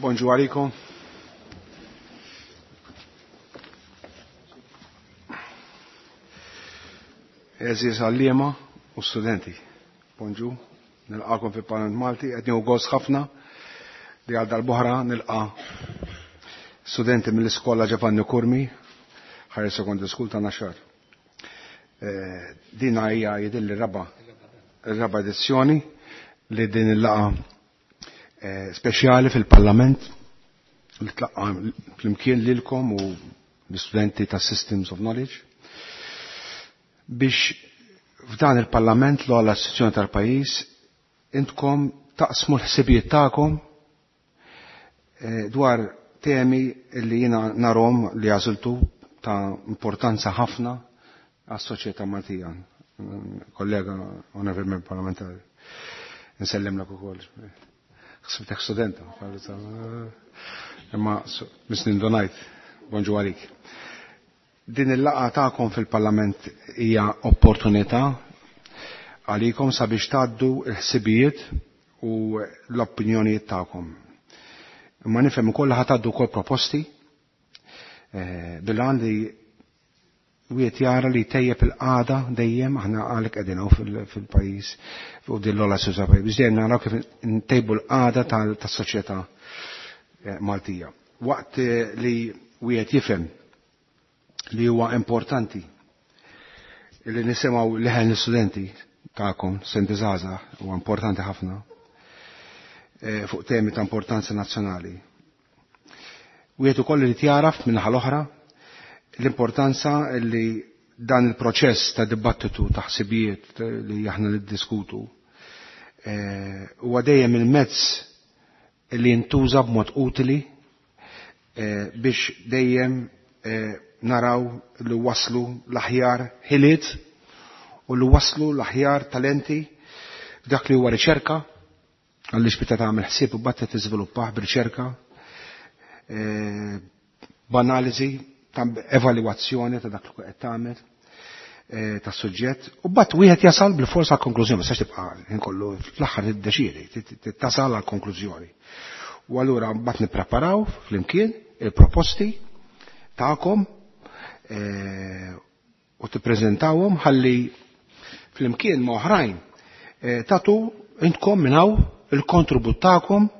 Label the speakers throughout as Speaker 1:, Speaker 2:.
Speaker 1: Bonġu għalikom. Eżiz għalliema u studenti. Bonġu, nilqakom fi Parlament Malti, qed nieħu gost ħafna li għal dal-boħra nilqa studenti mill-iskola Giovanni Curmi, Higher Secondary School ta' Naxxar. Dina hija jidilli raba raba edizzjoni li din il-laqa speċjali fil-Parlament li tlaqqa flimkien lilkom u l-istudenti ta' Systems of Knowledge biex f'dan il-Parlament l-ogħla istituzzjoni tal-pajjiż intkom taqsmu l-ħsibijiet tagħkom dwar temi li jiena narhom li għażiltu ta' importanza ħafna għas-soċjetà Maltija. Kollega onorevoli membru parlamentari. Nsellimlek ukoll. Ħsibtek studenta, imma misnin donajt, bonġu għalik. Din il-laqgħa tagħkom fil-Parlament hija opportunità għalikom sabiex tgħaddu l-ħsibijiet u l-opinjonijiet tagħkom. Imma nifhem ukoll ħa tgħaddu wkoll proposti bil-għan li wieħed jara li tejjeb il-qagħda dejjem aħna għalhekk qegħdin hawn fil-pajjiż u din l-ogħla soċjetà pajjiż biex dejjem naraw kif ntejbu l-qagħda tas-soċjetà Maltija. Waqt li wieħed jifhem li huwa importanti li nisimgħu leħen l-istudenti tagħkom, studenti żgħażagħ, huwa importanti ħafna fuq temi ta' importanza nazzjonali. Wieħed ukoll irid jaraf min-naħa l-oħra l-importanza li dan il-proċess ta' dibattitu ta' ħsibijiet li aħna niddiskutu huwa dejjem il-mezz li jintuża b'mod utili biex dejjem naraw li waslu l-aħjar ħiliet u li waslu l-aħjar talenti f'dak li huwa riċerka, għaliex meta tagħmel ħsieb u bagħad tiżviluppah b'riċerka, b'analiżi ta' evalwazzjoni ta' dak li qed tagħmel tas suġġett, u mbagħad wieħed jasal bil-forsa għal konklużjoni, ma tistax tibqa' ħin kollu fl-aħħar tiddeċiedi, tasal għal konklużjoni. U allura mbagħad nippreparaw flimkien il-proposti tagħkom u tippreżentawhom ħalli flimkien ma' oħrajn tagħtu intkom minn hawn il-kontribut tagħkom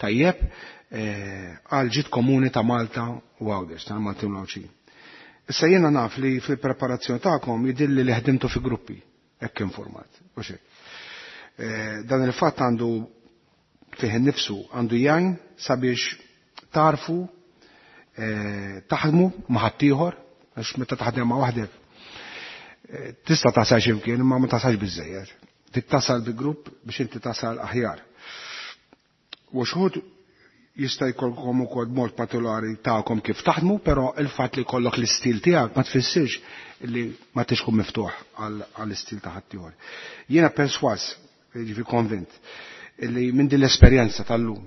Speaker 1: tajjeb għal ġid komuni ta' Malta u Għawdex, ta' Maltin u Għawdxin. Issa jiena naf li fil-preparazzjoni tagħkom jidhirli li ħdimtu fi gruppi, hekk informat, u xejn. Dan il-fatt għandu fih innifsu għandu jgħin sabiex tarfu taħdmu ma' ħaddieħor, għax meta taħdem ma' waħdek tista' tasal x'imkien imma ma tasalx biżżejjed. Trid tasal bi grupp biex inti tasal aħjar. U xħud jista' jkollkom ukoll mod partikolari tagħkom kif taħdmu, però il-fatt li jkollok l-istil tiegħek ma tfissirx li ma tix tkun miftuħ għall-istil ta' ħaddieħor. Jiena perswas, jiġifieri konvint, li minn din l-esperjenza tal-lum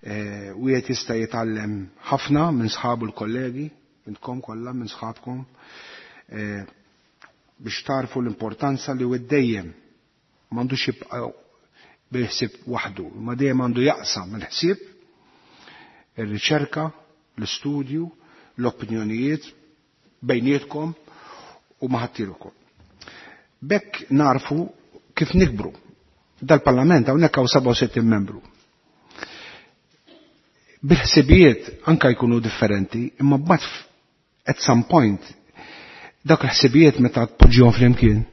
Speaker 1: wieħed jista' jitgħallem ħafna minn sħabu l-kollegi, intkom kollha minn sħabkom, biex tarfu l-importanza li wieħed dejjem m'għandux jibqa' bil-ħsieb waħdu, ma dejjem għandu jaqsam il-ħsieb, ir-riċerka, l-istudju, l-opinjonijiet bejnietkom u ma' ħaddieħor. Bekk narfu kif nikbru. Dal-Parlament hawnhekk hawn 67 membru. Bil-ħsibijiet anka jkunu differenti, imma mbagħad at some point dak il-ħsibijiet meta tpoġġihom flimkien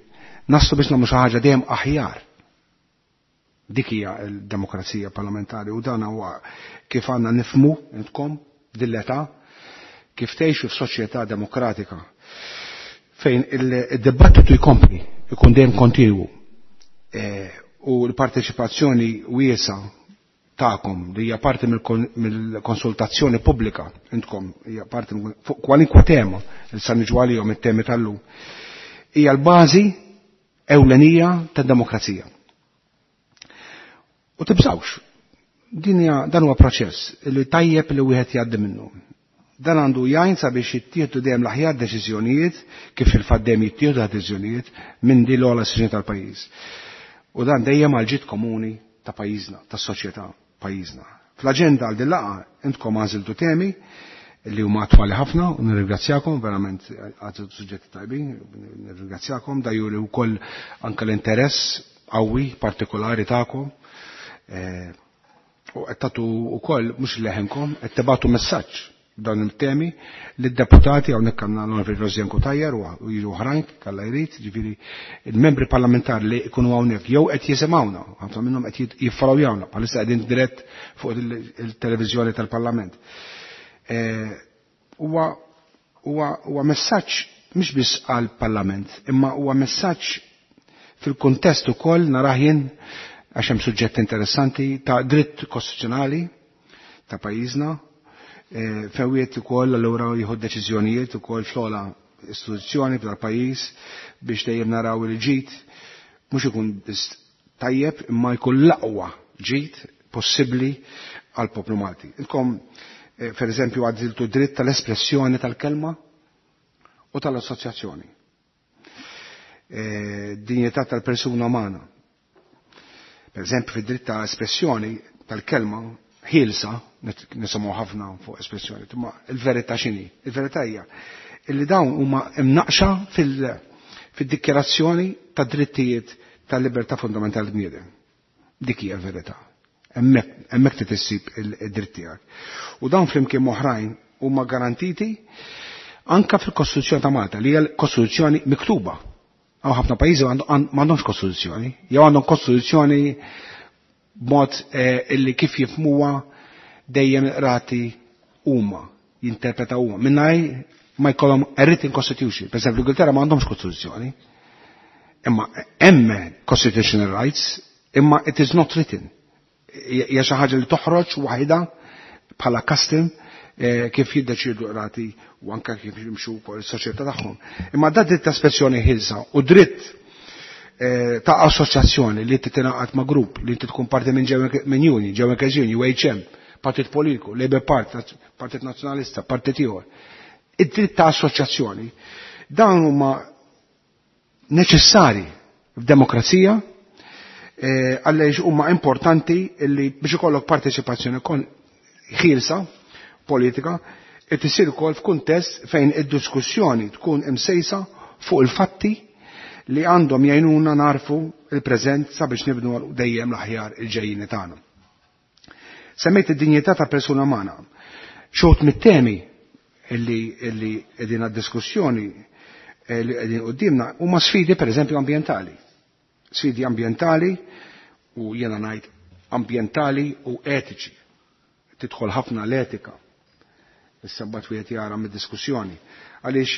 Speaker 1: naslu biex nagħmlu xi ħaġa dejjem aħjar. Dik hija l-demokrazija parlamentari u dan huwa kif għandna nifhmu intkom din l-età kif tgħixu f'soċjetà demokratika fejn il-dibattitu jkompli, ikun dejjem kontinwu. U l-parteċipazzjoni wiesa tagħkom li hija parti mill-konsultazzjoni pubblika intkom hija parti fuq kwalinkwa tema li sa niġu għalihom it-temi tal-lum hija l-bażi ewlenija tad-demokrazija. U tibżawx, dan huwa proċess li tajjeb li wieħed jgħaddi minnu. Dan għandu jgħin sabiex jittieħdu dejjem l-aħjar deċiżjonijiet, kif fil-fatt dejjem jittieħdu deċiżjonijiet minn din l-ogħla istituzzjoni tal-pajjiż. U dan dejjem għal ġid komuni ta' pajjiżna, tas-soċjetà pajjiżna. Fl-aġenda għal din laqgħa intkom għażiltu temi li huma attwali ħafna u nirringrazzjakom verament għażiltu suġġetti tajbin, nirringrazzjakom da juri wkoll anke l-interess qawwi partikolari tagħkom. U qed tagħtu wkoll mhux leħenkom, qed tibgħatu messaġġ dawn il-temi lid-deputati hawnhekk għandna l-Onorevoli Rosianne Cutajar u jiġu oħrajn kalla jrid, ġifieri il-membri parlamentari li jkunu hawnhekk jew qed jisimgħuna, ħafna minnhom qed jiffollowjawna bħalissa qegħdin dirett fuq il-televiżjoni tal-Parlament. Huwa messaġġ mhux biss għall-Parlament, imma huwa messaġġ fil-kuntest ukoll narah jien għax hemm suġġett interessanti ta' dritt kostituzzjonali ta' pajjiżna, fejn ukoll allura jieħu deċiżjonijiet ukoll fl-ogħla istituzzjoni tal-pajjiż biex dejjem naraw il-ġid mhux ikun biss tajjeb imma jkun l-aqwa ġid possibbli għal poplu Malti. Intkom per eżempju għażiltu dritt tal-espressjoni tal-kelma u tal-assoċjazzjoni. Dinjità tal-persuna umana. Per eżempju fid-dritt ta' espressjoni tal-kelma ħielsa, nisimgħu ħafna fuq espressjoni, imma il-verità x'inhi? Il-verità hija illi dawn huma imnaqxa fid-dikjarazzjoni ta' drittijiet tal-libertà fundamentali bniedem. Dik hija l-verità. Hemmhekk trid issib id-dritt tiegħek. U dawn flimkien oħrajn huma garantiti anka fil-Kostituzzjoni ta' Malta, li hija l-Kostituzzjoni miktuba. Hawn ħafna pajjiżi m'għandhomx kostituzzjoni, jew għandhom kostituzzjoni b'mod illi kif jifmuha dejjem rati huma, jinterpretaw huma. Mingħajr ma jkollhom a written constitution. Per esempio, l-Ingilterra m'għandhomx kostituzzjoni. Imma hemm constitutional rights, imma it is not written. Hija xi ħaġa li toħroġ waħda bħala custom kif jiddeċidu rati u anka kif jimxu wkoll is-soċjetà tagħhom. Imma da dritt ta' espressjoni ħielsa u dritt ta' assoċjazzjoni li inti tingħaqad ma' grupp, li inti tkun parti minn minn union, General Union, UHM, partit politiku, Labour Party, Partit Nazzjonalista, partit ieħor. Id-dritt ta' assoċjazzjoni dawn huma neċessari f'demokrazija għaliex huma importanti li biex ikollok parteċipazzjoni ħielsa politika qed isir ukoll f'kuntest fejn id-diskussjoni tkun imsejsa fuq il-fatti li għandhom jgħinuna narfu il-preżent sabiex nibnu dejjem l-aħjar il-ġejjini tagħna. Semmejt id-dinjità ta' persuna umana. Xogħod mit-temi illi qegħdin għad-diskussjoni li qegħdin quddiemna huma sfidi pereżempju ambjentali. Sfidi ambjentali u jiena ngħid ambjentali u etiċi. Tidħol ħafna l-etika. Issa mbagħad wieħed jara mid-diskussjoni. Għaliex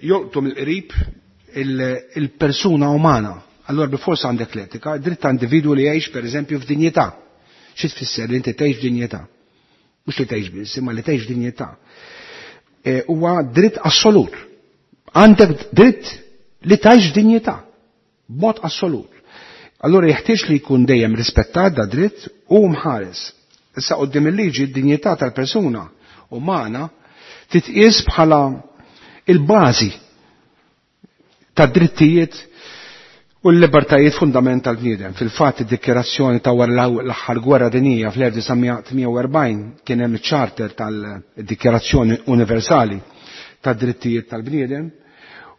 Speaker 1: jolqtu mill-qrib il-persuna umana. Allora bilfors għandek l-etika, dritt ta' individwu li jgħix pereżempju f'dinjità. Xi tfisser li inti tgħix f'dinjità? Mhux li tgħix biss, imma li tgħix f'dinjità. Huwa dritt assolut. Għandek dritt li tgħix f'dinjità b'mod assolut. Allora jeħtieġ li jkun dejjem rispettat da dritt u mħares. Issa quddiem il-liġi d-dinjità tal-persuna umana titqies bħala il-bażi ta' drittijiet u l-libertajiet fundamentali bniedem. Fil-fatt id-dikjerazzjoni ta' wara l-aħħar gwerra dinjija fl-1948 kien hemm iċ-charter tal-Dikjerazzjoni Universali tad drittijiet tal-bniedem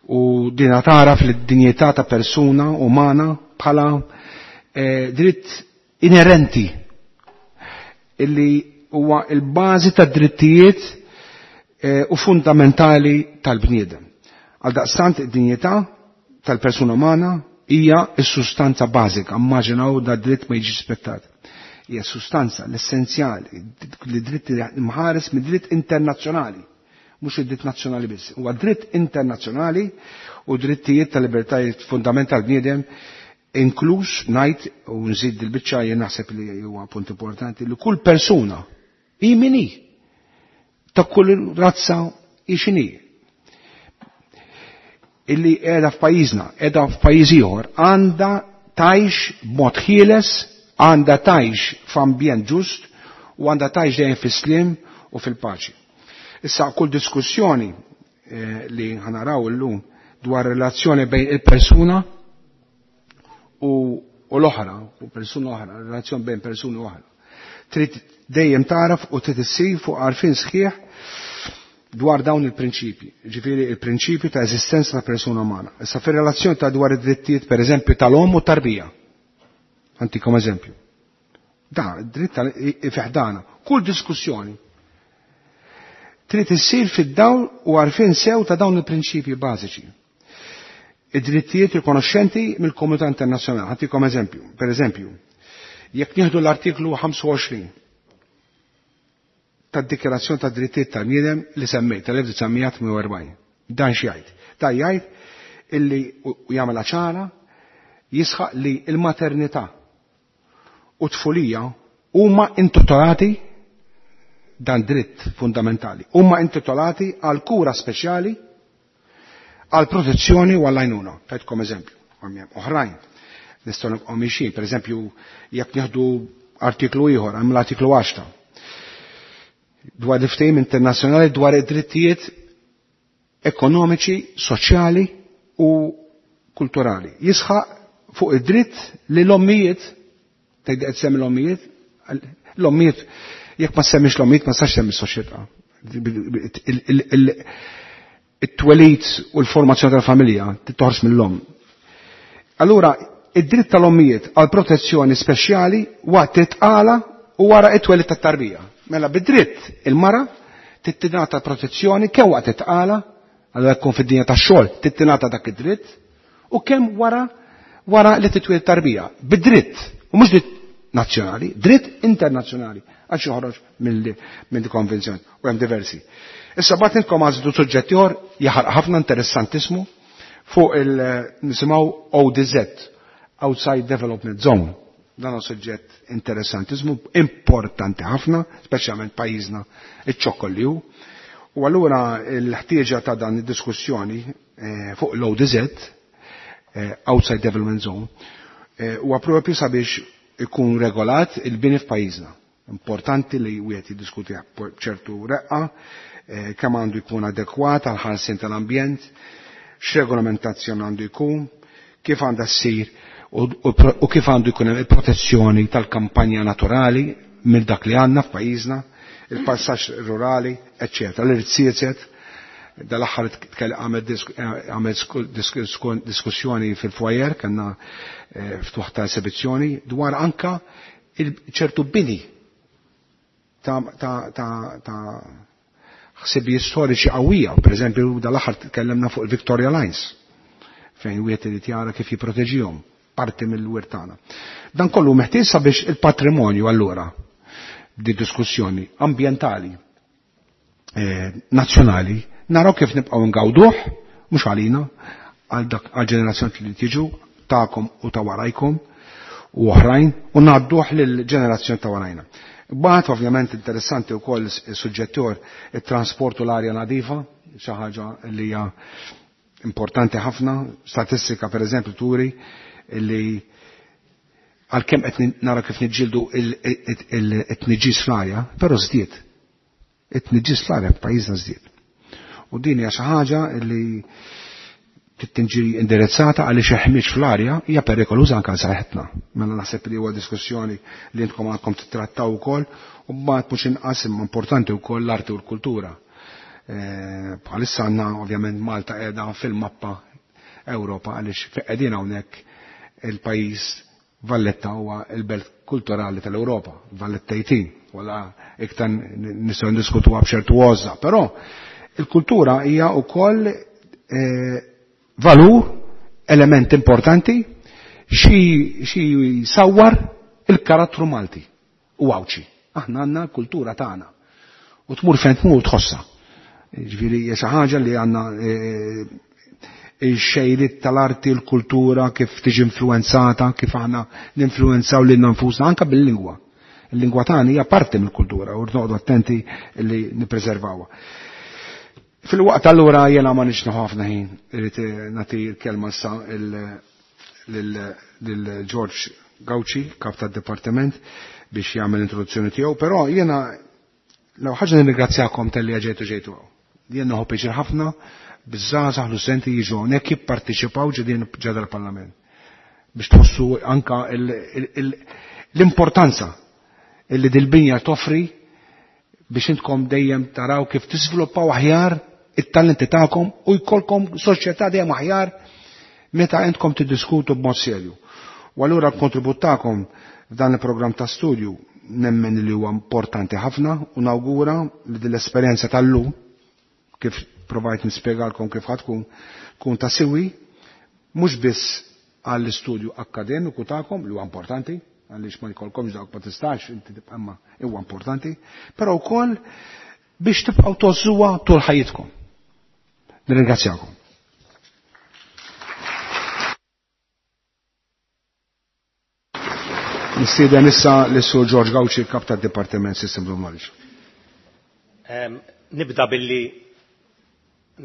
Speaker 1: u dina taraf lid-dinjità ta' persuna umana bħala dritt inerenti illi huwa il-bażi tad drittijiet u fundamentali tal-bniedem. Għal daqstant id-dinjità tal-persuna umana hija s-sustanza bażika, immaġinaw da dritt ma jiġi rispettat. Hija sustanza l-essenzjali, li dritt imħares mid-dritt internazzjonali, mhux id-dritt nazzjonali biss. Huwa dritt internazzjonali u drittijiet tal-libertajiet fundamentali bniedem inkluż ngħid u nżid il-biċċa jien naħseb li huwa punt importanti li kull persuna hi min hi ta' kull razza hi x'inhi illi qiegħda f'pajjiżna, qiegħda f'pajjiż ieħor, għandha tgħix b'mod ħieles, għandha tgħix f'ambjent ġust u għandha tgħix dejjem fis-sliem u fil-paċi. Issa kull diskussjoni li ħanaraw illum dwar relazzjoni bejn il-persuna u l-oħra, u persuna oħra, relazzjoni bejn persuni oħra. Trid dejjem taraf u trid issir fuq għarfien sħiħ dwar dawn il-prinċipji, ġifieri il-prinċipju ta' eżistenza ta' persuna umana. Issa fir-relazzjoni ta' dwar id-drittijiet pereżempju tal-omm u tarbija. Antikom eżempju. Da, dritt fiħdana. Kull diskussjoni trid issir fid-dawl u għarfien sew ta' dawn il-prinċipji bażiċi. Id-drittijiet rikonoxxenti mill-komunità internazzjonali. Ħantikom eżempju. Per eżempju, jekk nieħdu l-artiklu 25 tad-Dikjarazzjoni tad Drittijiet tal-Bniedem li semmejt tal-1948. Dan x'jgħid? Dan jgħid illi u jagħmilha ċara jisħaq li l-maternità u tfulija huma intitolati dan dritt fundamentali. Huma intitolati għal kura speċjali, għal protezzjoni u għall għajnuna. Tajtkom eżempju, oħrajn. Nistgħu nibqgħu mixjin, pereżempju, jekk nieħdu artiklu ieħor, hemm l-artiklu 10 dwar il-ftehim internazzjonali dwar id-drittijiet ekonomiċi, soċjali u kulturali. Jisħaq fuq id-dritt li l-ommijiet, tgħid qed semmi l-ommijiet, l-ommijiet jekk ma semmix l-ommijiet ma sax semmi s-soċjetà. It-twelid u l-formazzjoni tal-familja tittoħroġ mill-omm. Allura, id-dritt tal-ommijiet għal protezzjoni speċjali waqt it-tqala u wara it-twelid tat-tarbija. Mela bid-dritt il-mara tittinata protezzjoni kemm waqt it-tqala, allura jkun fid-dinja tax-xogħol tittinata dak id-dritt, u kemm wara wara li titwieled tarbija. Bid-dritt, u mhux dritt nazzjonali, dritt internazzjonali, għax joħroġ mill-konvenzjoni, u hemm diversi. Issa bagħad intkom għażlu suġġett ieħor jaħaraq ħafna interessantismu fuq il-nisimgħu ODZ, Outside Development Zone. Dan huwa suġġett interessantismu, importanti ħafna, speċjalment pajjiżna iċ-ċokkol li hu. U allura l-ħtieġa ta' dan id-diskussjoni fuq l-ODZ, Outside Development Zone, huwa propju sabiex ikun regolat il-bini f'pajjiżna. Importanti li wieħed jiddiskutih b'ċertu reqqa, kemm għandu jkun adekwat għal ħarsien tal-ambjent, x'regolamentazzjoni għandu jkun, kif għandha ssir u kif għandu jkun hemm il-protezzjoni tal-kampanja naturali mill dak li għandna f'pajjiżna, il-passaġġ rurali, eċċetera. L-irtsiet dal-aħħar għamel diskussjoni fil-foyer, kellna ftuħ ta' esibizzjoni dwar anka ċertu bini ta' ħsibijiet storiċi qawwija. Per eżempju, dal-aħħar tkellimna fuq il-Victoria Lines, fejn wieħed irid jara kif jipproteġihom parti mill-wirt tagħna. Dan kollu meħtieġ sabiex il-patrimonju allura di diskussjoni ambjentali nazzjonali naraw kif nibqgħu ngawduh mhux għalina għal dak għal ġenerazzjoni li tiġu tagħkom u ta' warajkom u oħrajn u ngħadduh lill-ġenerazzjoni ta' warajna. Bagħad ovvjament interessanti wkoll is-suġġett ieħor it-trasport u l-arja nadifa, xi ħaġa li hija importanti ħafna, statistika per eżempju turi li għalkemm qed nara kif niġġieldu it-tniġġis fl-arja, però żdied. It-tniġġis fl-arja f'pajjiżna żdied. U din hija xi ħaġa li tinġi indirizzata għaliex il-ħmieġ fl-arja hija perikoluża anke għal saħħitna. Mela naħseb li huwa diskussjoni li intkom għandkom titrattaw ukoll u mbagħad mhux inqas imma importanti wkoll l-arti u l-kultura. Bħalissa għandna ovvjament Malta qiegħda fil-mappa Ewropa għaliex fejn qegħdin hawnhekk il-pajjiż Valletta huwa l-belt kulturali tal-Ewropa, Valletta 18, wala iktar nistgħu ndiskutuha b'ċertu għożża, però il-kultura hija wkoll valur, element importanti, xi jsawwar il-karattru Malti u Għawdxi. Aħna għandna l-kultura tagħna. U tmur fejn tmur tħossha. Ġifieri hija xi ħaġa li għandna il-xejriet tal-arti, l-kultura, kif tiġi influenzata, kif aħna ninfluenzaw lilna nfusna anke bil-lingwa. Il-lingwa tagħna hija parti mill-kultura u rnoqgħdu attenti li nippreservawha. Fil-waqt allura jiena ma nix nieħu ħafna ħin, irrid nagħti l-kelma issa lil George Gauci, kap tad-dipartiment, biex jagħmel introduzzjoni tiegħu, però jiena l ħaġa nirringrazzjakom talli ġejtu ġejtu hawn. Jien nieħu pjaċir ħafna biż-żgħażagħ l-studenti jiġu hawnhekk jipparteċipaw ġedin ġedha l-Parlament biex tħossu anka l-importanza. illi dil-binja toffri biex intkom dejjem taraw kif tiżviluppaw aħjar it-talenti tagħkom u jkollkom soċjetà dejjem aħjar meta intkom tiddiskutu b'mod serju. U allura l-kontribut tagħkom f'dan il-programm ta' studju nemmen li huwa importanti ħafna u nawgura li din l-esperjenza tal-lum kif provajt nispjegalkom kif ħatkun tkun ta' siwi mhux biss għall-istudju akkademiku tagħkom li huwa importanti għaliex ma jkollkomx dawk ma tistax inti tibqa' imma huwa importanti, però wkoll biex tibqgħu tożżuha tul ħajjitkom. Nirringrazzjakom. Nistieden issa lis-Sur George Gauci, kap tad-Dipartiment Systems of Knowledge.
Speaker 2: Nibda billi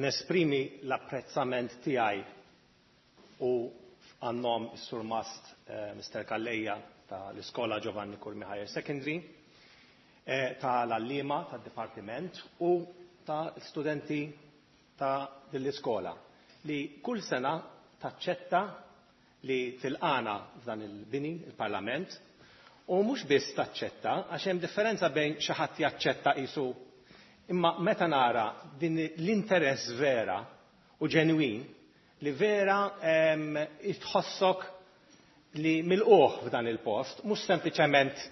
Speaker 2: nesprimi l-apprezzament tiegħi u għan-nom is-Surmast Mr. Calleja ta' l-Iskola Giovanni Curmi Higher Secondary, ta' l-għalliema tad-Dipartiment u ta' studenti ta' din l-iskola li kull sena taċċetta li tilqagħna f'dan il-bini, il-Parlament, u mhux biss taċċetta, għax hemm differenza bejn xi ħadd jaċċetta qisu imma meta nara din l-interess vera u ġenwin li vera tħossok li milquh f'dan il-post, mhux sempliċement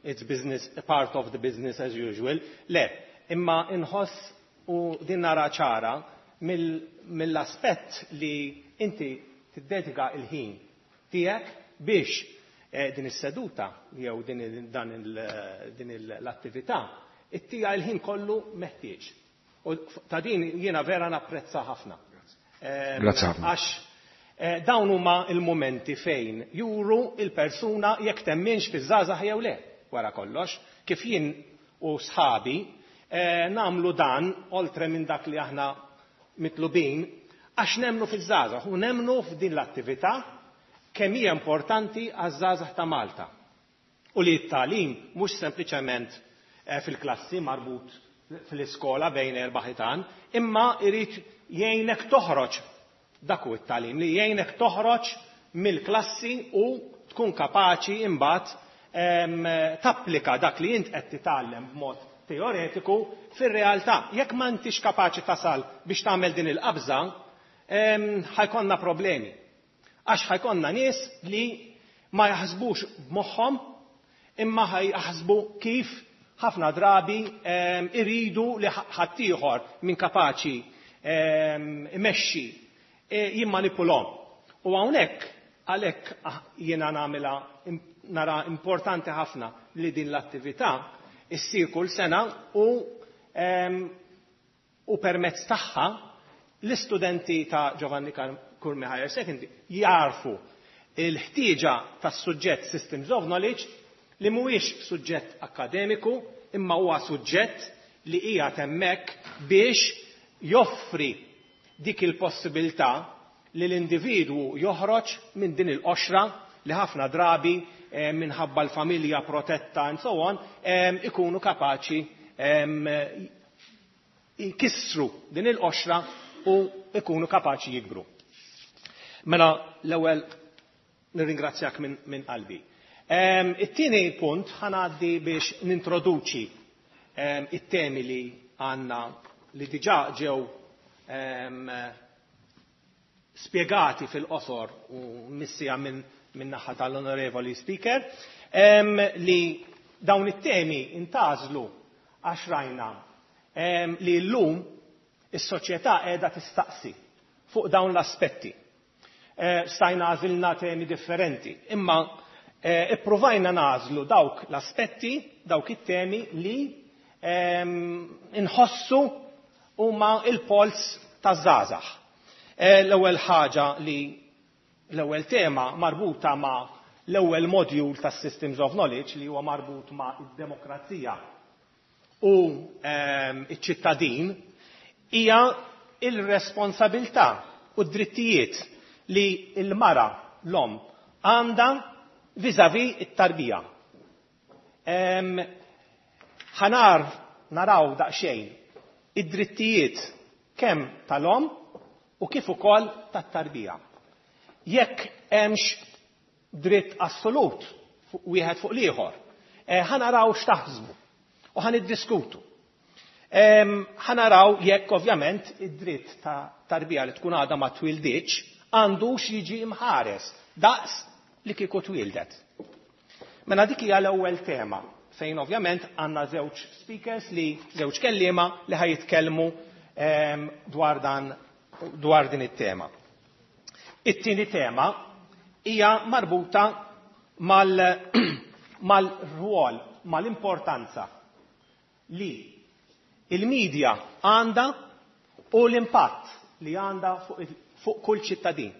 Speaker 2: it's business, part of the business as usual, le, imma inħoss u din nara ċara mill-aspett li inti tiddedika il-ħin tiegħek biex din is-seduta jew din l-attività ittija il-ħin kollu meħtieġ. U ta' din jiena vera napprezza ħafna.
Speaker 1: Grazzi ħafna.
Speaker 2: Għax dawn huma il-momenti fejn juru il-persuna jekk temminx fiż-żgħażagħ jew le wara kollox, kif jien u sħabi nagħmlu dan oltre minn dak li aħna mitlubin għax nemmnu fiż-żgħażagħ u nemmnu f'din l-attività kemm hija importanti għaż-żgħażagħ ta' Malta. U li t-tagħlim mhux sempliċement fil-klassi marbut fl-iskola bejn erba' ħitan, imma jrid jgħinek toħroġ dak hu t-tagħlim li jgħinek toħroġ mill-klassi u tkun kapaċi imbagħad tapplika dak li int qed titgħallem b'mod teoretiku fir-realtà. Jekk ma intix kapaċi tasal biex tagħmel din il-qabża, ħajkonna problemi. Għax ħajkonna nies li ma jaħsbux b'moħħhom imma ħajjaħsbu kif ħafna drabi iridu li ħaddieħor min kapaċi imexxi jimmanipulhom. U hawnhekk għalhekk jiena nagħmilha nara importanti ħafna li din l-attività issir kull sena u permezz tagħha l-istudenti ta' Giovanni Curmi Higher Secondary jarfu il-ħtieġa tas-suġġett Systems of Knowledge li mhuwiex suġġett akademiku imma huwa suġġett li hija hemmhekk biex joffri dik il-possibilità li l-individwu joħroġ minn din il-qoxra li ħafna drabi minħabba l-familja protetta and so on ikunu kapaċi jkissru din il-qoxra u ikunu kapaċi jikbru. Mela l-ewwel nirringrazzjak minn qalbi. It-tieni punt ħa ngħaddi biex nintroduċi it-temi li għandna li diġà ġew spiegati fil-qosor u missija minn naħa tal-Onorevoli Speaker, li dawn it-temi intgħażlu għax rajna li llum is-soċjetà qiegħda tistaqsi fuq dawn l-aspetti. Stajna għażilna temi differenti, imma ippruvajna nagħżlu dawk l-aspetti, dawk it-temi li inħossu huma il-pols taż-żgħażagħ. L-ewwel ħaġa li l-ewwel tema marbuta ma' l-ewwel module tas-Systems of Knowledge li huwa marbut ma' id-demokrazija u iċ-ċittadin hija il-responsabilità u d-drittijiet li l-mara l-omm għandha vis-à-vis it-tarbija. Ħanar naraw daqsxejn id-drittijiet kemm tal-omm u kif ukoll tat-tarbija. Jekk hemmx dritt assolut wieħed fuq l-ieħor. Ħa naraw x'taħsbu u ħa niddiskutu. Ħa naraw jekk ovvjament id-dritt ta' tarbija li tkun għadha ma twildiċ għandux jiġi imħares daqs li kieku twildet. Mela dik hija l-ewwel tema fejn ovvjament għandna żewġ speakers li żewġ kelliema li ħa jitkellmu dwar dan dwar din it-tema. It-tieni tema hija marbuta mal-rwol, mal-importanza li il-medja għandha u l-impatt li għandha fuq kull ċittadin.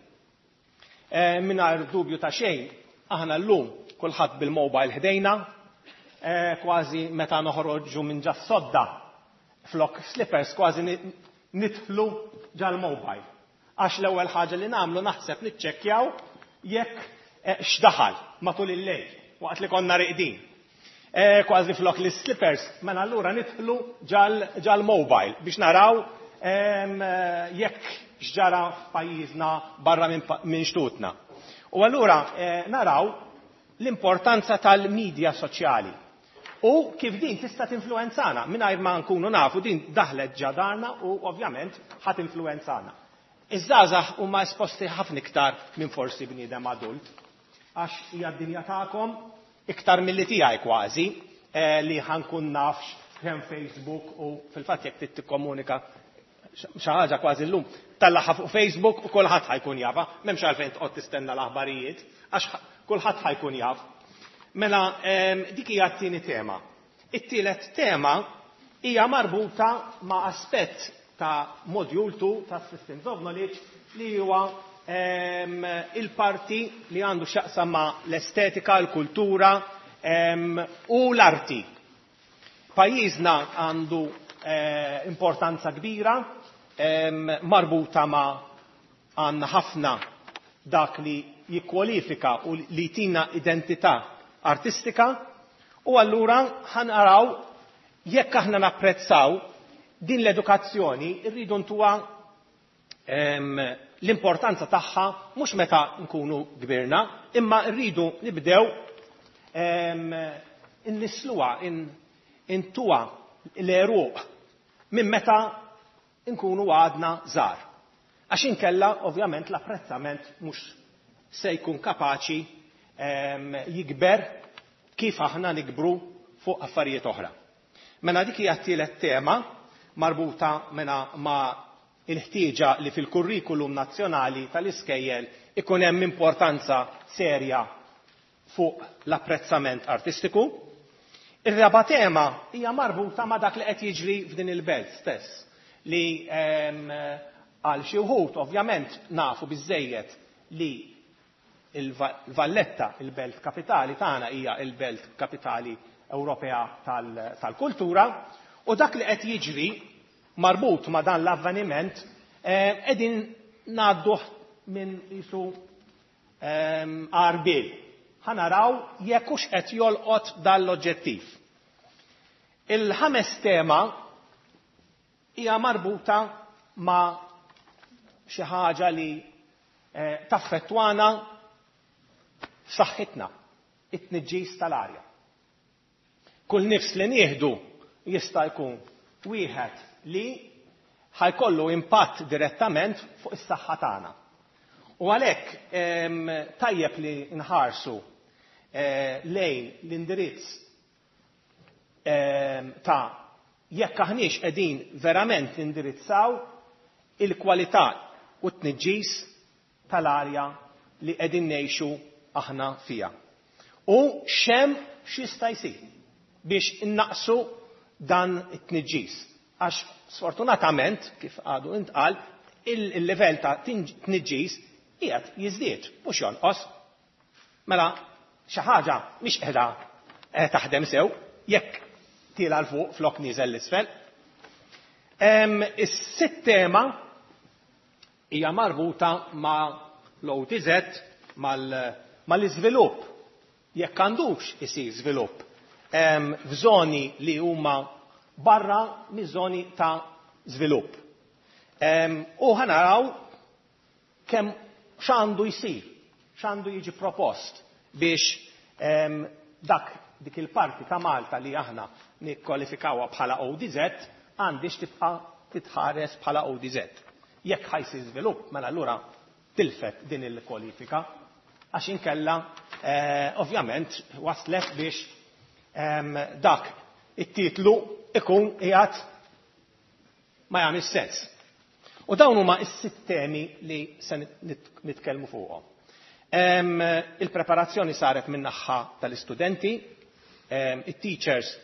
Speaker 2: Mingħajr dubju ta' xejn, aħna llum kulħadd bil-mobile ħdejna, kważi meta noħroġu minn ġas-sodda flok slippers kważi nidħlu ġal-mobile. Għax l-ewwel ħaġa li nagħmlu naħseb niċċekkjaw jekk x'daħal matul il-lejl waqt li konna reqdin. Kważi flok li slippers, mela allura nidħlu ġal-mobile biex naraw jekk x'ġara f'pajjiżna barra minn xtutna. U allura naraw l-importanza tal-medja soċjali u kif din tista' tinfluwenzana mingħajr ma nkunu nafu din daħlet ġo darna u ovvjament ħa tinfluwenzana. Iż-żgħażagħ huma esposti ħafna iktar minn forsi bniedem adult għax hija d-dinja tagħkom iktar milli tiegħi kważi li ħa nkun nafx kemm Facebook u fil-fatt jekk trid tikkomunika xi ħaġa kważi llum tellagħha fuq Facebook u kulħadd ħa jkun jafha, m'hemmx għalfejn toqgħod tistenna l-aħbarijiet għax kulħadd ħa jkun jaf. Mela dik hija t-tieni tema. It-tielet tema hija marbuta ma' aspett ta' module 2 ta' Systems of Knowledge li huwa il-parti li għandu x'jaqsam ma' l-estetika, l-kultura u l-arti. Pajjiżna għandu importanza kbira marbuta ma' għandna ħafna dak li jikkwalifika u li jtina identità artistika u allura ħa naraw jekk aħna napprezzaw din l-edukazzjoni rridu ntuha l-importanza tagħha mhux meta nkunu kbirna, imma rridu nibdew innisluha intuha l-għeruq minn meta nkunu għadna żgħar. Għax inkella ovvjament l-apprezzament mhux se jkun kapaċi jikber kif aħna nikbru fuq affarijiet oħra. Mela dik hija t-tielet tema marbuta mela ma' il-ħtieġa li fil-kurrikulum nazzjonali tal-iskejjel ikun hemm importanza serja fuq l-apprezzament artistiku. Ir-raba tema hija marbuta ma' dak li qed jiġri f'din il-belt stess li għal xi wħud ovvjament nafu biżejjed li il-Valletta, il-belt kapitali tagħna hija il-belt kapitali Ewropea tal-kultura u dak li qed jiġri marbut ma' dan l-avveniment qegħdin ngħadduh minn qisu għarbiel. Ħa naraw jekk hux qed jolqot dan l-oġġettiv. Il-ħames tema hija marbuta ma' xi ħaġa li taffettwana f'saħħitna, it-tniġġis tal-arja. Kull nifs li nieħdu jista' jkun wieħed li ħa jkollu impatt direttament fuq is-saħħa tagħna. U għalhekk tajjeb li nħarsu lejn l-indirizz ta' jekk aħniex qegħdin verament nindirizzaw il-kwalità u t-tniġġis tal-arja li qegħdin ngħixu aħna fija. U x'hemm x'jista' jsir biex innaqsu dan it-tniġġis. Għax sfortunatament, kif għadu intqal, il-livell ta' tniġġis qiegħed jiżdied mhux jonqos. Mela xi ħaġa mhix qiegħda taħdem sew jekk tiela' 'l fuq flok nieżel 'l isfel. Is-sitt tema hija marbuta ma' l-OTZ mal-iżvilupp. Jekk għandux isir żvilupp f'żoni li huma barra miż-żoni ta' żvilupp. U ħa naraw kemm x'għandu jsir, x'għandu jiġi propost biex dak dik il-parti ta' Malta li aħna nikkwalifikawha bħala ODZ għandix tibqa' titħares bħala ODZ. Jekk ħa jsir żvilupp, mela allura tilfet din il-kwalifika, għax inkella ovvjament waslet biex dak it-titlu ikun qiegħed ma jagħmilx sens. U dawn huma s-sitt temi li se nitkellmu fuqhom. Il-preparazzjoni saret min-naħa tal-istudenti, it-teachers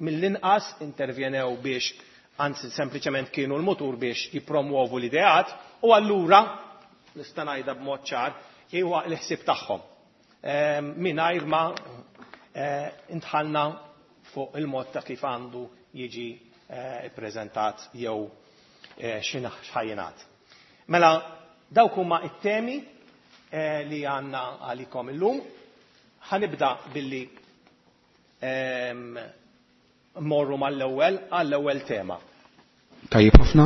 Speaker 2: mill-inqas intervjenew biex, anzi sempliċement kienu l-mutur biex jippromuovu l-ideat, u allura nista' ngħidha b'mod ċar huwa l-ħsieb tagħhom. Mingħajr ma intħalna fuq il-mod ta' kif għandu jiġi ippreżentat jew x'ħajjinat. Mela dawk huma it-temi li għandna għalikom illum. Ħa nibda billi morru mal-ewwel għall-ewwel tema.
Speaker 1: Tajjeb ħafna,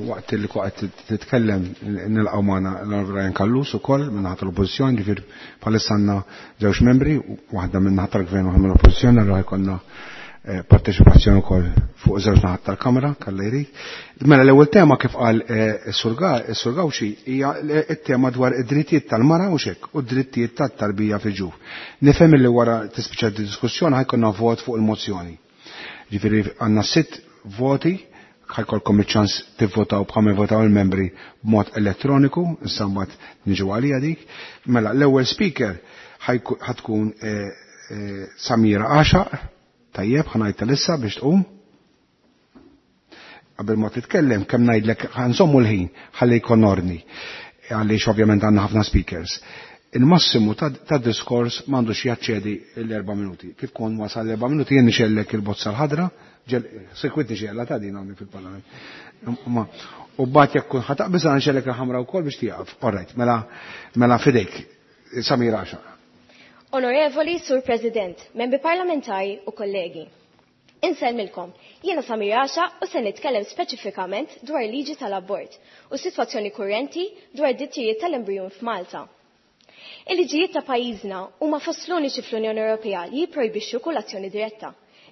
Speaker 1: waqt li waqt titkellem nilqgħu magħna l-Ryan Callus ukoll minn naħa tal-Oppożizzjoni, ġifier bħalissa għandna żewġ membri, waħda minn naħa tal-Gvern u waħda mill-Oppożizzjoni, allura jkollna parteċipazzjoni wkoll fuq żewġ naħat tal-Kamra, kalla jrid. Mela l-ewwel tema, kif qal is-Sur Gauci, hija t-tema dwar id-drittijiet tal-mara u xek u d-drittijiet tat-tarbija fil-ġuf. Nifhem li wara tispiċċa diskussjoni ħa jkollna vot fuq il-mozzjoni. Ġifieri għandna sitt voti, ħa jkollkom iċ-ċans tivvotaw bħalma votaw il-membri b'mod elettroniku, issa mbagħad niġu għalija dik. Mela l-ewwel speaker ħa tkun Samira Għaxaq, tajjeb, ħa ngħid issa biex tqum. Qabel ma titkellem, kemm ngħidlek ħa nżommu l-ħin ħalli jkun ordni, għaliex ovvjament għandna ħafna speakers. Il-massimu ta' diskors m'għandux jaċċedi l-4 minuti. Kif kon wasal l-4 minuti jien nixgħellek il-bozza l-ħadra, sekwit nixgħelha ta' din hawnhekk fil-parlament. U mbagħad jekk kun ħa taqbeż nixgħellek il-ħamra wkoll biex tieqaf. All right, mela fidejk. Samira Għaxaq.
Speaker 3: Onorevoli Sur President, membri parlamentari u kollegi. Insellmilkom, jiena Samira Għaxaq u se nitkellem speċifikament dwar liġi tal-abort u sitwazzjoni kurrenti dwar drittijiet tal-embrijun f'Malta. Il-liġijiet ta' pajjiżna huma fost l-uniċi fl-Unjoni Ewropea li jipprojbixxu kull azzjoni diretta,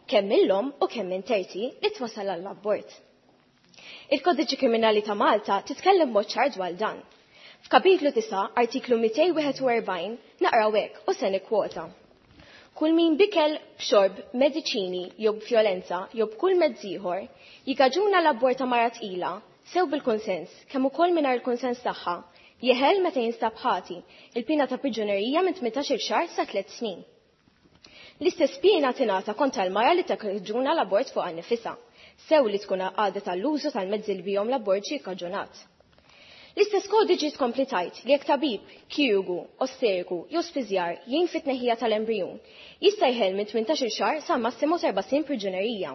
Speaker 3: kemm mill-omm u kemm minn terzi, li twassal għall-abort. Il-Kodiċi Kriminali ta' Malta titkellem mod ċar dwar dan. F'kapitlu 9, artiklu 241, naqraw hekk u se nikkwota. Kull min b'ikel, b'xorb, mediċini jew b'vjolenza jew b'kull mezz ieħor jikkaġuna l-abort ta' mara tqila, sew bil-konsens kemm ukoll mingħajr il-konsens tagħha, jeħel meta jinstab ħati il-pina ta' priġunerija minn 18 xahar sa 3 snin. L-istess pina tingħata kontra l-mara li takkaġuna l-abort fuq nifisha, sew li tkun għadet għall-użu tal-mezzi li bihom l-abort ġie kkaġunat. L-istess kodiġi tkompli tgħid li jekk tabib, kirurgu, ostetriku jew spiżjar jgħin fit-tneħħija tal-embrijun, jista' jħel minn 18 xahar sa massimu 4 snin priġunerija.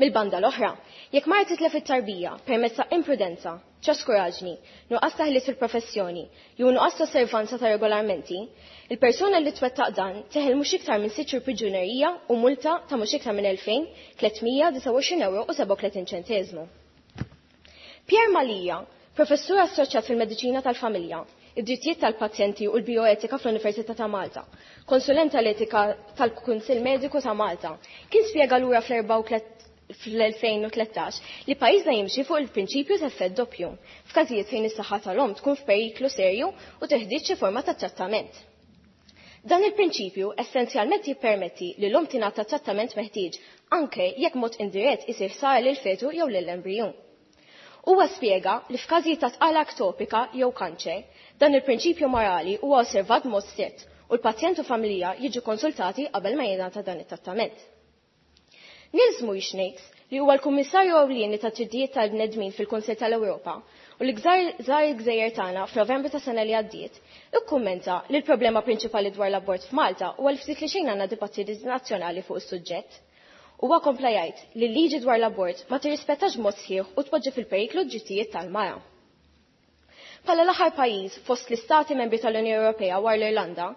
Speaker 3: Mil-banda l-oħra, jekk mara titlef it-tarbija permezz ta' imprudenza, ċaskuraġni, nuqqas ta' ħiliet fil-professjoni, jew nuqqas ta' osservanza ta' regolamenti, il-persuna li twettaq dan teħel mhux iktar minn 6 xhur priġunerija u multa ta' mhux iktar minn 2329 euro u 37 ċenteżmu. Pierre Mallia, professur assoċjat fil-Mediċina tal-Familja, id-drittijiet tal-pazjenti u l-bioetika fl-Università ta' Malta, konsulent tal-etika tal-Kunsill Mediku ta' Malta, kien spjega lura fl-2013 li pajjiżna jimxi fuq il-prinċipju ta' effett doppju f'każijiet fejn is-saħħa tal-omm tkun f'periklu serju u teħtieġ xi forma ta' trattament. Dan il-prinċipju essenzjalment jippermetti li l-omm tingħata trattament meħtieġ anke jekk mod indirett isir ħsara lil fetu jew lill-embrijun. Huwa spjega li f'każijiet ta' tqala ektopika jew kanċer, dan il-prinċipju morali huwa osservat mod strett u l-pazjent u familja jiġu konsultati qabel ma jingħata dan it-trattament. Nils Muižnieks, li huwa l-Kummissarju Ewlieni ta' Drittijiet tal-Bnedmin fil-Kunsill tal-Ewropa u li żar il-gżejjer tagħna f'Novembru ta' sena li għaddiet, ikkummenta li l-problema prinċipali dwar l-abort f'Malta huwa li ftit li xejn għandna dibattiti nazzjonali fuq is-suġġett. Huwa kompla jgħid li l-liġi dwar l-abort ma tirrispettax mod sħiħ u tpoġġi fil-periklu d-drittijiet tal-mara. Bħala l-aħħar pajjiż fost l-istati membri tal-Unjoni Ewropea wara l-Irlanda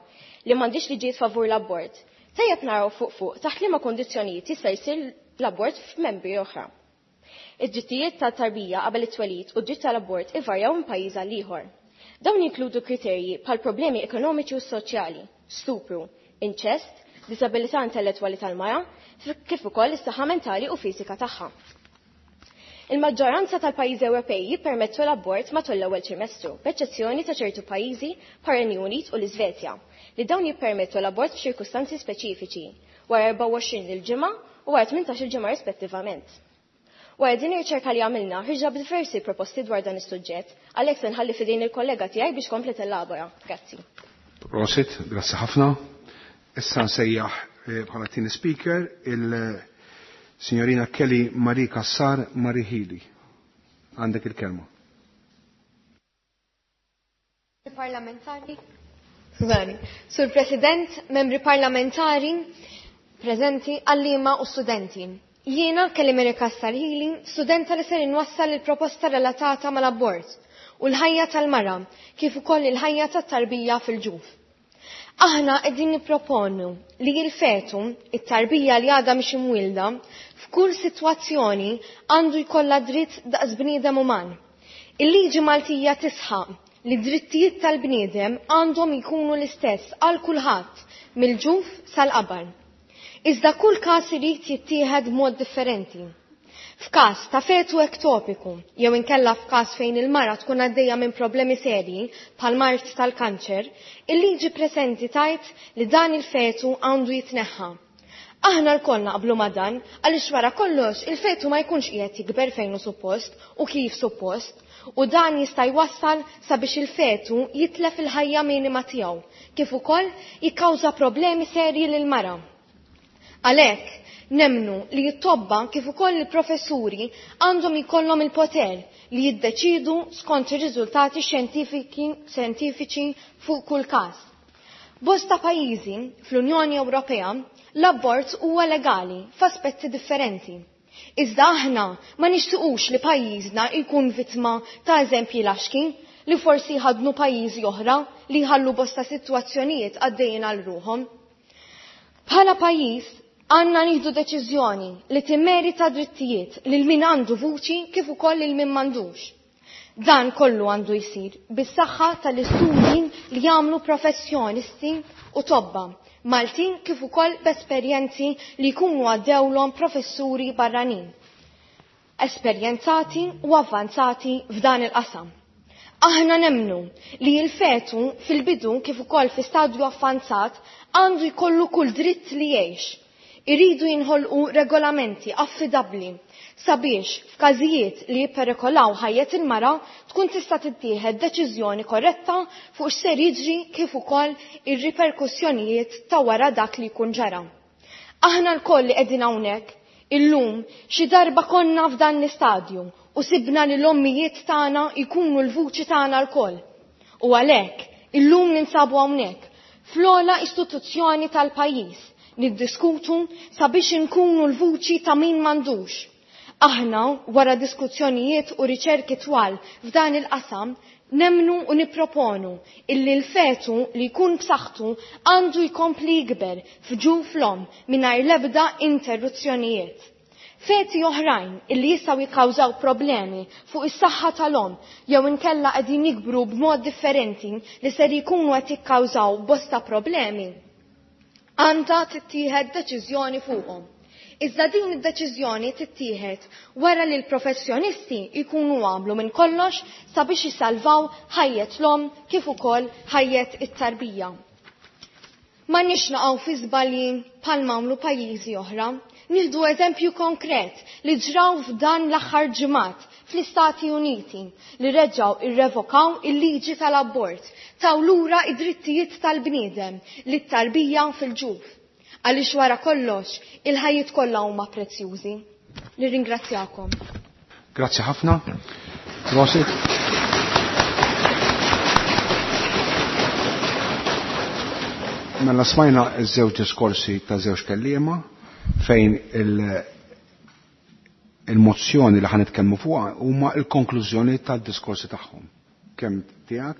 Speaker 3: li m'għandix liġijiet favur l-abort, tajjeb naraw fuq fuq taħt liema kondizzjonijiet jista' jsir l-abort f'membri oħra. Id-drittijiet tat-tarbija qabel it-twelid u d-dritt tal-abort ivarjaw minn pajjiż għal ieħor. Dawn jinkludu kriterji bħal problemi ekonomiċi u soċjali, stupru, inċest, diżabilità intellettwali tal-mara, kif ukoll is-saħħa mentali u fiżika tagħha. Il-maġġoranza tal-pajjiżi Ewropej jippermettu l-abort matul l-ewwel trimestru, b'eċċezzjoni ta' ċertu pajjiżi bħar-Renju Unit u l-Iżvezja, li dawn jippermettu l-abort f'ċirkustanzi speċifiċi, wara 24 il-ġimgħa u wara 18 il-ġimgħa rispettivament. Wara din ir-riċerka li għamilna, ħriġna b'diversi proposti dwar dan is-suġġett, għalhekk se nħalli f'idejn il-kollega tiegħi biex kompli tellabora. Grazzi.
Speaker 1: Prosit, grazzi ħafna. Issa nsejjaħ bħala tieni speaker il-Signorina Kelly Marie Cassar Marie Hili. Għandek il-kelma.
Speaker 4: Parlamentari. Skużani. Sur President, membri parlamentari, prezenti, għallima u studenti. Jiena Kelly Marie Cassar Hili, studenta li ser inwassal il-proposta relatata mal-abort u l-ħajja tal-mara, kif ukoll il-ħajja tat-tarbija fil-ġuf. Aħna qegħdin nipproponu li l-fetu, it-tarbija li għadha mhix imwielda, f'kull sitwazzjoni għandu jkollha dritt daqs bniedem uman. Il-liġi Maltija tisħaq li drittijiet tal-bniedem għandhom jkunu l-istess għal kulħadd mill-ġuf sal-qabar. Iżda kull każ irid jittieħed b'mod differenti. F'każ ta' fetu ektopiku, jew inkella f'każ fejn il-mara tkun għaddejja minn problemi serji bħal mard tal-kanċer, il-liġi preżenti tajt li dan il-fetu għandu jitneħħa. Aħna lkoll naqblu ma' dan għaliex wara kollox il-fetu ma jkunx qiegħed jikber fejn hu suppost u kif suppost, u dan jista' jwassal sabiex il-fetu jitlef il-ħajja minima tiegħu, kif ukoll jikkawża problemi serji lil-mara. Għalhekk, nemnu li t-tobba kif ukoll il-professuri għandhom jkollhom il-poter li jiddeċidu skont ir-riżultati xjentifiċi fuq kull każ. Bosta pajjiżi fl-Unjoni Ewropea l-abort huwa legali f'aspetti differenti. Iżda aħna ma nixtiequx li pajjiżna jkun vittma ta' eżempji laxki li forsi jħadnu pajjiżi oħra li jħallu bosta sitwazzjonijiet għaddejjin għal ruħhom. Bħala pajjiż għandna nieħdu deċiżjoni li timmerita drittijiet lil min għandu vuċi kif ukoll lil min m'għandux. Dan kollu għandu jsir bis-saħħa tal-istudji li jagħmlu professjonisti u tobba Maltin kif ukoll b'esperjenzi li jkunu għaddewlhom professuri barranin, esperjenzati u avvanzati f'dan il-qasam. Aħna nemnu li l-fetu fil-bidu kif ukoll fi stadju avvanzat għandu jkollu kull dritt li jgħix. Iridu jinħolqu regolamenti affidabbli sabiex f'każijiet li jipperikolaw ħajjet il-mara tkun tista' tittieħed deċiżjoni korretta fuq x'ser jiġri kif ukoll ir-riperkussjonijiet ta' wara dak li jkun ġara. Aħna lkoll li qegħdin hawnhekk illum xi darba konna f'dan l-istadju u sibna li l-ommijiet tagħna jkunu l-vuċi tagħna lkoll. U għalhekk illum ninsabu hawnhekk fl-ogħla istituzzjoni tal-pajjiż niddiskutu sabiex inkunu l-vuċi ta' min m'għandux. Aħna, wara diskussjonijiet u riċerki twal f'dan il-qasam, nemnu u nipproponu illi l-fetu li jkun b'saħħtu għandu jkompli jikber f'ġuf l-omm mingħajr l-ebda interruzzjonijiet. Feti oħrajn illi jistgħu jikkawżaw problemi fuq is-saħħa tal-omm jew inkella qegħdin jikbru b'mod differenti li ser jkunu qed jikkawżaw bosta problemi, għandha tittieħed deċiżjoni fuqhom. Iżda din id-deċiżjoni tittieħed wara li l-professjonisti jkunu għamlu minn kollox sabiex jisalvaw ħajjet l-omm kif ukoll ħajjet it-tarbija. Ma nix naqgħu fi żbalji bħal m'għamlu pajjiżi oħra. Nieħdu eżempju konkret li ġraw f'dan l-aħħar ġimgħat fl-Istati Uniti li reġgħu irrevokaw il-liġi tal-abort, taw lura id-drittijiet tal-bniedem li t-tarbija fil-ġuf. Għaliex wara kollox il-ħajjiet kollha huma prezzjużi. Nirringrazzjakom.
Speaker 1: Grazzi ħafna. Prosit. Mela smajna ż-żewġ diskorsi ta' żewġ kelliema fejn il-mozzjoni li ħan nitkellmu fuqha huma l-konklużjoni tad-diskorsi tagħhom. Kemm tiegħek,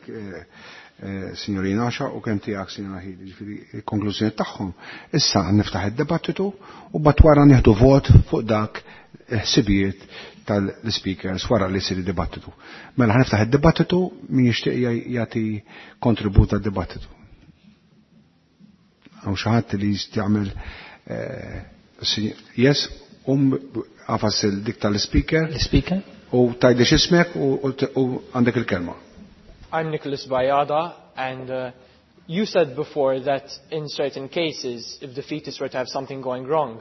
Speaker 1: Signorina Asha, u kemm tiegħek, Signorina Hili, ġifieri il-konklużjoni tagħhom. Issa niftaħ id-dibattitu u bat wara nieħdu vot fuq dak ħsibijiet tal-speakers wara li jsir id-dibattitu. Mela ħaniftaħ id-dibattitu min jixtieq jagħti kontribut għad-dibattitu. Hawn xi ħadd li jagħmel yes, għafas il-dik tal-speaker.
Speaker 5: L-speaker.
Speaker 1: U tgħidli x'ismek u għandek il-kelma.
Speaker 6: I'm Nicholas Bayada, and you said before that in certain cases, if the fetus were to have something going wrong,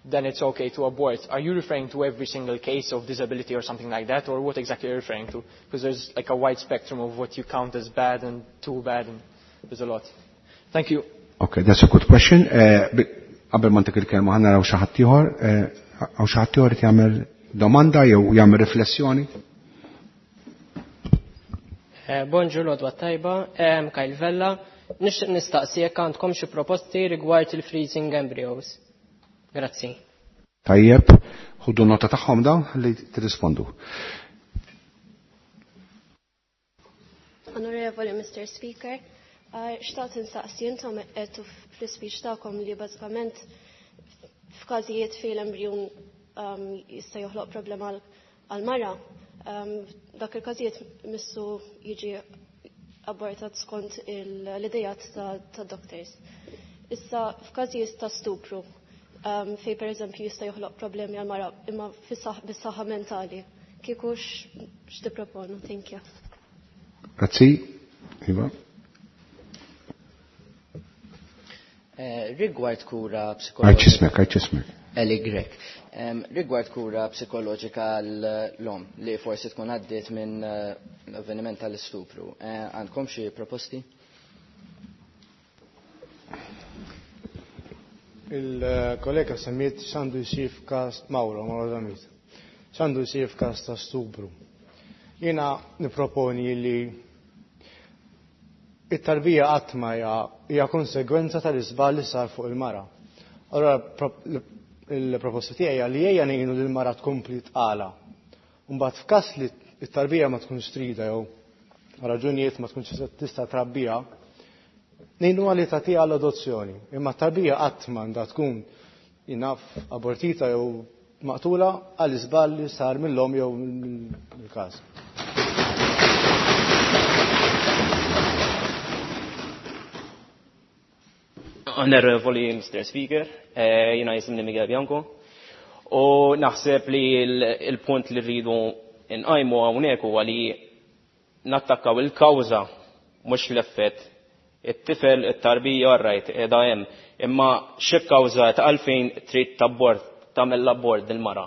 Speaker 6: then it's okay to abort. Are you referring to every single case of disability or something like that, or what exactly are you referring to? Because there's like a wide spectrum of what you count as bad and too bad, and there's a lot. Thank you.
Speaker 1: Okay, that's a good question. Qabel ma ntik il-kelma ħa naraw xi ħadd ieħor, hawn xi ħadd ieħor jagħmel domanda jew jagħmel riflessjoni.
Speaker 7: Bonġu, l-għodwa tajba, Kyle Vella, nixtieq nistaqsi jekk għandkom xi proposti rigward il-freezing embryos. Grazzi.
Speaker 1: Tajjeb, ħudu nota tagħhom dawn ħalli tirrispondu.
Speaker 8: Onorevoli Mr. Speaker, xtaqt insaqsi intom qed fl-ispeech tagħkom li bażikament f'każijiet fejn l-embryon jista' joħloq problema għal-mara, dak il-każijiet missu jiġi abortat skont l-idejat ta' doctors. Issa f'każijiet ta' stupru, fej per eżempju jista' joħloq problemi għal-mara imma bis-saħħa mentali. Kieku x'tipproponu? Thank you.
Speaker 1: Grazzi. Iva.
Speaker 9: Rigward kura psikoloġika.
Speaker 1: Għajċismek, għajċismek.
Speaker 9: Eli Grek. Rigward kura psikoloġika l-om li forsi tkun għaddiet minn l-avveniment tal-istupru. Għandkom xi proposti?
Speaker 10: Il-kollega semmiet x'għandu jsir f'każ Mauro, Mauro Zammit. X'għandu jsir f'każ ta' stupru. Jiena niproponi li it-tarbija qatt ma hija konsegwenza tal-iżball li sar fuq il-mara. Allora il-proposta tiegħi hija li ejja ngħinu lil mara tkompli tqala. Mbagħad f'każ li t-tarbija ma tkunx trida jew raġunijiet ma tkunx tista' trabbija, ngħinu li tagħtiha l-adozzjoni. Imma t-tarbija qatt m'għandha tkun jinaf abortita jew maqtula għal iżball li sar mill-omm jew mill-każ.
Speaker 11: Onorevoli Mr. Speaker, jina jisimni Miguel Bianco, u naħseb li il-punt li rridu nqajmu hawnhekk huwa li nattakkaw il-kawża mhux l-effett. It-tifel, it-tarbija, rajt, qiegħda hemm, imma xi kawża ta' għalfejn trid tabbord, tagħmel l-abort dil-mara.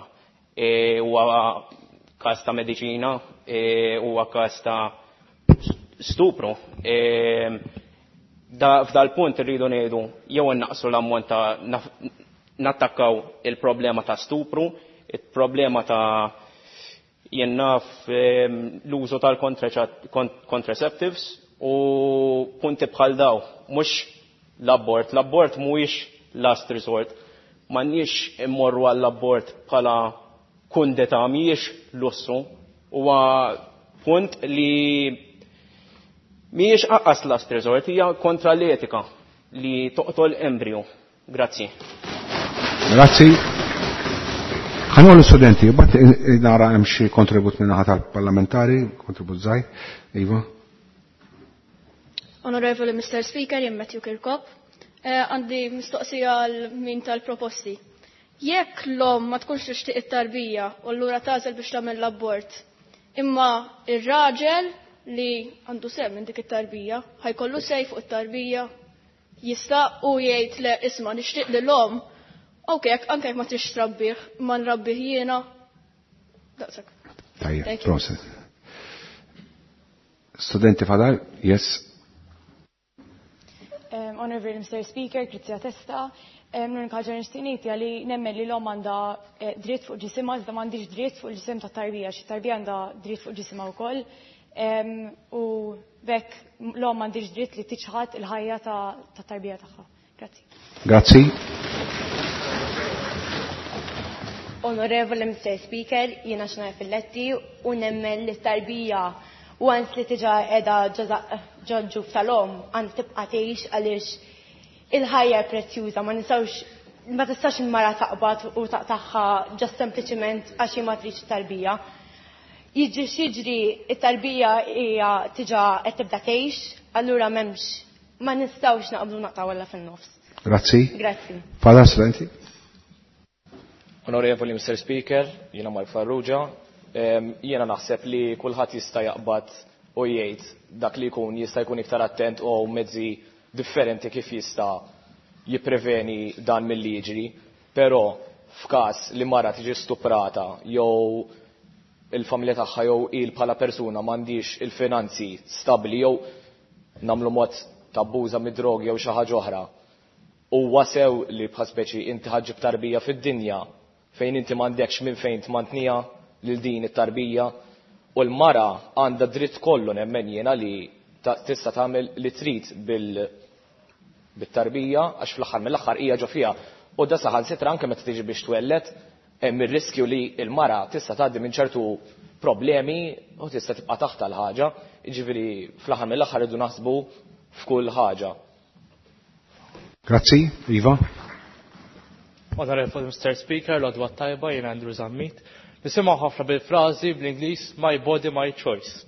Speaker 11: Huwa każ ta' mediċina, huwa każ ta' stupru. F'dal punt irridu ngħidu jew innaqsu l-ammont ta' nattakkaw il-problema ta' stupru, il-problema ta' jien naf l-użu tal-contraceptives u punti bħal daw, mhux l-abort. L-abort mhuwiex last resort. M'għandniex immorru għall-abort bħala kundeta, mhijiex lussu. Huwa punt li mhijiex aqqas last resort, hija kontra l-etika li toqtol embryo. Grazzi.
Speaker 1: Grazzi. Ħanqol l-studenti, bat nara hemm xi kontribut minn naħa tal-parlamentari, kontribut żgħir. Iva.
Speaker 12: Onorevoli Mr. Speaker, jien Matthew Kirkop. Għandi mistoqsija għal min tal-proposti. Jekk l-om ma tkunx tixtieq it-tarbija u allura tagħżel biex tagħmel l-abort, imma ir-raġel li għandu sem minn dik it-tarbija, ħajkollu sej fuq it-tarbija, jista' u jgħid le isma' nixtieq li l-om, ok, anke jekk ma trix trabbih, ma nrabbih jiena. Daqshekk.
Speaker 1: Tajjeb, proset. Studenti fadal, yes.
Speaker 13: Honorable Mr. Speaker, Krizia Testa, l-unika ħaġa nixtieq ngħid hija li nemmen li l-omm għandha dritt fuq ġisimha, iżda m'għandix dritt fuq il-ġisem tat-tarbija, xi tarbija għandha dritt fuq ġisimha wkoll. U bekk l-omm m'għandix dritt li tiċħad il-ħajja tat-tarbija tagħha. Grazzi.
Speaker 1: Grazzi.
Speaker 14: Onorevole Mr. Speaker, jiena xnajja fil-letti u nemmen li t-tarbija u għans li tiġa edha ġoġġu tal-om għand tibqa tgħix għaliex il-ħajja prezzjuża, ma nistgħux, ma tistax il-mara taqbad u taqtaħħa ġast sempliċiment għax hi ma tridx tarbija. Jiġri x'jiġri it-tarbija hija tiġa qed tibda tgħix, allura m'hemmx, ma nistgħux naqbdu naqtgħu walla fin-nofs.
Speaker 1: Grazzi.
Speaker 14: Grazzi.
Speaker 1: Fadal studenti.
Speaker 11: Onorevoli Mr. Speaker, jiena Mark Farrugia, jiena naħseb li kulħadd jista' jaqbad u jgħid dak li jkun jista' jkun iktar attent u mezzi differenti kif jista' jippreveni dan milli jiġri, però f'każ li mara tiġi stuprata jew il-familja tagħha jew il bħala persuna m'għandix il-finanzi stabbli jew nagħmlu mod tabbuża mid-drogi jew xi ħaġa oħra. Huwa sew li bħal speċi inti ħaġġib tarbija fid-dinja fejn inti m'għandekx minn fejn tmantniha lil din it-tarbija u l-mara għandha dritt kollu nemmen jiena li tista' tagħmel li trid bit-tarbija għax fl-aħħar mill-aħħar hija ġo fiha. U da saħansitra anke meta tiġi biex twellet hemm ir-riskju li l-mara tista' tgħaddi minn ċertu problemi u tista' tibqa' taħt l-ħaġa, jiġifieri fl-aħħar mill-aħħar irridu naħsbu f'kull ħaġa.
Speaker 1: Grazzi, Iva.
Speaker 5: Onorevoli Mr. Speaker, l-għodwa tajba, jien Andrew Zammit. Nisimgħu ħafna bil-frażi bl-Ingliż my body, my choice.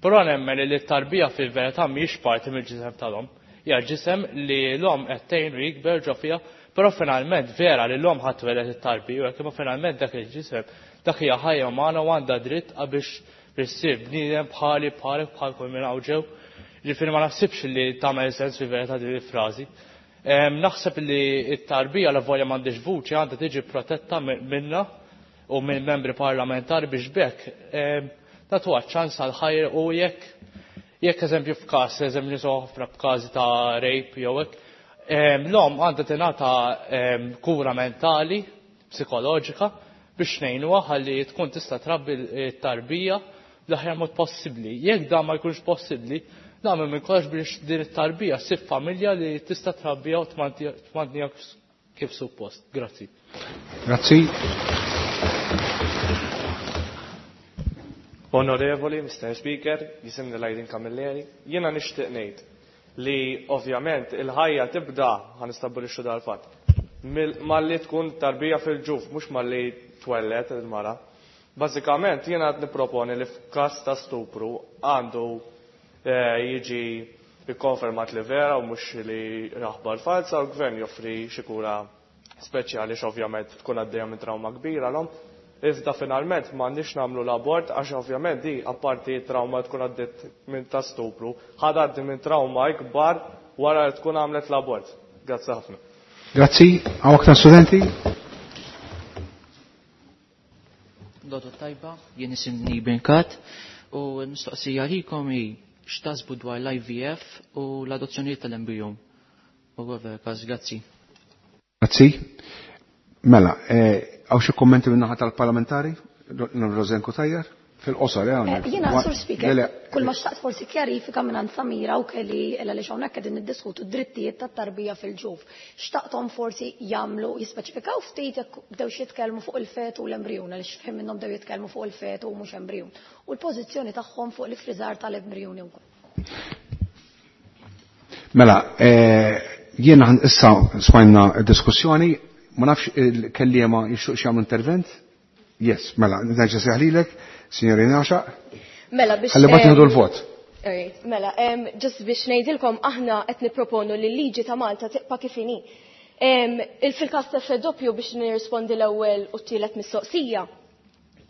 Speaker 5: Però nemmen li t-tarbija fil-verità mhijiex parti mill-ġisem tal-omm. Hija ġisem li l-omm qed tgħinu jikber ġo fiha, però finalment vera li l-omm ħadd tweled it-tarbija, jekk imma finalment dak il-ġisem dak hija ħajja umana u għandha dritt biex issir bniedem bħali bħalek bħal kull minn hawn ġew. Ġifieri ma naħsibx li tagħmel sens fil-verità din il-frażi. Naħseb li t-tarbija la volja m'għandix vuċi għandha tiġi protetta minna u minn membri parlamentari biex bekk nagħtuha ċans għal ħajja u jekk eżempju f'każ, eżempju nisimgħu ħafna b'każi ta' rape jew hekk, l-omm għandha tingħata kura mentali, psikoloġika biex ngħinuha ħalli tkun tista' trabbi t-tarbija bl-aħjar mod possibbli. Jekk dan ma jkunx possibbli, nagħmel minn kollox biex din it-tarbija ssib familja li tista' trabbija u tmantniha kif suppost. Grazzi.
Speaker 1: Grazzi.
Speaker 15: Onorevoli, Mr. Speaker, jisimni Lajdin Camilleri, jiena nixtieq ngħid li ovvjament il-ħajja tibda, ħa nistabbilixxu dal-fatt, malli tkun tarbija fil-ġuf, mhux malli twellet il-mara. Bażikament jiena qed nipproponi li f'każ ta' stupru għandu jiġi ikkonfermat li vera u mhux li aħbar falsa u l-gvern joffri xi kura speċjali x'ovvjament tkun għaddejja minn trauma kbira l-omm. Iżda finalment m'għandniex nagħmlu l-abort għax ovvjament di apparti trauma tkun għaddiet minn ta' stupru, ħad għaddi minn trauma ikbar wara li tkun għamlet l-abort. Grazzi ħafna.
Speaker 1: Grazzi, hawn aktar studenti?
Speaker 16: Dodo tajba, jien isimni Brinkat u l-mistoqsija likom hi x'tasbu dwar l-IVF u l-adozzjonijiet tal-embryon. U għaver, każ, grazzi.
Speaker 1: Grazzi. Mela, hawn xi kummenti minn naħa tal-parlamentari? Rosen Cutajar? Fil-qosor, hawnhekk.
Speaker 17: Jiena, Sur Speaker,
Speaker 1: Le, le.
Speaker 17: kull ma xtaqt forsi kjarifika minn għand Samira u kelli illa li hawnhekk qegħdin niddiskutu d-drittijiet tat-tarbija fil-ġuf. Xtaqthom forsi jagħmlu jispeċifikaw ftit jekk bdew jitkellmu fuq il-fetu u l-embrjun, għaliex f'ħin minnhom bdew jitkellmu fuq il-fetu u mhux embrjun. U l-pożizzjoni tagħhom fuq l-ifriżar tal-embrjuni wkoll.
Speaker 1: Mela, jiena issa smajna diskussjoni, ma nafx il-kelliema jixtieq jagħmlu intervent? Yes, mela, nerġa' seħlilek, signorina Għaxaq.
Speaker 3: Mela, biex,
Speaker 1: Ħalli mbagħad nieħdu l-vot.
Speaker 3: Alright, mela, just biex ngħidilkom aħna qed nipproponu li l-liġi ta' Malta tibqa' kif inhi. Fil-każ ta' effett doppju biex nirrispondi l-ewwel u t-tielet mistoqsija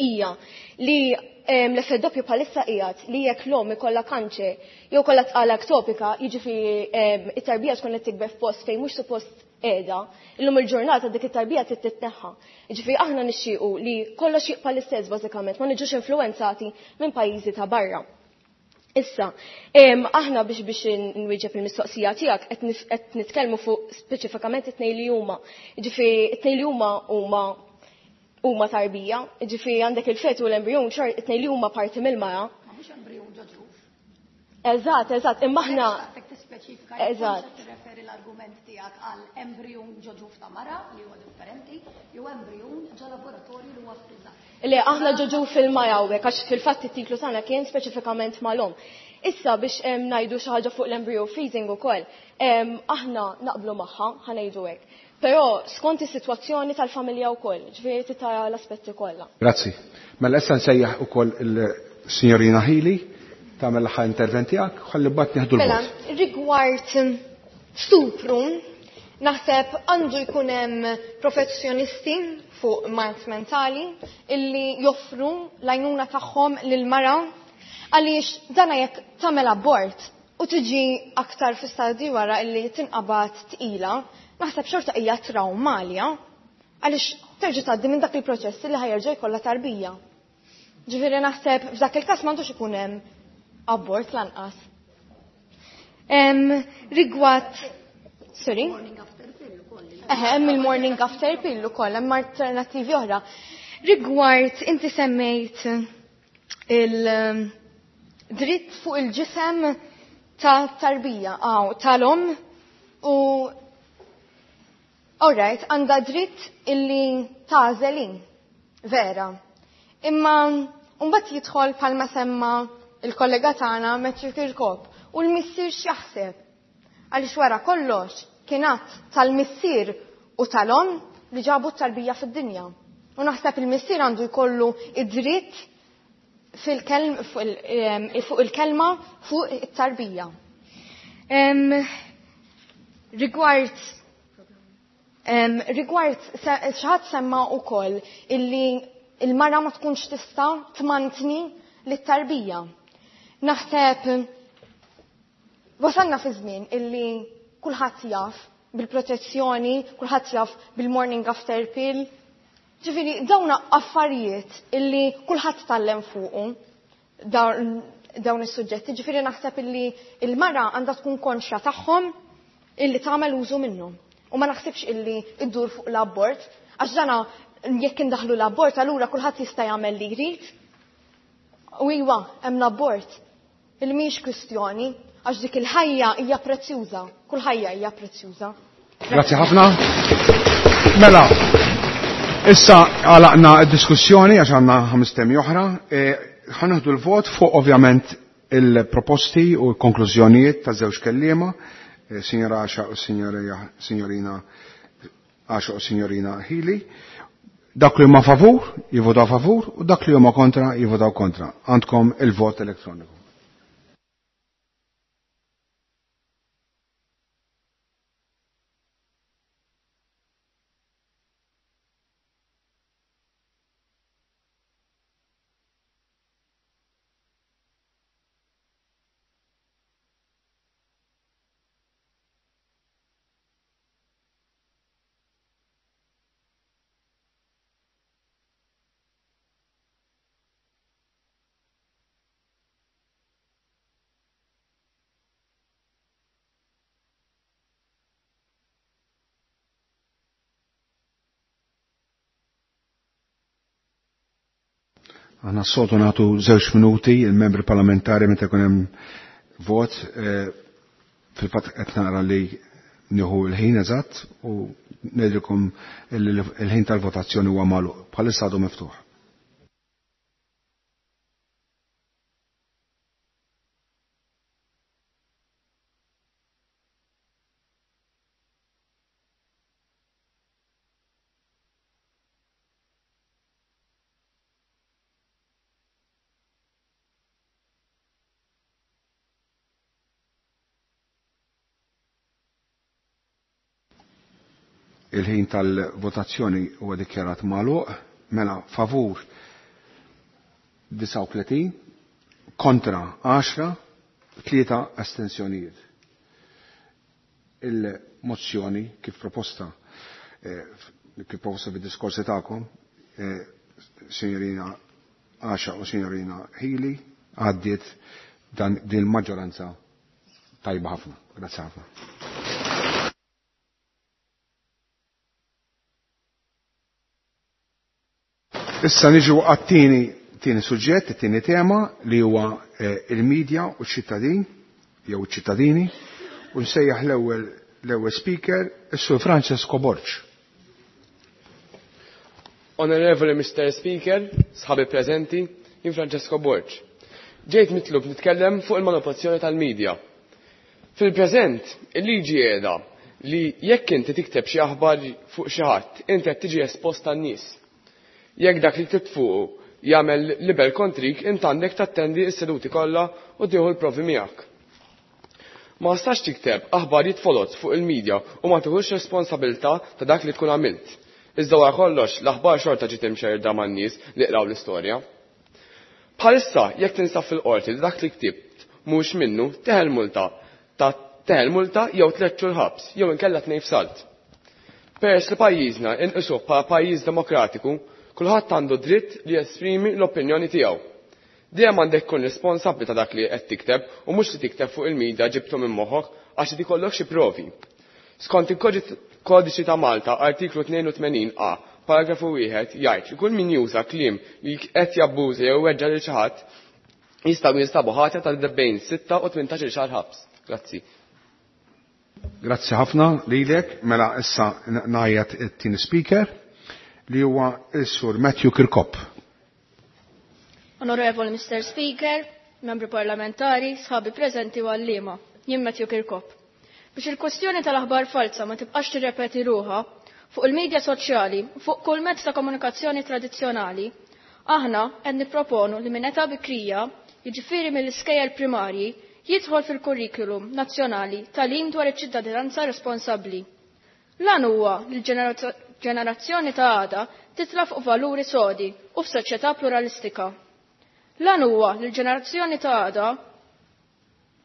Speaker 3: hija li l-effett doppju bħalissa qiegħed li jekk l-omm ikollha kanċer jew kollha tqala ektopika, jiġifieri it-tarbija tkun qed tikber f'post fejn mhux suppost qiegħda, illum il-ġurnata dik it-tarbija trid titneħħa. Jiġifieri aħna nixtiequ li kollox jibqa' l-istess bażikament, ma niġux influwenzati minn pajjiżi ta' barra. Issa, aħna biex nwieġeb il-mistoqsija tiegħek qed nitkellmu fuq speċifikament it-tnejn li huma. Jiġifieri it-tnejn li huma huma tarbija, jiġifieri għandek il-fetu u l-embrjon, xor it-tnejn li huma parti mill-mara.
Speaker 17: Ma mhux embrjon ġo ġuf.
Speaker 3: Eżatt, eżatt, imma aħna
Speaker 17: Xtaqtek tispeċifika jekk
Speaker 3: Eżatt.
Speaker 17: tkunx qed tirreferi l-argument tiegħek għal embrjon ġo ġuf ta' mara li huwa differenti, jew embrjon ġo laboratorju li huwa friżat.
Speaker 3: Le, aħna ġo ġuf fil-mara hawnhekk għax fil-fatt it-titlu tagħna kien speċifikament mal-omm. Issa biex ngħidu xi ħaġa fuq l-embryo freezing ukoll, aħna naqblu magħha, ħanejdu hekk. Però skont is-sitwazzjoni tal-familja wkoll, ġifieri titara l-aspetti kollha.
Speaker 1: Grazzi. Mela issa nsejjaħ ukoll il-Signorina Hili tagħmel l-aħħar intervent tiegħek, ħalli mbagħad nieħdu l-vot.
Speaker 4: Mela, rigward stupru, Naħseb għandu jkun hemm professjonisti fuq mard mentali illi joffru l-għajnuna tagħhom lil mara għaliex dana jekk tagħmel abort u tiġi aktar fi stadji wara illi tinqabad tqila, naħseb xorta hija trawma għalija għaliex terġa' tgħaddi minn dak il-proċess li ħa jerġa' jkollha tarbija. Ġifieri naħseb f'dak il-każ m'għandux ikun hemm abort lanqas. Rigward sorry? Eħe, hemm il-morning after pill ukoll, hemm alternattivi oħra. Rigward inti semmejt il-dritt fuq il-ġisem ta' tarbija, aw, tal-om u alright, għandha dritt illi tagħżel vera. Imma mbagħad jidħol bħalma semma il-kollega tagħna Matthew Kirkop u l-missier x'jaħseb. Għaliex wara kollox kien att tal-missier u tal-om li ġabu t-tarbija fid-dinja. U naħseb il-missier għandu jkollu id-dritt fuq il-kelma fuq it-tarbija. Rigward rigward xi ħadd semma wkoll illi il-mara ma tkunx tista' tmantni lit-tarbija. Naħseb wasalna fi żmien illi kulħadd jaf bil-protezzjoni, kulħadd jaf bil-morning after pill. Ġifieri dawn affarijiet illi kulħadd tgħallem fuqu dawn is-suġġetti, ġifieri naħseb illi il-mara għandha tkun konxja tagħhom illi tagħmel użu minnhom. U ma naħsibx illi iddur fuq l-abort, għax dana jekk indaħlu l-abort allura kulħadd jista' jagħmel li jrid. U iwa, hemm l-abort. Il mhix kwistjoni, għax dik il-ħajja hija prezzjuża, kull ħajja hija prezzjuża.
Speaker 1: Grazzi ħafna. Mela, issa għalaqna d-diskussjoni għax għandna 5 temi oħra. Ħa nieħdu l-vot fuq ovvjament il-proposti u l-konklużjonijiet ta' żewġ kelliema, Signora Asha u Signorina Asha u Signorina Hili. Dak li huma favur, jivvotaw favur, u dak li huma kontra, jivvotaw kontra. Għandkom il-vot elettroniku. Aħna s-soltu nagħtu 2 minuti il-membri parlamentari meta jkun hemm vot, fil-fatt qed nara li nieħu l-ħin eżatt u ngħidilkom il-ħin tal-votazzjoni huwa magħluq. Bħalissa għadu miftuħ. Il-ħin tal-votazzjoni huwa dikjarat magħluq, mela favur 39, kontra 10, 3 astensjonijiet. Il-mozzjoni kif proposta fid-diskorsi tagħkom, Signorina Asha u Signorina Hili, għaddiet din il-maġġoranza tajba ħafna. Grazzi ħafna. Issa niġu għat-tieni tieni suġġett, it-tieni tema li huwa il-medja u ċ-ċittadin jew iċ-ċittadini, u nsejjaħ l-ewwel speaker, is-Sur Francesco Borg.
Speaker 15: Onorevoli Mr. Speaker, sħabi preżenti, jien Francesco Borg. Ġejt mitlub nitkellem fuq il-manipolazzjoni tal-medja. Fil-preżent, il-liġi qiegħda li jekk inti tikteb xi aħbar fuq xi ħadd, inti qed tiġi espost tan-nies. Jekk dak li ktibt fuqu jagħmel libel kontrik, int għandek tattendi s-seduti kollha u tieħu l-provi miegħek.
Speaker 18: Ma tistax tikteb aħbarijiet foloz fuq il-medja u ma tieħux responsabilità ta' dak li tkun għamilt. Iżda wara kollox l-aħbar xorta ġiet imxerrda man-nies li qraw l-istorja. Bħalissa jekk tinsab fil-qorti li dak li ktibt mhux minnu teħel multa ta' teħel multa jew tlett xhur ħabs jew inkella tnejn f'salt. Peress li pajjiżna inqisuh bħala pajjiż demokratiku, kulħadd għandu dritt li jesprimi l-opinjoni tiegħu. Dejjem għandek tkun responsabbli ta' dak li qed tikteb u mhux li tikteb fuq il-media ġibtu minn moħħok għax irid ikollok xi provi. Skont il-Kodiċi ta' Malta artiklu 82 A paragrafu 1 jgħid li kull min juża kliem li qed jabbuża jew iweġġa' lil xi ħadd jistgħu jinstabu ħatja ta' bejn 6 u 18-il xahar ħabs. Grazzi.
Speaker 1: Grazzi ħafna lilek, mela issa ngħajjat it-tieni speaker li huwa s-Sur Matthew Kirkop.
Speaker 12: Onorevoli Mr. Speaker, membri parlamentari, sħabi preżenti u għalliema, jien Matthew Kirkop. Biex il-kwestjoni tal-aħbar falsa ma tibqax tirrepeti ruħha fuq il-medja soċjali u fuq kull mezz ta' komunikazzjoni tradizzjonali, aħna qed nipproponu li minn età bikrija, jiġifieri mill-iskejjel primarji, jidħol fil-kurrikulum nazzjonali tagħlim dwar iċ-ċittadinanza responsabbli. L-għan huwa li l-ġenerazzjoni ta' għada titla' fuq valuri sodi u f'soċjetà pluralistika. L-għan huwa li l-ġenerazzjoni ta' għada,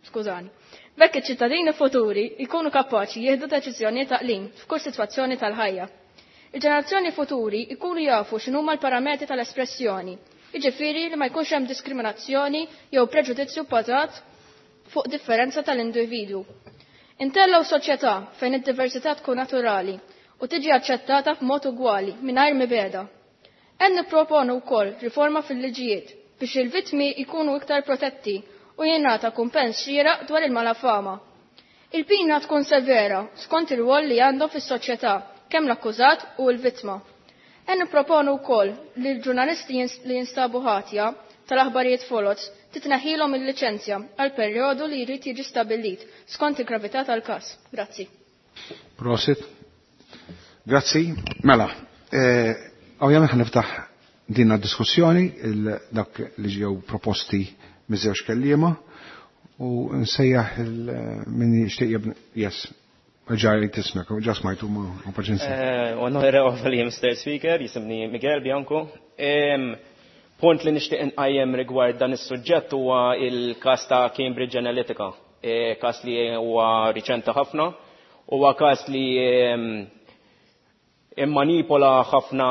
Speaker 12: skużani, b'hekk iċ-ċittadini futuri jkunu kapaċi jieħdu deċiżjonijiet għaqlin f'kull sitwazzjoni tal-ħajja. Il-ġenerazzjoni futuri jkunu jafu x'inhuma l-parametri tal-espressjoni, jiġifieri li ma jkunx hemm diskriminazzjoni jew preġudizzju bbażat fuq differenza tal-individwu. Intellgħu soċjetà fejn id-diversità tkun naturali u tiġi aċċettata b'mod ugwali mingħajr mibegħda. Qed nipproponu wkoll riforma fil-liġijiet biex il-vittmi jkunu iktar protetti u jingħata kumpens xieraq dwar il-malafama. Il-pina tkun severa skont ir-rwol li għandhom fis-soċjetà kemm l-akkużat u l-vittma. Qed nipproponu wkoll li l-ġurnalisti li jinstabu ħatja tal-aħbarijiet foloz titneħħilhom il-liċenzja għal perjodu li jrid jiġi stabbilit skont il-gravità tal-każ. Grazzi.
Speaker 1: Prosit. Grazzi. Mela, ovvjament ħa niftaħ din diskussjoni dak li ġew proposti miż-żewġ kelliema u nsejjaħ min jixtieq jibni. Yes. Ġaj tismek, ġa smajtu ma paċenza.
Speaker 11: Onorevoli Mr. Speaker, jisimni Miguel Bianco. Punt li nixtieq inqajjem rigward dan is-suġġett huwa il-każ ta' Cambridge Analytica, każ li huwa riċenti ħafna, huwa każ li immanipola ħafna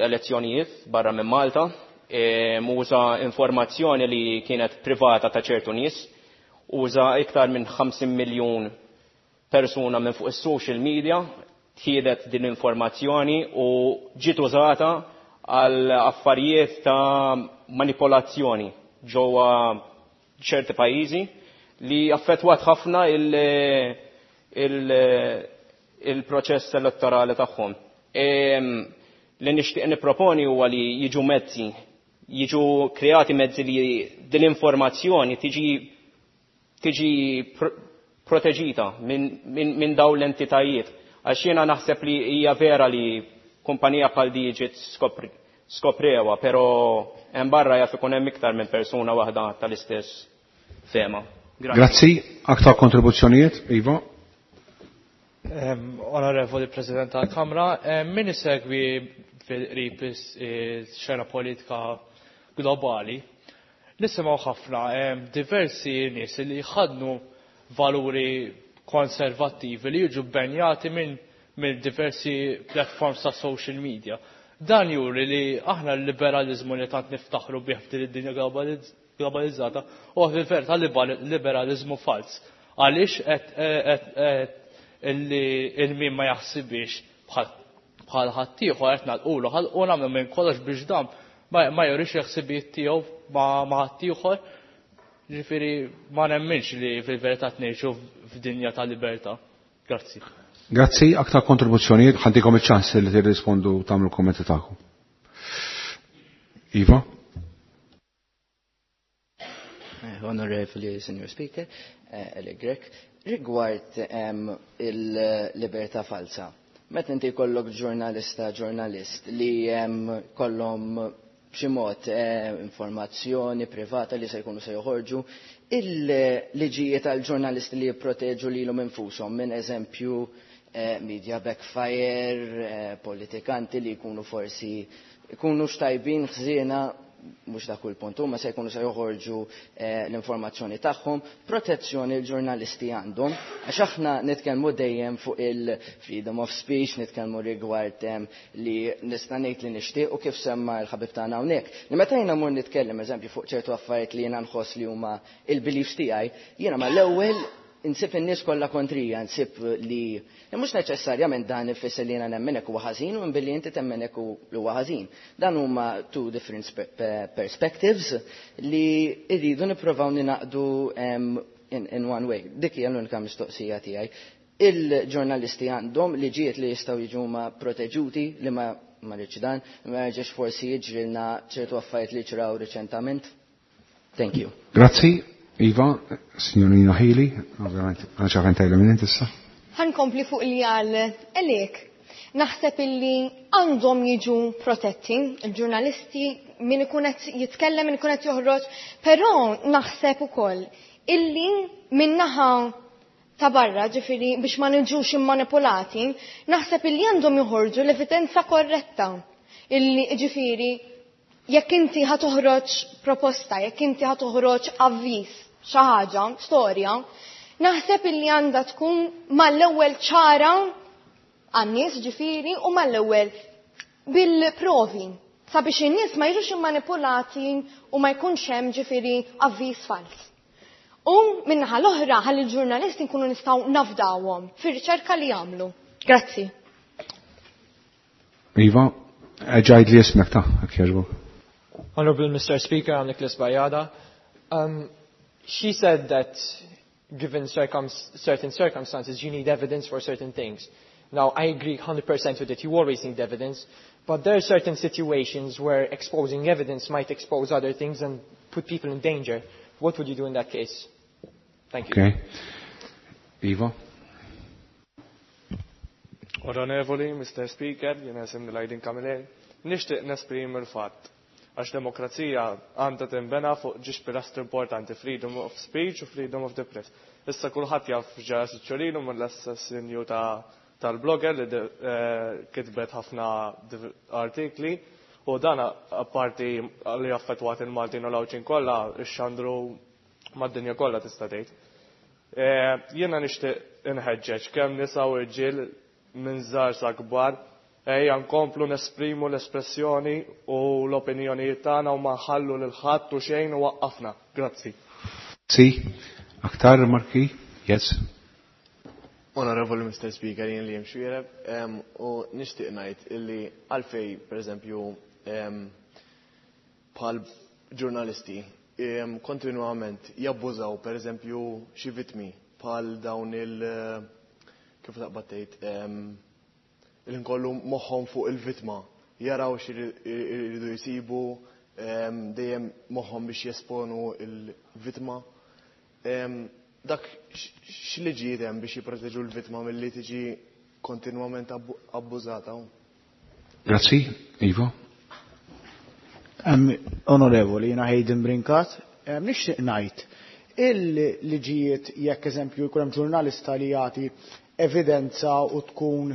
Speaker 11: elezzjonijiet barra minn Malta, uża informazzjoni li kienet privata ta' ċertu nies, uża iktar minn 50 miljun persuna minn fuq is-social media, tħiedet din l-informazzjoni u ġiet użata għal affarijiet ta' manipolazzjoni ġewwa ċerti pajjiżi li affettwat ħafna il-proċess elettorali tagħhom. Li nixtieq nipproponi huwa li jiġu mezzi, jiġu kreati mezzi li din l-informazzjoni tiġi proteġita minn dawn l-entitajiet. Għax jiena naħseb li hija vera li kumpanija bħal di ġiet skoprewa, però hemm barra jaf ikun hemm iktar minn persuna waħda tal-istess fema.
Speaker 1: Grazzi. Aktar kontribuzzjonijiet, Iva.
Speaker 5: Onorevoli President tal-Kamra, min isegwi fil-qrib ix-xena politika globali, nisimgħu ħafna diversi nies li jħaddnu valuri konservattivi li jiġu bbenjati minn diversi platforms ta' social media. Dan juri li aħna l-liberalizmu li tant niftaħru bih f'din id-dinja globalizzata huwa fil-verità liberalizmu fals. Għaliex qed illi il-min ma jaħsibix bħal ħaddieħor qed nagħlqulu ħalqu nagħmlu minn kollox biex dan ma jurix il-ħsibijiet tiegħu ma' ħaddieħor. Ġifieri ma nemminx li fil-verità ngħixu f'dinja ta' libertà. Grazzi.
Speaker 1: Grazzi, aktar kontribuzzjonijiet, ħantikom iċ-ċans li tirrispondu tagħmlu kommenti tagħkom. Iva?
Speaker 9: Onorevoli Senior Speaker, Eli Grech, rigward il-libertà falsa. Meta inti jkollok ġurnalista, ġurnalist li kollhom b'xi mod informazzjoni privata li se jkunu se joħorġu, Il-liġijiet għal ġurnalisti li jipproteġu lilhom infushom minn eżempju media backfire, politikanti li jkunu forsi jkunu xtajbin ħżiena, mhux dak il punt, huma se jkunu se joħorġu l-informazzjoni tagħhom, protezzjoni l-ġurnalisti għandhom, għax aħna nitkellmu dejjem fuq il-freedom of speech, nitkellmu rigward li nista' ngħid li nixtieq u kif semma l-ħabib tagħna hawnhekk. Li meta jiena mmur nitkellem eżempju fuq ċertu affarijiet li jiena nħoss li huma il-beliefs tiegħi, jiena mal-ewwel insib in-nies kollha kontrija, nsib li mhux neċessarjament dan ifisser li jiena nemmen hekk huwa ħażin u billi inti temmen hekk huwa ħażin. Dan huma two different perspectives li rridu nippruvaw ninaqdu in one way. Dik hija l-unika mistoqsija tiegħi. Il-ġurnalisti għandhom liġijiet li jistgħu jiġu ma proteġuti li ma rridx dan, ma jerġax forsi jiġrilna ċertu affarijiet li ġraw riċentament. Thank you.
Speaker 1: Grazzi. Iva, signorina Hili, ovvjament, għan xafen tajla minn issa.
Speaker 4: Ħankompli fuq li għal Elik. Naħseb illi għandhom jiġu protetti, il-ġurnalisti, min ikun qed jitkellem, min ikun qed joħroġ, però naħseb ukoll illi min-naħa ta' barra, ġifieri biex ma niġux immanipulati, naħseb illi għandhom joħorġu l-evidenza korretta. Illi ġifieri jekk inti ħa toħroġ proposta, jekk inti ħa toħroġ avviż, xi ħaġa, storja, naħseb illi għandha tkun mal-ewwel ċara għan-nies ġifieri u mal-ewwel bil-provi sabiex in-nies ma jiġux immanipulati u ma jkunx hemm ġifieri avviż fals. U min-naħa l-oħra ħalli l-ġurnalisti nkunu nistgħu nafdawhom fir-riċerka li jagħmlu. Grazzi.
Speaker 1: Iva, ġajd li ismek ta' jekk jogħġbok.
Speaker 6: Honorable Mr. Speaker, I'm Nicholas Bajada. She said that given certain circumstances, you need evidence for certain things. Now, I agree 100% with it. You always need evidence. But there are certain situations where exposing evidence might expose other things and put people in danger. What would you do in that case? Thank you.
Speaker 1: Okay. Iva?
Speaker 15: Onorevoli, Mr. Speaker, jena jisimni Lajdin Camilleri, nixtieq nesprimi l-fatt għax demokrazija għandha tinbena fuq ġiex pilastri importanti, freedom of speech u freedom of the press. Issa kulħadd jaf ġara Siċċolinu mill-assassinju tal-blogger li kitbet ħafna artikli u dan apparti li affettwat il-Maltin u l-Għawdxin kollha ixxandru mad-dinja kollha tista' tgħid. Jiena nixtieq inħeġġeġ kemm nisa u rġiel minn żgħar sa kbar ejja nkomplu nesprimu l-espressjoni u l-opinjonijiet tagħna u ma nħallu lil ħadd u xejn u waqqafna. Grazzi.
Speaker 1: Si, aktar rimarki? Yes.
Speaker 19: Onorevoli Mr. Speaker, jien li jimxu jereb, u nixtieq ngħid illi għalfej, per eżempju, bħal ġurnalisti, kontinuament jabbużaw, per eżempju, xi vittmi bħal dawn il-, kif taqbad tgħid, il-nkollu moħħhom fuq il-vittma, jaraw x'iridu jsibu, dejjem moħħhom biex jesponu il-vittma. Dak x'liġijiet hemm biex jipproteġu l-vittma milli tiġi kontinwament abbużata?
Speaker 1: Grazzi, Ivo.
Speaker 20: Onorevoli, jiena Hayden Brincat, nixtieq ngħid il-liġijiet jekk eżempju jkun hemm ġurnalista li jagħti evidenza u tkun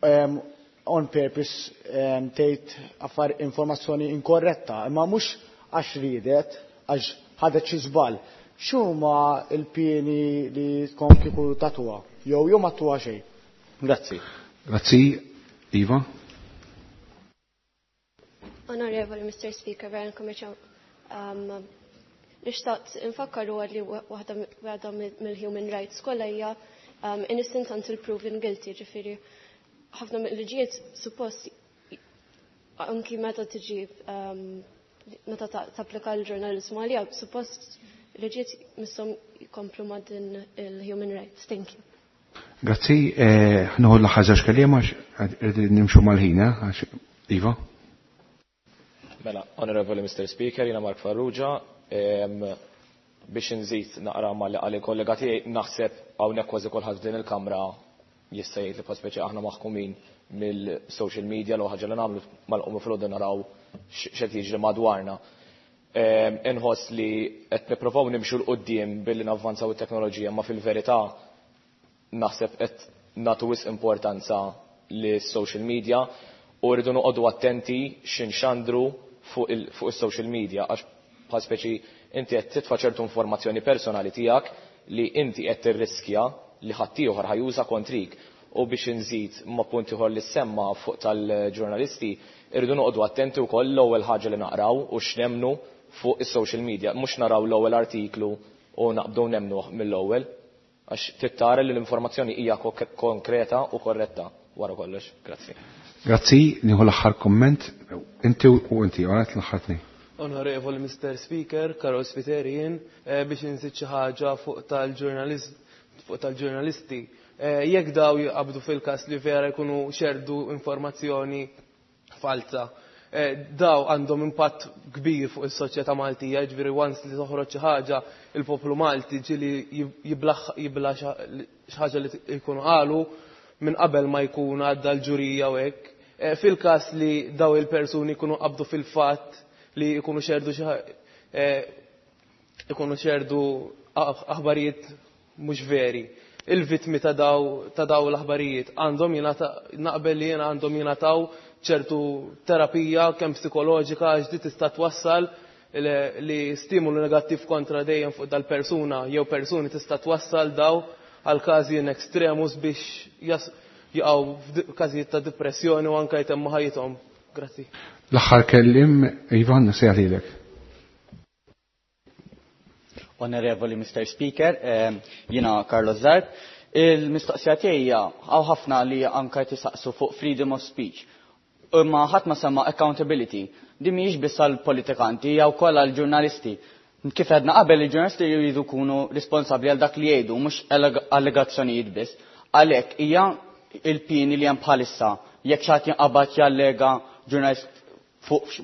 Speaker 20: on purpose tgħid affar informazzjoni inkorretta, imma mhux għax riedet, għax ħadet xi żball. X'huma l-pieni li tkun kieku tatuha? Jew jew ma tuha xejn? Grazzi.
Speaker 1: Grazzi, Iva.
Speaker 8: Onorevoli Mr. Speaker, vera nkommerċaw. Nixtaqt infakkar huwa li waħda mill-human rights kollha hija innocent until proven guilty, ġifieri ħafna mill-liġijiet suppost anki meta tiġi meta tapplika l-ġurnalizmu għalija, suppost liġijiet misshom jkomplu ma' din il-human rights. Thank you.
Speaker 1: Grazzi, ħnuħu l-aħħar żewġ kelliema għax nimxu mal-ħin, għax Iva.
Speaker 21: Mela, Onorevoli Mr. Speaker, jiena Mark Farrugia, biex nżid naqra ma li qal il-kollega tiegħi, naħseb hawnhekk kważi kulħadd f'din il-kamra jista' jgħid li bħal speċi aħna maħkumin mill-social media l ħaġa li nagħmlu mal-qumu fil-għodu naraw x'qed jiġri madwarna. Inħoss li qed nipprovaw nimxu 'l quddiem billi navvanzaw it-teknoloġija, ma fil-verità naħseb qed nagħtu wisq importanza lis-social media u rridu noqogħdu attenti x'inxandru fuq is-social media għax bħal speċi inti qed titfa' ċertu informazzjoni personali tiegħek li inti qed tirriskja li ħaddieħor ħa juża kontrik. U biex inżid ma' punt ieħor li ssemma fuq tal-ġurnalisti, irridu noqogħdu attenti wkoll l-ewwel ħaġa li naqraw u x'nemmnu fuq is-social media. Mhux naraw l-ewwel artiklu u naqbdu nemmnuh mill-ewwel. Għax trid tara li l-informazzjoni hija konkreta u korretta wara kollox. Grazzi.
Speaker 1: Grazzi, nieħu l-aħħar kumment. Inti u inti, għalet l-aħħar tnejn.
Speaker 2: Onorevoli Mr. Speaker, Karol Spiteri jien, biex inżid xi ħaġa fuq tal-ġurnalist fuq tal-ġurnalisti. Jekk daw jaqbdu fil-każ li vera jkunu xerdu informazzjoni falza, daw għandhom impatt kbir fuq is-soċjetà Maltija, jiġifieri once li toħroġ xi ħaġa, il-poplu Malti ġieli jibla xi ħaġa li jkunu qalu minn qabel ma jkun għadda l-ġurija u hekk. Fil-każ li daw il-persuni jkunu qabdu fil-fatt li jkunu xerdu xi ikunu xerdu aħbarijiet mhux veri. Il-vittmi ta' daw l-aħbarijiet għandhom jingħata, naqbel li jiena għandhom jingħataw ċertu terapija kemm psikoloġika għax di tista' twassal li stimulu negattiv kontra dejjem fuq dal-persuna jew persuni tista' twassal daw għal każi in extremus biex jaqgħu f'każijiet ta' depressjoni u anke jtemmu ħajjithom. Grazzi.
Speaker 1: L-aħħar kellim, Ivan, sejħ lilek.
Speaker 22: Onorevoli Mr. Speaker, jiena Carlos Zarb. Il-mistoqsija tiegħi hija hawn ħafna li anke tisaqsu fuq freedom of speech. Imma ħadd ma semma accountability. Din mhijiex biss għall-politikanti, hija wkoll għall-ġurnalisti. Kif għedna qabel, il-ġurnalisti jridu jkunu responsabbli għal dak li jgħidu, mhux allegazzjonijiet biss. Għalhekk hija il-pieni li hemm bħalissa jekk xi ħadd jinqabad jallega ġurnalist fuq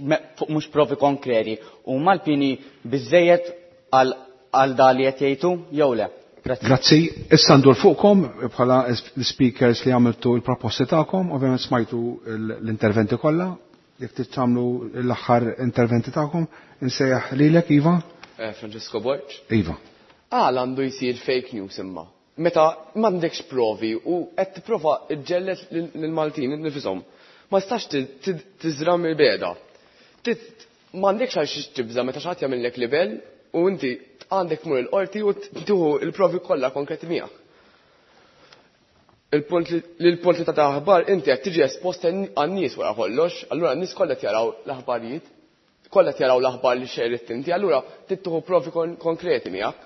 Speaker 22: mhux provi konkreti, huma l-pieni biżejjed għal da li qed jgħidu jew le? Grazzi.
Speaker 1: Grazzi. Issa ndur fuqkom bħala l-speakers li għamiltu l-proposti tagħkom, ovvjament smajtu l-interventi kollha. Jekk trid tagħmlu l-aħħar interventi tagħkom, insejjaħ lilek, Iva.
Speaker 18: Francesco Borg.
Speaker 1: Iva.
Speaker 18: Għal għandu jsir fake news imma. Meta m'għandekx provi u qed tipprova ġġellet lill-Maltin nifisom. Ma tistax tiżra mill-beda. M'għandekx għal xiex tibża meta xi ħadd jagħmellek libel u inti għandek tmur il-qorti u tieħu l-provi kollha konkreti miegħek. Il-punt li ta' aħbar inti qed tiġi espost għan-nies wara kollox, allura n-nies kollha qed jaraw l-aħbarijiet, kollha qed jaraw l-aħbar li xerritt inti, allura trid tieħu provi konkreti miegħek.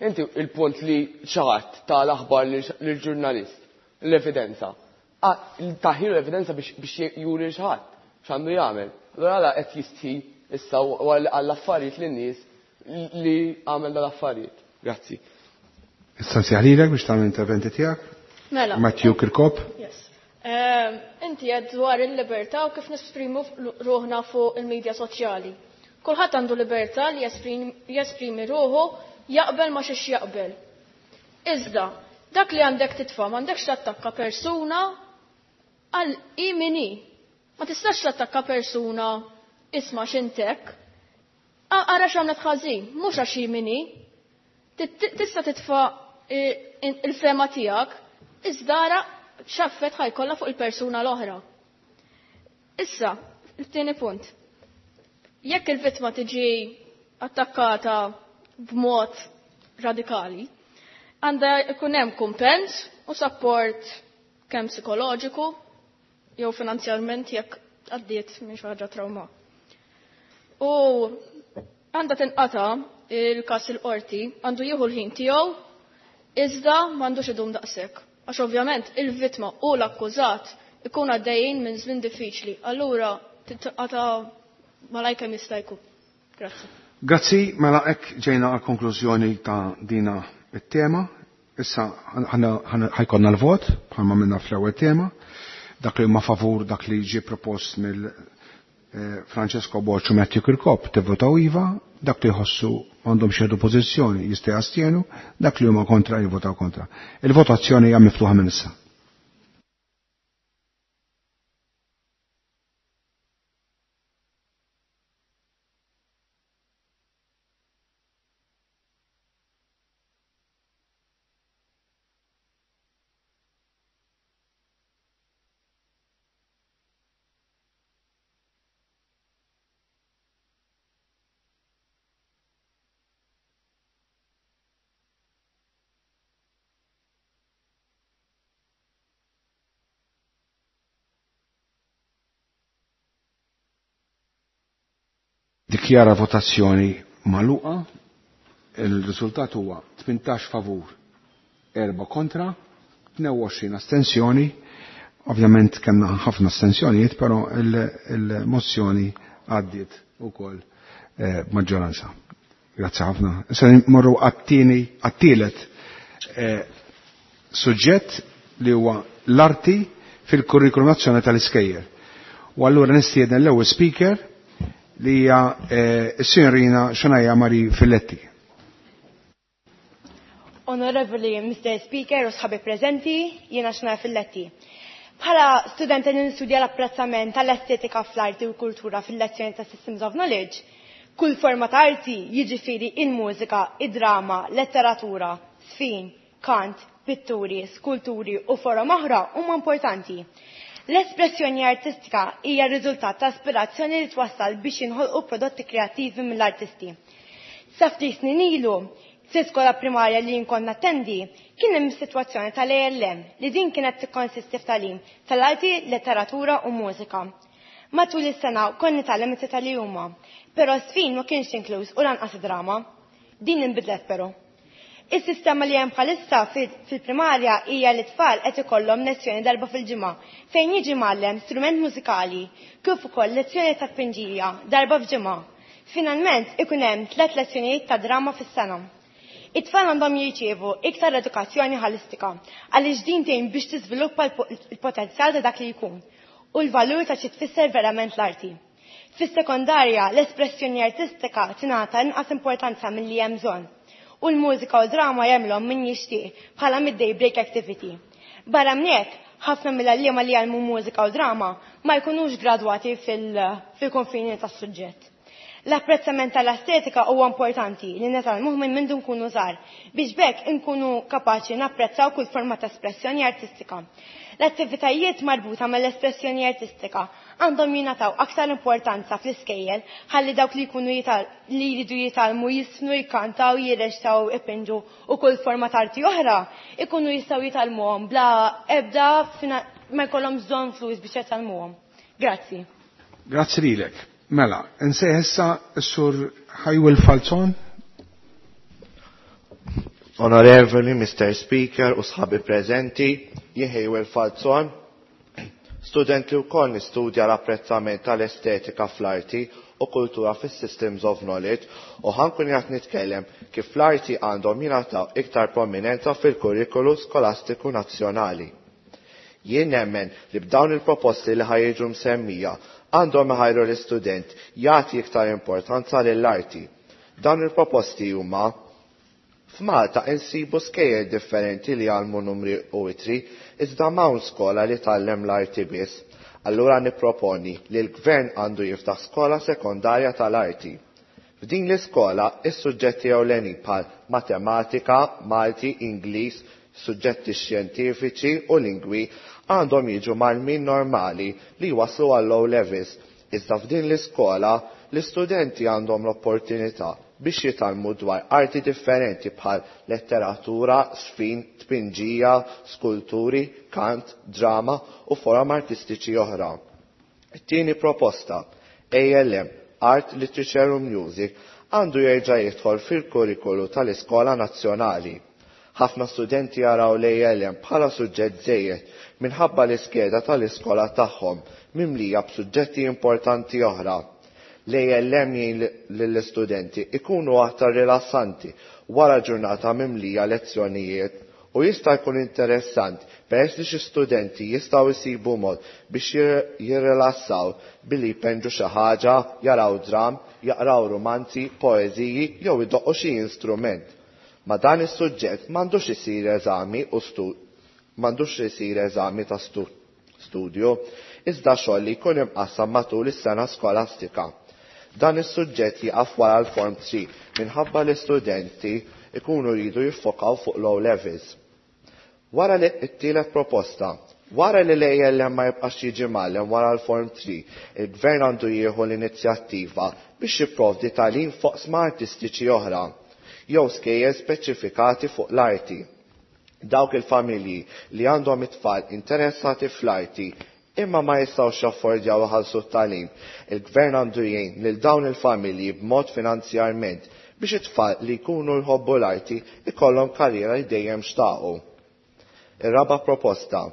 Speaker 18: Inti il-punt li xi ħadd ta' l-aħbar lill-ġurnalist, l-evidenza. Taħilu l-evidenza biex juri xi ħadd x'għandu jagħmel. Allura għala qed jistħi issa għall-affarijiet lin-nies li għamel dal-affarijiet. Grazzi.
Speaker 1: Issa nsejħlilek biex tagħmel interventi tiegħek.
Speaker 12: Mela.
Speaker 1: Matthew Kirkop.
Speaker 12: Yes. Inti qed dwar il-libertà u kif nesprimu ruħna fuq il-medja soċjali. Kulħadd għandu libertà li jesprimi ruħu jaqbel ma xiex jaqbel. Iżda, dak li għandek titfa' m'għandekx tattakka persuna għal imini. Ma tistax tattakka persuna isma' x'intek. Ara x'għamlet ħażin, mhux għax imini. Tista' titfa' il-fema tiegħek, iżda ara x'affett ħajkollha fuq il-persuna l-oħra. Issa, il-tieni punt. Jekk il-vittma tiġi attakkata b'mod radikali, għandha jkun hemm kumpens u support kemm psikoloġiku jew finanzjarment jekk għaddiet minn xi ħaġa trauma. U għandha tinqata' il-każ il-qorti, għandu jieħu l-ħin tiegħu, iżda m'għandux idum daqshekk. Għax ovvjament il-vittma u l-akkużat ikun għaddejjin minn żmien diffiċli, allura tinqata' malajr kemm jista' jkun. Grazzi.
Speaker 1: Grazzi, mela hekk ġejna għal konklużjoni ta' dina it-tema. Issa ħajkonna l-vot bħalma minna fl-ewwel tema. Dak li huma favur dak li ġie propost mill Francesco Borg u Matthew Kirkop tivvotaw iva, dak li jħossu għandhom xedu pożizzjoni jista' jastienu, dak li huma kontra jivvotaw kontra. Il-votazzjoni hija miftuħa minn issa. Dikjara votazzjoni magħluqa. Il-riżultat huwa 18 favur, 4 kontra, 22 astensjoni. Ovvjament kellna ħafna astensjonijiet, però il-mozzjoni għaddiet ukoll eh, b'maġġoranza. Grazzi ħafna. Issa morru għat-tieni għat-tielet eh, suġġett li huwa l-arti fil-kurrikulum nazzjonali tal-iskejjel. U allura nistieden l-ewwel speaker li hija eh, s-sinjorina Xanaja Mari Filletti.
Speaker 14: Onorevoli Mr. Speaker u sħabi prezenti, jiena Xanaja Filletti. Bħala studenta li nistudja l-apprezzament tal-estetika fl-arti u kultura fil-lezzjoni ta' Systems of Knowledge, kull forma ta' arti jiġifieri il-mużika, id-drama, letteratura, sfin, kant, pitturi, skulturi u forom oħra huma importanti. L-espressjoni artistika hija r-riżultat ta' aspirazzjoni li twassal biex jinħolqu prodotti kreattivi mill-artisti. Sa ftit snin ilu, fl-iskola primarja li jien kont nattendi, kien hemm is-sitwazzjoni tal-ALM li din kienet tikkonsisti f'tagħlim tal-arti, letteratura u mużika. Matul is-sena kont nitgħallem it-tlieta li huma, però s-sfin ma kienx inkluż u lanqas id-drama. Din inbidlet però. Is-sistema li hemm bħalissa fil-primarja hija li tfal qed ikollhom lezzjoni darba fil-ġimgħa fejn jiġi mgħallem strument mużikali kif ukoll lezzjoni ta' tpinġija darba f'ġimgħa. Finalment ikun hemm tliet lezzjonijiet ta' drama fis-sena. It-tfal għandhom jirċievu iktar edukazzjoni ħolistika għaliex din tgħin biex tiżviluppa l-potenzjal ta' dak li jkun u l-valur ta' xi tfisser verament l-arti. Fis-sekondarja l-espressjoni artistika tingħata inqas importanza milli hemm bżonn u l-mużika u drama jagħmilhom min jixtieq bħala midday break activity. Barra minn hekk, ħafna mill-għalliema li jgħallmu mużika u drama ma jkunux gradwati fil-konfini tas-suġġett. L-apprezzament tal-estetika huwa importanti li nitgħallmuh minn mindu nkunu żgħar biex b'hekk inkunu kapaċi napprezzaw kull forma ta' espressjoni artistika. L-attivitajiet marbuta mal-espressjoni artistika għandhom jingħataw aktar importanza fl-iskejjel ħalli dawk li jkunu li jridu jitgħallmu jisfnu, jkantaw, jirreċtaw, ipinġu u kull forma ta' arti oħra ikunu jistgħu jitgħallmuhom bla ebda ma jkollhom bżonn flus biex jitgħallmuhom. Grazzi.
Speaker 1: Grazzi lilek. Mela, nsejħ issa s-sur Ħajwil Falzon.
Speaker 7: Onorevoli Mr. Speaker u sħabi preżenti, jien Ħejwil Falzon, student li wkoll nistudja l-apprezzament tal-estetika fl-arti u kultura fis-Systems of Knowledge u ħankun qed nitkellem kif l-arti għandhom jingħataw iktar prominenza fil-kurrikulu skolastiku nazzjonali. Jien nemmen li b'dawn il-proposti li ħajġu msemmija għandhom iħajru l-istudent jagħti iktar importanza lill-arti. Dawn il-proposti huma F'Malta insibu skejjel differenti li jgħallmu numri u itri, iżda m'hawn skola li tgħallem l-arti biss. Allura nipproponi li l-gvern għandu jiftaħ skola sekondarja tal-arti. F'din l-iskola is-suġġetti ewlenin bħal matematika, Malti, Ingliż, suġġetti xjentifiċi u lingwi għandhom jiġu mgħallmin normali li jwasslu għall-O levels. Iżda f'din l-iskola l-istudenti għandhom l-opportunità biex jitgħallmu dwar arti differenti bħal letteratura, sfin, tpinġija, skulturi, kant, drama u forom artistiċi oħra. It-tieni proposta, ALM, Art, Literature u Music, għandu jerġa' jidħol fil-kurrikulu tal-Iskola Nazzjonali. Ħafna studenti jaraw l-ALM bħala suġġett żejjed minħabba l-iskeda tal-iskola tagħhom mimlija b'suġġetti importanti oħra. L-ALM jgħin lill-istudenti ikunu aktar rilassanti wara ġurnata mimlija lezzjonijiet u jista' jkun interessant peress li xi studenti jistgħu jsibu mod biex jirrilassaw billi jpenġu xi ħaġa, jaraw dram, jaqraw romanzi, poeżiji jew idoqqu xi instrument. Ma dan is-suġġett m'għandux isir eżami u m'għandux isir eżami ta' studju, iżda xogħol li jkun imqassam matul is-sena skolastika. Dan is-suġġett jieqaf wara l-Form 3 minħabba l-istudenti ikunu jridu jiffokaw fuq low levels. Wara li t-tielet proposta, wara li l-ALM ma jibqax jiġi mgħallem wara l-Form 3, il-Gvern għandu jieħu l-inizjattiva biex jipprovdi tagħlim fuq sma artistiċi oħra, jew skejjel speċifikati fuq l-arti. Dawk il-familji li għandhom it-tfal interessati fl-arti imma ma jistgħux jaffordjaw iħallsu t-tagħlim. Il-Gvern għandu jgħin lil dawn il-familji b'mod finanzjarment biex it-tfal li jkunu jħobbu l-arti ikollhom karriera li dejjem xtaqu. Ir-raba' proposta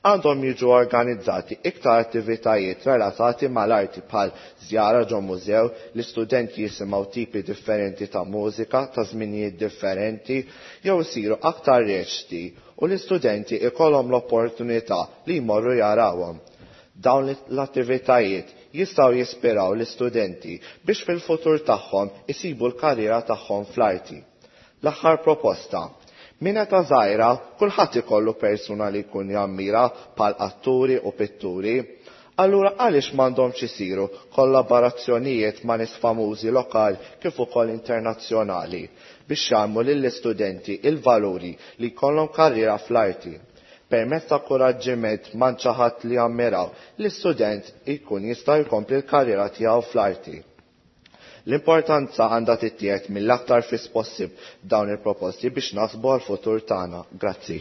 Speaker 7: għandhom jiġu organizzati iktar attivitajiet relatati mal-arti bħal żjara ġo mużew li studenti jisimgħu tipi differenti ta' mużika ta' żminijiet differenti jew isiru aktar reċti u l-istudenti ikollhom l-opportunità li jmorru jarawhom. Dawn l-attivitajiet jistgħu jispiraw l-istudenti biex fil-futur tagħhom isibu l-karriera tagħhom fl-arti. L-aħħar proposta. Minn età żgħira kulħadd ikollu persuna li jkun jammira bħal atturi u pitturi. Allura għaliex m'għandhomx isiru kollaborazzjonijiet ma' nies famużi lokali kif ukoll internazzjonali biex jgħallmu lill-istudenti il-valuri li jkollhom karriera fl-arti. Permezz ta' kuraġġiment ma' xi ħadd li jammiraw, l-istudent ikun jista' jkompli l-karriera tiegħu fl-arti. L-importanza għandha tittieħed mill-aktar fis possibb dawn il-proposti biex nasbu għal-futur tagħna. Grazzi.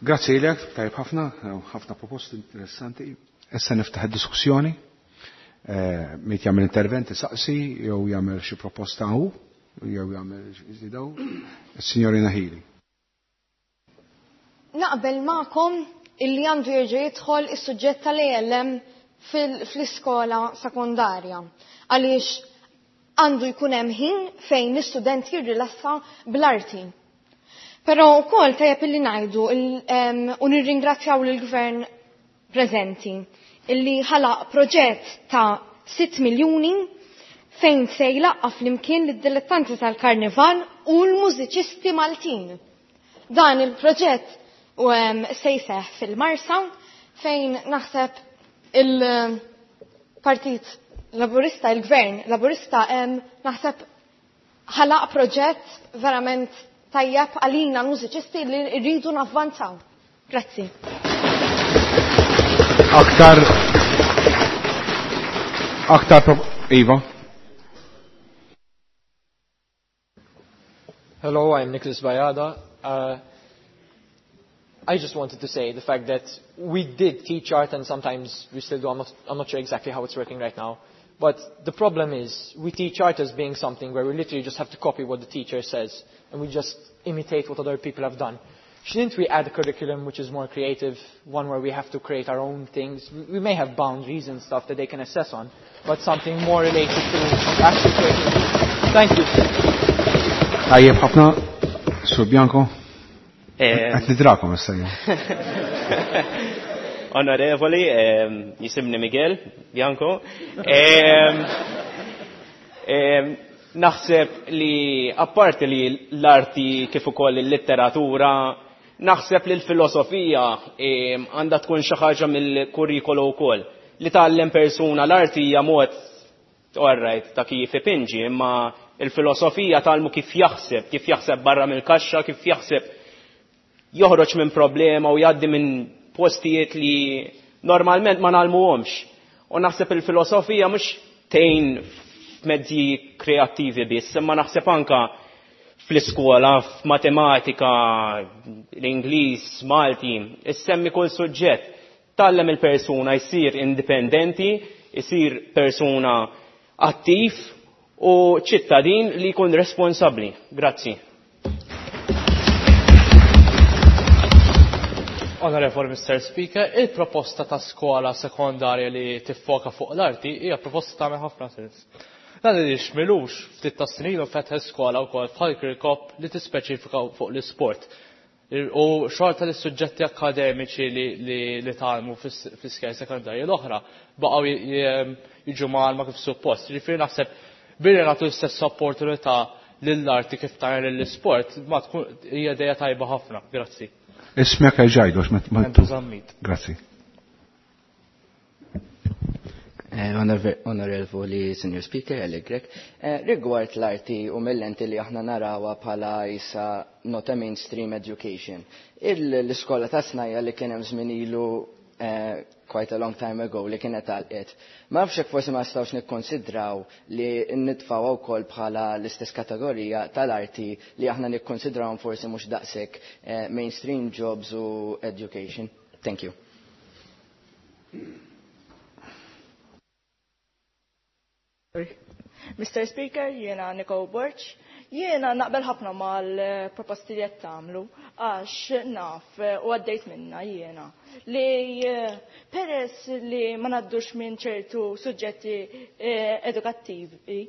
Speaker 1: Grazzi lilek, tajb ħafna, ħafna proposti interessanti. Issa niftaħ id-diskussjoni. Min jagħmel intervent isaqsi jew jagħmel xi proposta hu, jew jagħmel xi daw. Is-Signorina Hili.
Speaker 4: Naqbel magħkom illi għandu jerġa' jidħol is-suġġett tal-ALM fl-iskola sekondarja. Għaliex għandu jkun hemm ħin fejn l-istudent jirrilassa bl-arti. Però wkoll tajjeb illi ngħidu u nirringrazzjaw lill-gvern preżenti illi ħalaq proġett ta' 6 miljuni fejn se jlaqqa' flimkien lid-dilettanti tal-karnival u l-mużiċisti Maltin. Dan il-proġett se jseħħ fil-Marsa fejn naħseb il-Partit Laburista, il-Gvern Laburista naħseb ħalaq proġett verament tajjeb għalina l-mużiċisti li rridu navvanzaw. Grazzi.
Speaker 1: Aktar aktar Iva.
Speaker 6: Hello, I'm Nicholas Bayada. I just wanted to say the fact that we did teach art and sometimes we still do. I'm not sure exactly how it's working right now. But the problem is we teach art as being something where we literally just have to copy what the teacher says and we just imitate what other people have done. Shouldn't we add a curriculum which is more creative, one where we have to create our own things? We may have boundaries and stuff that they can assess on, but something more related to actually creating. Thank you.
Speaker 1: Tajjeb ħafna, Sur Bianco. Qed nidrakom issa jien.
Speaker 11: Onorevoli, jisimni Miguel Bianco. Naħseb li apparti li l-arti kif ukoll il-litteratura, naħseb li l-filosofija għandha tkun xi ħaġa mill-kurrikolu wkoll. Li tgħallem persuna l-arti hija mod all right, ta' kif ipinġi, imma il-filosofija tgħallmu kif jaħseb, kif jaħseb barra mill-kaxxa, kif jaħseb joħroġ minn problema u jgħaddi minn postijiet li normalment ma nagħlmuhomx. U naħseb il-filosofija mhux tgħin f'mezzi kreattivi biss, imma naħseb anka fl-iskola, f'matematika, l-Ingliż, Malti, issemmi kull suġġett. Tgħallem il-persuna jsir indipendenti, jsir persuna attiv u ċittadin li jkun responsabbli. Grazzi.
Speaker 5: Onorevoli Mr. Speaker, il-proposta ta' skola sekondarja li tiffoka fuq l-arti hija proposta tagħmel ħafna sens. Dan li xmilux ftit ta' snin u fetħet skola wkoll bħal Kirkop li tispeċifika fuq l-isport. U xorta li suġġetti akademiċi li tgħallmu fl-iskejjel sekondarji l-oħra baqgħu jiġu mgħallma kif suppost. Ġifieri naħseb billi nagħtu l-istess opportunità lill-arti kif tagħmel lill-isport ma tkun hija idea tajba ħafna. Grazzi.
Speaker 1: Ismek ġajdu, għax ma
Speaker 5: Andrew Zammit.
Speaker 1: Grazzi.
Speaker 9: Onorevoli Senior Speaker, Eli Grech. Rigward l-arti u mill-lenti li aħna narawa bħala isa not a mainstream education. L-iskola ta' snajja li kien hemm żmien ilu quite a long time ago li kienet għalqet. Ma nafx hekk forsi ma nistgħux nikkonsidraw li nitfgħu wkoll bħala l-istess kategorija tal-arti li aħna nikkonsidrawhom forsi mhux daqshekk mainstream jobs u education. Thank you.
Speaker 10: Mr. Speaker, jiena Niko Borg. Jiena naqbel ħafna mal-proposti li qed tagħmlu għax naf u għaddejt minna jiena li peress li ma ngħaddux minn ċertu suġġetti edukattivi,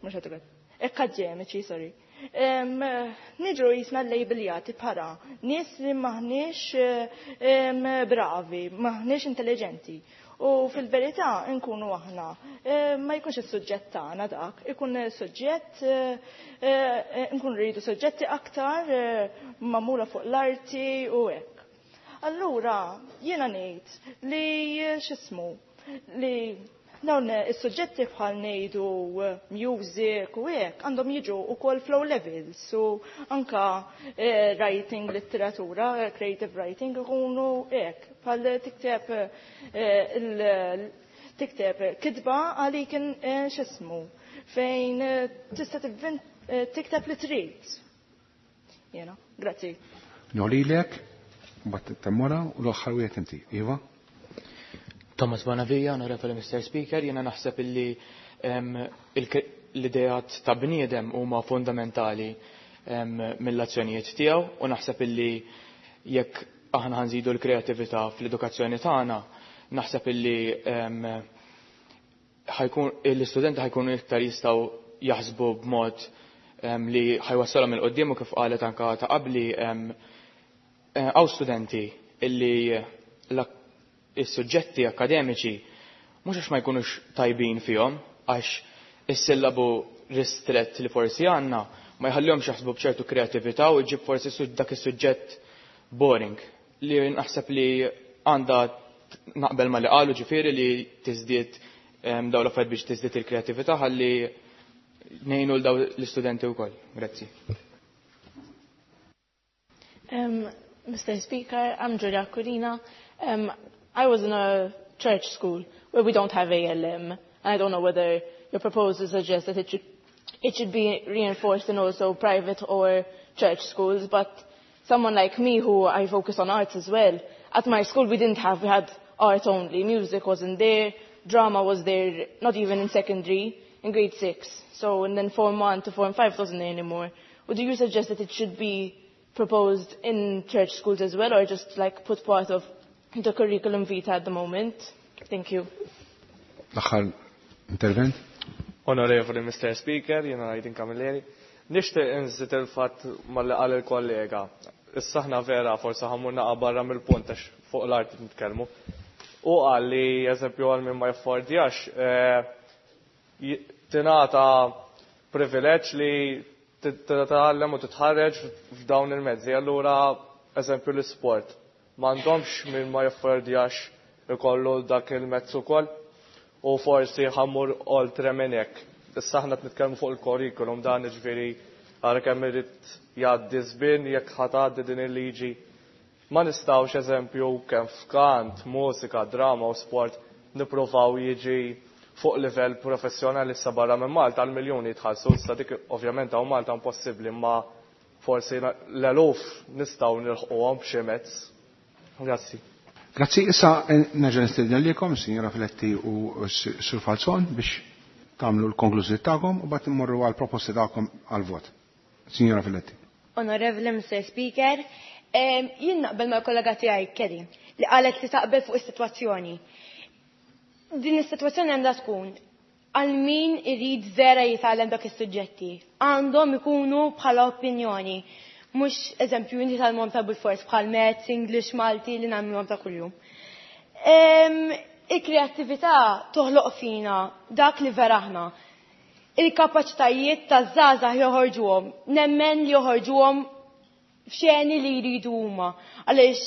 Speaker 10: mhux edukattivi, akademiċi, sorry. Niġru jisna labeljati bħala nies li maħniex bravi, maħniex intelligenti. U fil-verità nkunu aħna ma jkunx is-suġġett tagħna dak, ikun suġġett nkunu rridu suġġetti aktar magħmula fuq l-arti u hekk. Allura jiena ngħid li x'ismu li dawn is-suġġetti bħal ngħidu music u hekk għandhom jiġu wkoll flow levels u anka writing letteratura, creative writing ikunu hekk bħal tikteb tikteb kitba għalik x'ismu fejn tista' tikteb li trid. Jiena, grazzi.
Speaker 1: Nolilek, mbagħad temmora u l-aħħar wieħed inti. Iva?
Speaker 6: Thomas Bonavija, onorevoli Mr. Speaker, jena naħseb illi l-idejat ta' bniedem huma fundamentali mill-azzjonijiet tiegħu u naħseb illi jekk aħna ħanżidu l-kreatività fl-edukazzjoni tagħna, naħseb illi l-istudenti ħajkunu iktar jistgħu jaħsbu b'mod li ħajwassalhom il qudiem u kif qalet anka ta' qabli hawn studenti illi is-suġġetti akademiċi mhux għax ma jkunux tajbin fihom, għax is-sillabu ristrett li forsi għandna ma jħallihomx jaħsbu b'ċertu kreatività u jġib forsi dak is-suġġett boring li naħseb li għandha naqbel ma li qalu ġifieri li tiżdied dawn l-affarijiet biex tiżdied il-kreatività ħalli ngħinu l daw l-istudenti wkoll. Grazzi.
Speaker 13: Mr. Speaker, I'm Julia Kurina. I was in a church school where we don't have ALM. And I don't know whether your proposal suggests that it should be reinforced in also private or church schools, but someone like me who I focus on arts as well, at my school we didn't have, we had art only. Music wasn't there, drama was there, not even in secondary, in grade 6. So, and then Form 1 to Form 5 wasn't there anymore. Would you suggest that it should be proposed in church schools as well, or just like put part of the curriculum vitae at the moment? Thank you.
Speaker 1: L-aħħar intervent.
Speaker 15: Onorevoli Mr. Speaker, jena Aydin Camilleri. Nixtieq inżid il-fatt malli qal il-kollega. Issa aħna vera forsi ħammur naqa' barra mill-punt għax fuq l-art nitkellmu. U qal li eżempju għal min ma jaffordjax tingħata privileġġ li titgħallem u titħarreġ f'dawn il-mezzi. Allura eżempju l-isport. M'għandhomx min ma jaffordjax ikollu dak il-mezz ukoll u forsi ħammur oltre minn hekk. Issa aħna qed nitkellmu fuq il-kurrikulum dan jiġifieri ara kemm irid jgħaddi żmien jekk ħa tgħaddi din il-liġi. Ma nistgħux eżempju kemm f'kant, mużika, drama u sport nippruvaw jiġi fuq livell professjonali issa barra minn Malta għal miljuni jitħallsu, issa dik ovvjament hawn Malta impossibbli imma forsi l-eluf nistgħu nilħquhom b'xi mezz. Grazzi.
Speaker 1: Grazzi, issa nerġa' nistieden lilkom, Sinjora Filetti u Sur Falzon, biex tagħmlu l-konklużjoni tagħkom u bagħad immorru għal proposti tagħkom għal vot. Sinjora Filetti.
Speaker 14: Onorevoli Mr. Speaker, jien naqbel mal-kollega tiegħi Kelly li qalet li taqbel fuq is-sitwazzjoni. Din is-sitwazzjoni għandha tkun għal min irid vera jitgħallem dak is-suġġetti. Għandhom ikunu bħala opinjoni. Mhux eżempju inti tal-mom ta' bil-fors bħal Maths, English, Malti li nagħmluhom ta' kuljum. Il-kreattività toħloq fina dak li vera aħna. Il-kapaċitajiet taż-żgħażagħ joħorġuhom, nemmen li joħorġuhom f'xeni li jridu huma. Għaliex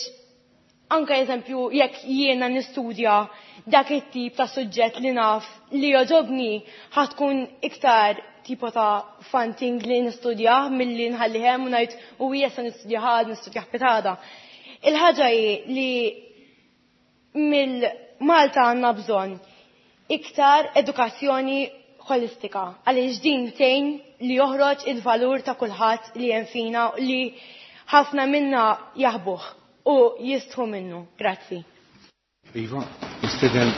Speaker 14: anke eżempju jekk jiena nistudja dak it-tip ta' suġġett li naf li joġobni ħatkun iktar tipo ta' fun thing li nistudjah milli nħallihem u ngħid u hija se nistudjah għad, nistudjah pitada. Il-ħaġa hi li mill-Malta għandna bżonn iktar edukazzjoni holistika għaliex din tgħin li joħroġ il-valur ta' kulħadd li hemm fina li ħafna minna jaħbuh u jistħu minnu. Grazzi.
Speaker 1: Iva. Nistieden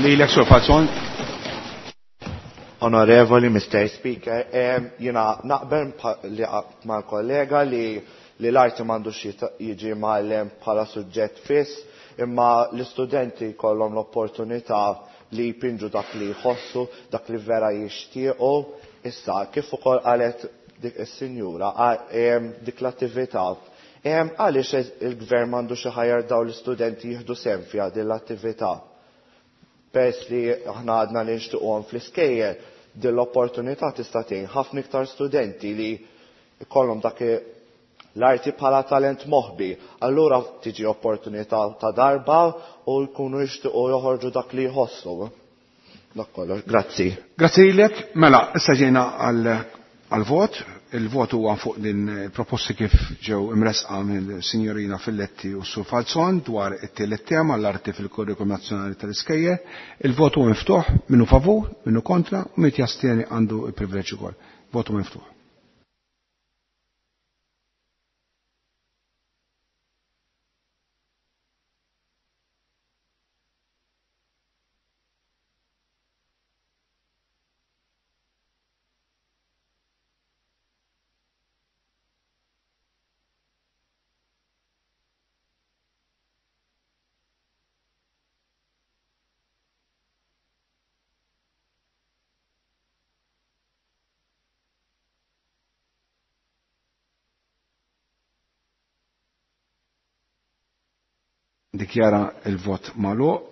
Speaker 1: lilek Sur Falzon.
Speaker 7: Onorevoli Mr. Speaker, jiena naqbel li mal-kollega li li l-arti m'għandux jiġi mgħallem bħala suġġett fiss, imma l-istudenti jkollhom l-opportunità li jpinġu dak li jħossu, dak li vera jixtiequ. Issa, kif ukoll qalet dik is-sinjura, dik l-attività, għaliex il-gvern m'għandux iħajjar dawn l-istudenti jieħdu sehem fiha din l-attività? Peress li aħna għadna li nixtiequhom fl-iskejjel, din l-opportunità tista' tgħin ħafna iktar studenti li jkollhom dak l-arti bħala talent moħbi. Allura tiġi opportunità ta' darba u jkunu jixtiequ joħorġu dak li jħossu. Dak kollox, grazzi.
Speaker 1: Grazzi lilek. Mela, issa ġejna għal-vot. Il-vot huwa fuq din proposti kif ġew imresqa mill-Sinjorina Filletti u Sur Falzon dwar it-tielet tema l-arti fil-Kurrikulum Nazzjonali tal-Iskejjel. Il-vot huwa miftuħ, minnu favur, minnu kontra u min jastieni għandu il-privileġġ ukoll. Vot huwa miftuħ. Dikjara il-vot magħluq.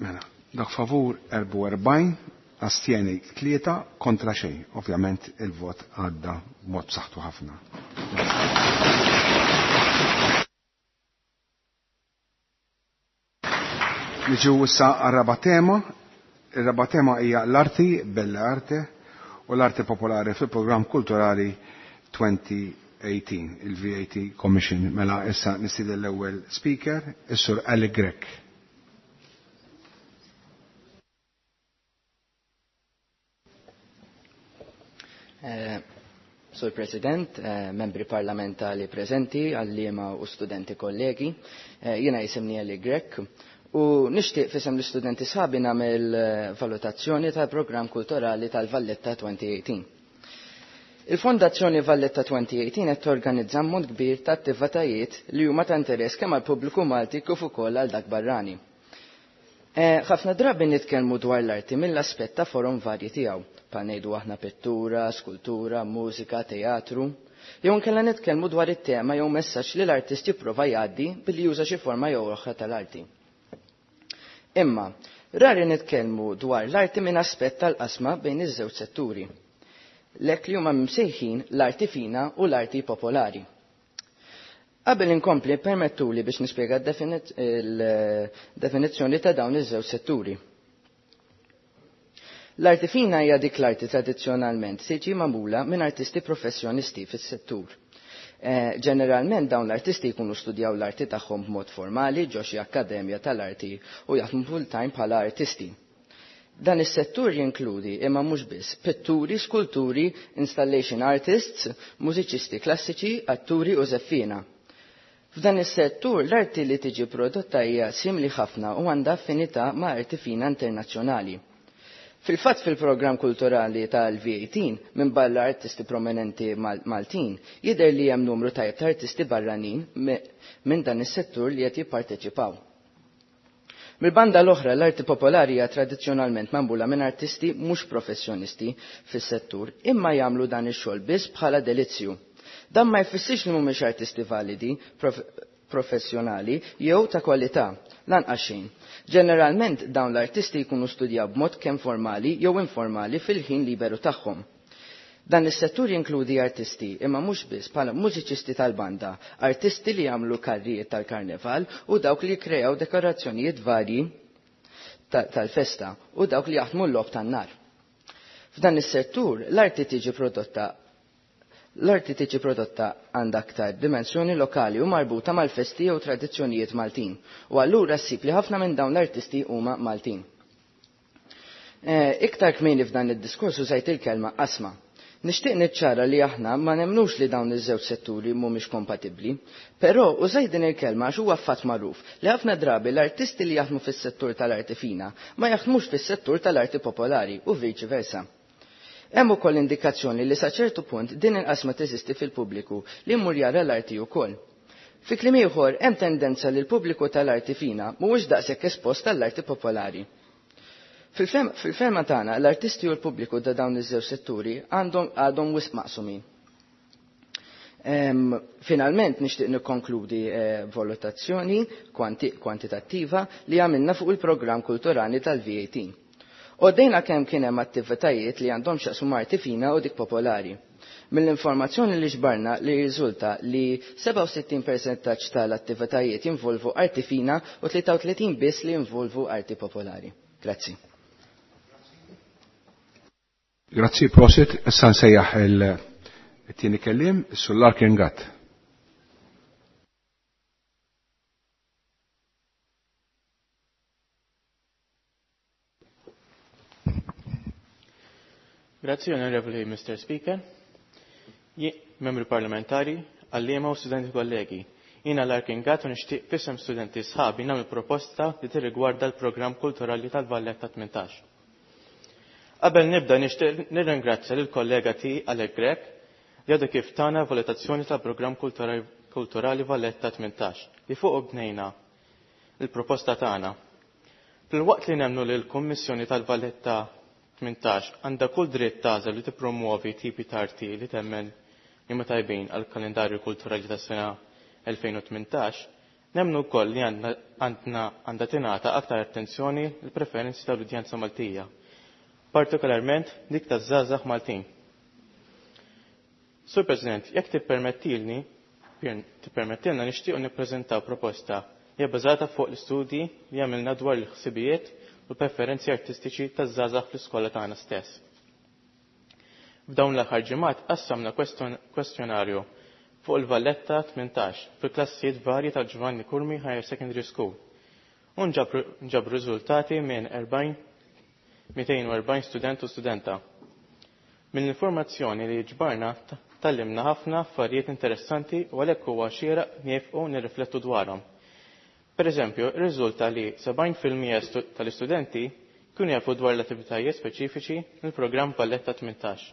Speaker 1: Mela, dak favur 44, astjeni 3, kontra xejn. Ovvjament il-vot għadda b'mod b'saħħtu ħafna. Niġu issa għar-raba' tema. Ir-raba' tema hija l-arti, bella arte, u l-arti popolari fil-programm kulturali 2018, il-VAT Commission. Mela issa nistieden l-ewwel speaker, is-Sur Alec Grech.
Speaker 9: Sur President, membri parlamentari preżenti, għalliema u studenti kollegi, jiena jisimni Alec Grech u nixtieq fisem l-istudenti sħabi nagħmel valutazzjoni tal-programm kulturali tal-Valletta 2018. Il-Fondazzjoni Valletta 2018 qed torganizza ammont kbir ta' attivitajiet li huma ta' interess kemm għall-pubbliku Malti kif ukoll għal dak barrani. Ħafna drabi nitkellmu dwar l-arti mill-aspett ta' forom varji tiegħu, bħal ngħidu aħna pittura, skultura, mużika, teatru, jew inkella nitkellmu dwar it-tema jew messaġġ li l-artist jipprova jgħaddi billi juża xi forma jew oħra tal-arti. Imma, rari nitkellmu dwar l-arti minn aspett tal-qasma bejn iż-żewġ setturi. Lek li huma msejħin l-arti fina u l-arti popolari. Qabel inkompli permettuli biex nispjega il-definizzjoni ta' dawn iż-żewġ setturi. L-arti fina hija dik l-arti tradizzjonalment tiġi magħmula minn artisti professjonisti fis-settur. Ġeneralment dawn l-artisti jkunu studjaw l-arti tagħhom b'mod formali ġo xi akkademja tal-arti u jaħdmu full-time bħala artisti. Dan is-settur jinkludi imma mhux biss pitturi, skulturi, installation artists, mużiċisti klassiċi, atturi u żeffiena. F'dan is-settur l-arti li tiġi prodotta hija simili ħafna u għandha affinità ma' arti fina internazzjonali. Fil-fatt fil-programm kulturali tal-V18 minn barra artisti prominenti Maltin jidher li hemm numru tajjeb ta' artisti barranin minn dan is-settur li qed jipparteċipaw. Mill-banda l-oħra l-arti popolari hija tradizzjonalment magħmula minn artisti mhux professjonisti fis-settur imma jagħmlu dan ix-xogħol biss bħala delizzju. Dan ma jfissirx li mhumiex artisti validi, professjonali jew ta' kwalità, lanqas xejn. Ġeneralment dawn l-artisti jkunu studjaw b'mod kemm formali jew informali fil-ħin liberu tagħhom. Dan is-settur jinkludi artisti imma mhux biss bħala mużiċisti tal-banda, artisti li jagħmlu karrijiet tal-karnival u dawk li jikkreaw dekorazzjonijiet varji tal-festa u dawk li jaħdmu l-logħob tan-nar. F'dan is-settur l-arti tiġi prodotta L-arti tiġi prodotta għandha aktar dimensjoni lokali u marbuta mal-festi jew tradizzjonijiet Maltin, u allura ssib li ħafna minn dawn l-artisti huma Maltin. Iktar kmieni f'dan id-diskors użajt il-kelma qasma. Nixtieq niċċara li aħna ma nemnux li dawn iż-żewġ setturi mhumiex kompatibbli, però użajt din il-kelma għax huwa fatt magħruf li ħafna drabi l-artisti li jaħdmu fis-settur tal-arti fina ma jaħdmux fis-settur tal-arti popolari u viċi versa. Hemm ukoll indikazzjoni li sa ċertu punt din il-qasma teżisti fil-pubbliku li jmur jara l-arti wkoll. Fi kliem ieħor hemm tendenza li l-pubbliku tal-arti fina mhuwiex daqshekk espost għall-arti popolari. Fil-ferma tagħna l-artisti u l-pubbliku ta' dawn iż-żewġ setturi għandhom għadhom wisq maqsumin. Finalment nixtieq nikkonkludi valutazzjoni kwantitattiva li għamilna fuq il-programm kulturali tal-VAT. Għoddejna kemm kien hemm attivitajiet li għandhom x'jaqsmu arti fina u dik popolari. Mill-informazzjoni li ġbarna li riżulta li 67% tal-attivitajiet jinvolvu arti fina u 33 biss li jinvolvu arti popolari. Grazzi.
Speaker 1: Grazzi, prosit. Issa nsejjaħ il-tieni kelliem, Sullar Gatt.
Speaker 16: Grazzi, Onorevoli Mr. Speaker, membri parlamentari, għalliema u studenti kollegi. Jiena Larkin Gatt u nixtieq f'isem studenti sħabi nagħmel proposta li tirrigwarda l-programm kulturali tal-Valletta 18. Qabel nibda nixtieq nirringrazzja lill kollega tiegħi Alec Grech li għadu kif tana valutazzjoni tal-programm kulturali Valletta 18 li fuq bnejna il-proposta tagħna. Filwaqt li nemmnu li l-Kummissjoni tal-Valletta 18 għandha kull dritt tagħżel li tippromuovi tipi ta' arti li temmen li ma tajbin għal kalendarju kulturali tas-sena 2018, nemmnu wkoll li għandha tingħata aktar attenzjoni l-preferenzi tal-udjenza Maltija, partikolarment dik taż-żgħażagħ Maltin. Sur President, jekk tippermettilni, tippermettilna nixtiequ nippreżentaw proposta li hija bbażata fuq l-istudji li għamilna dwar il-ħsibijiet u l-preferenzi artistiċi taż-żgħażagħ fl-iskola tagħna stess. F'dawn l-aħħar ġimgħat qassamna kwestjonarju fuq il-Valletta 18 fil-klassijiet varji tal Giovanni Curmi Higher Secondary School u nġabru riżultati minn 240 student u studenta. Mill-informazzjoni li ġbarna tallimna ħafna affarijiet interessanti u għalhekk huwa xieraq niefqu nirriflettu dwarhom. Per eżempju, irriżulta li 70% tal-istudenti kienu jafu dwar l-attivitajiet speċifiċi mill-programm Valletta 18.